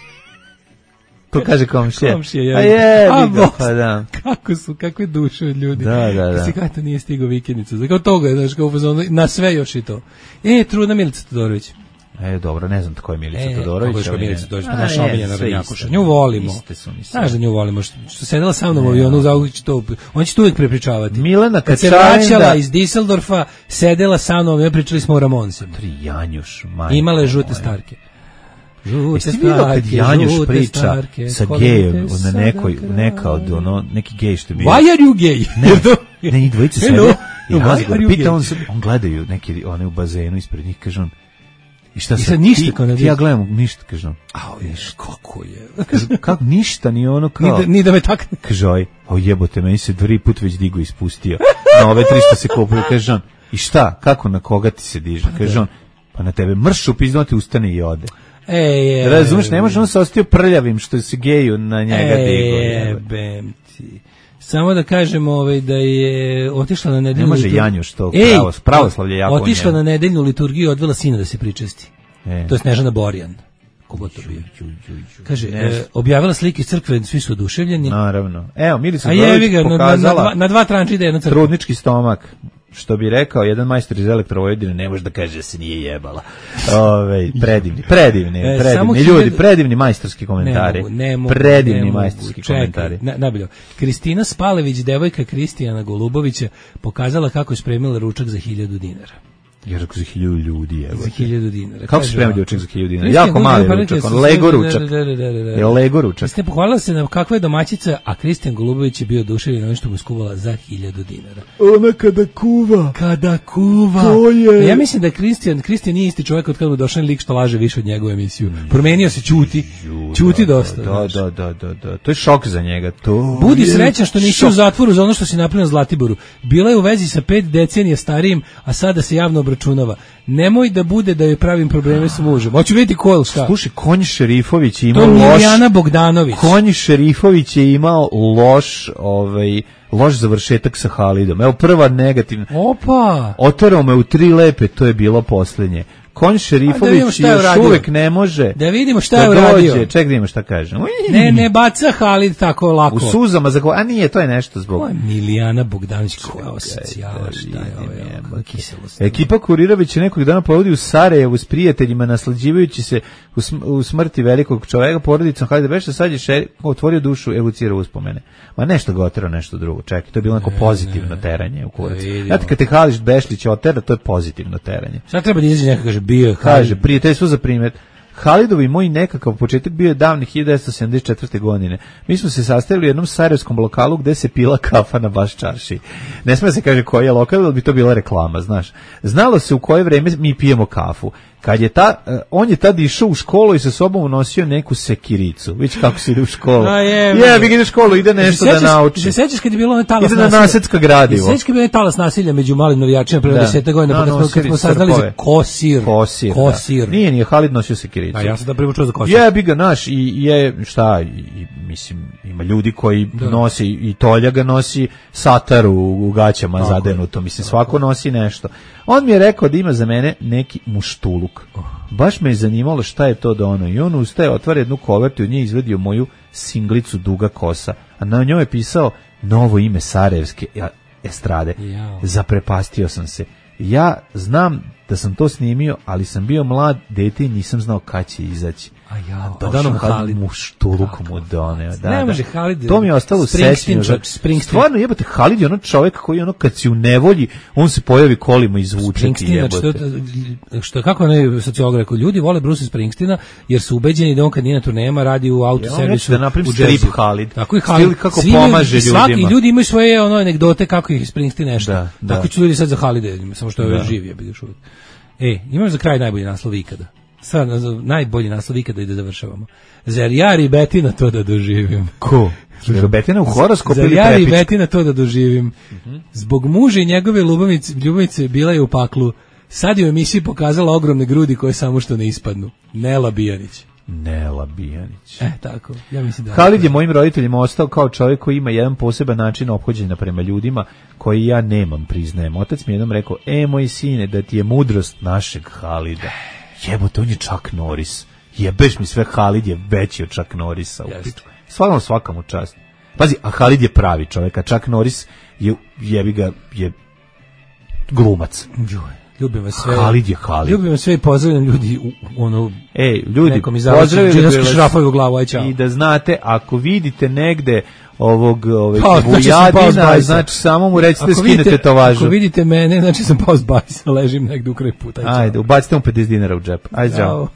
To kaže komšije. Komšije, a je, pa da. Kakve duše od ljudi. Da. Kasi kada nije stigao vikendicu. Kao toga je, znaš, kao na sve još i to. Trudna Milica Todorović. Dobro, ne znam ko je Milica Todorović. Kako je Milica Todorović, pa naša omiljena Radnjakuša. Nju volimo. Znaš da nju volimo, što sedela sa mnom u avionu, on će to uvijek prepričavati. Milena kad se vraćala iz Düsseldorfa, sedela sa mnom, pričali smo o Ramoncima. Janjuš, majka. Imala je žute starke. Jeste vidio kad Janjuš priča sa gejem na neki gej što je bio? Why are you gay? Ne, njih dvojice sede i razgovor. Pita on gledaju neki one u bazenu ispred njih, kaže on, i šta sad ništa ti ja gledam, ništa, kaže on. Kako je? Kako ništa, ni ono kao... Ni da me takne. Kaže jebote, meni se 2 put već digo ispustio. Na ove 300 se kupuju, kaže on. I šta, kako, na koga ti se diže? Kaže on, pa na tebe mršu piznoti, ustane i ode. Razumeš, ne može on se ostio prljavim što se geju na njega digo. Jebem ti. Samo da kažem da je otišla na nedeljnu... Ne može Janjuš to, pravoslavlje jako njemu. Otišla na nedeljnu liturgiju i odvela sina da se pričesti. To je Snežana Borjan. Kogo to bio? Kaže, objavila slike iz crkve, svi su oduševljeni. Naravno. Evo, Milica Todorović pokazala... Na 2 tranče ide jedna crkva. Trudnički stomak. Što bi rekao jedan majstor iz Elektrovojvodine, ne može da kaže da se nije jebala. Predivni ljudi, predivni majstorski komentari. Predivni majstorski komentari. Najbolje. Kristina Spalević, devojka Kristijana Golubovića, pokazala kako je spremila ručak za 1000 dinara. Ja rekao za 1000 ljudi, evo. Za 1000 dinara. Kako se spremio ručak za 1000 dinara? Jako mali ručak, Lego ručak. Je Lego ručak. Ste pohvalila se na kakva je domaćica, a Kristijan Golubović je bio oduševljen onim što mu skuvala za 1000 dinara. Ona kada kuva. To je. Ja mislim da Kristijan nije isti čovjek od kada mu došao lik što laže više od njegovu emisiju. Promenio se, ćuti dosta. Da. To je šok za njega. Budi srećan što nisi u zatvoru za ono što si napravio na Zlatiboru. Bila je u vezi sa 5 decenija starijim, a sada se javno obračunava. Nemoj da bude da joj pravim probleme sa mužem. Hoću vidjeti ko je šta. Slušaj, Konji Šerifović je imao to Milijana Bogdanović. Konji Šerifović je imao loš završetak sa Halidom. Evo prva negativna. Opa! Oterao me u 3 lepe, to je bilo posljednje. Konj Šerifović još uvek ne može da vidimo šta je uradio. Ček da vidimo šta kaže. Ne baca Halid tako lako. U suzama, a nije, to je nešto zbog... Milijana Bogdanović, koja osocijala, šta je ovo, kiselost. Ekipa Kurirović je nekog dana povodi u Sarajevu s prijateljima, naslađivajući se u smrti velikog čoveka, porodicom Halida Beša, sad je otvorio dušu, evocirao uspomene. Ma nešto ga oterao, nešto drugo. Čekaj, to je bilo neko pozitivno teranje u kurac. Znate, kad te Halid Bešlić otera, to je pozitivno teranje. Sad treba da izađe neko, kaže, kaže, prijateljstvo za primjer. Halidovi moj nekakav početak bio je davnih 1974. godine. Mi smo se sastajali u jednom sarajevskom lokalu gde se pila kafa na baš čarši. Ne sme se kaže koji je lokal, ali bi to bila reklama, znaš. Znalo se u koje vreme mi pijemo kafu. Kad je on je tad išao u školu i sa sobom unosio neku sekiricu. Vidiš kako se ide u školu. Ide u školu, ide nešto da nauči. Se sećaš kad je bilo onaj talas nasilja? Ide na nasecka gradivo. Se sećaš kad je bilo talas nasilja među malim navijačima pre 10 godina, kad smo saznali za Kosir. Nije Halid nosio sekiricu. A ja sam da prvo čuo za Kosir. Jebi ga naš i mislim, ima ljudi koji nosi i Tolja ga nosi satar u gaćama zadenuto. Mislim, svako nosi nešto. On mi je rekao da ima za mene neki muštuluk. Baš me je zanimalo šta je to da ono. I on ustaje, otvara jednu kovertu i od nje izvedio moju singlicu Duga kosa. A na njoj je pisao novo ime sarajevske estrade. Zaprepastio sam se. Ja znam da sam to snimio, ali sam bio mlad dete i nisam znao kad će izaći. Došao Halid muštulukom mu doneo. Ne može Halid. To mi je ostalo u sećanju. Stvarno jebote, Halid je ono čovjek koji kad si u nevolji, on se pojavi kolima i zvuči ti jebote. Što kako ne sociolog rekao, ljudi vole Bruce Springsteena jer su ubeđeni da on kad nije na turnejama radi u autoservisu. Da napravim strip Halid. Tako i Halid kako pomaže ljudima. Svaki ljudi imaju svoje anegdote kako ih Springsteen nešto. Tako ću ljudi sad za Halida, samo što je živ, ja bih još uvijek. Imaš za kraj najbolji naslov ikada. Sad, najbolji naslov ikada i da završavamo. Zar ja Ribetina to da doživim? Ko? Ribetina u horoskopu ili Prepić? Zar ja Prepić? Ribetina to da doživim? Zbog muža i njegove ljubavice bila je u paklu. Sad je u emisiji pokazala ogromne grudi koje samo što ne ispadnu. Nela Bijanić. Nela Bijanić. Tako, ja mislim da... Halid je mojim roditeljima ostao kao čovjek koji ima jedan poseban način ophođenja prema ljudima koji ja nemam, priznajem. Otac mi jednom rekao, moj sine, da ti je mudrost našeg Halida. Jebote, on je Chuck Norris. Jebeš mi sve, Halid je veći od Chuck Norrisa. Svaka mu čast. Pazi, a Halid je pravi čovjek, a Chuck Norris je glumac. Ljubim vas sve. Halid je Halid. Ljubim vas sve i pozdravljam ljudi ljudi, pozdravljam u glavu, aj čao. I da znate, ako vidite negde ovog Vujadina, znači samo mu recite skinete to važno. Ako vidite mene, znači sam pao s bajsa, ležim negde u kraj puta. Ajde, ubacite mu 50 dinara u džep. Ajde, čao.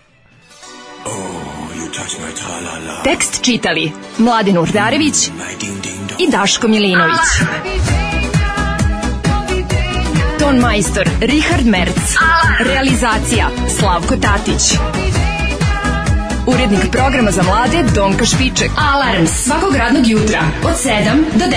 Tekst čitali Mladin Urdarević i Daško Milinović. Ton majstor Richard Merc. Realizacija Slavko Tatić. Urednik programa za mlade Donka Špiček. Alarms svakog radnog jutra od 7 do 10.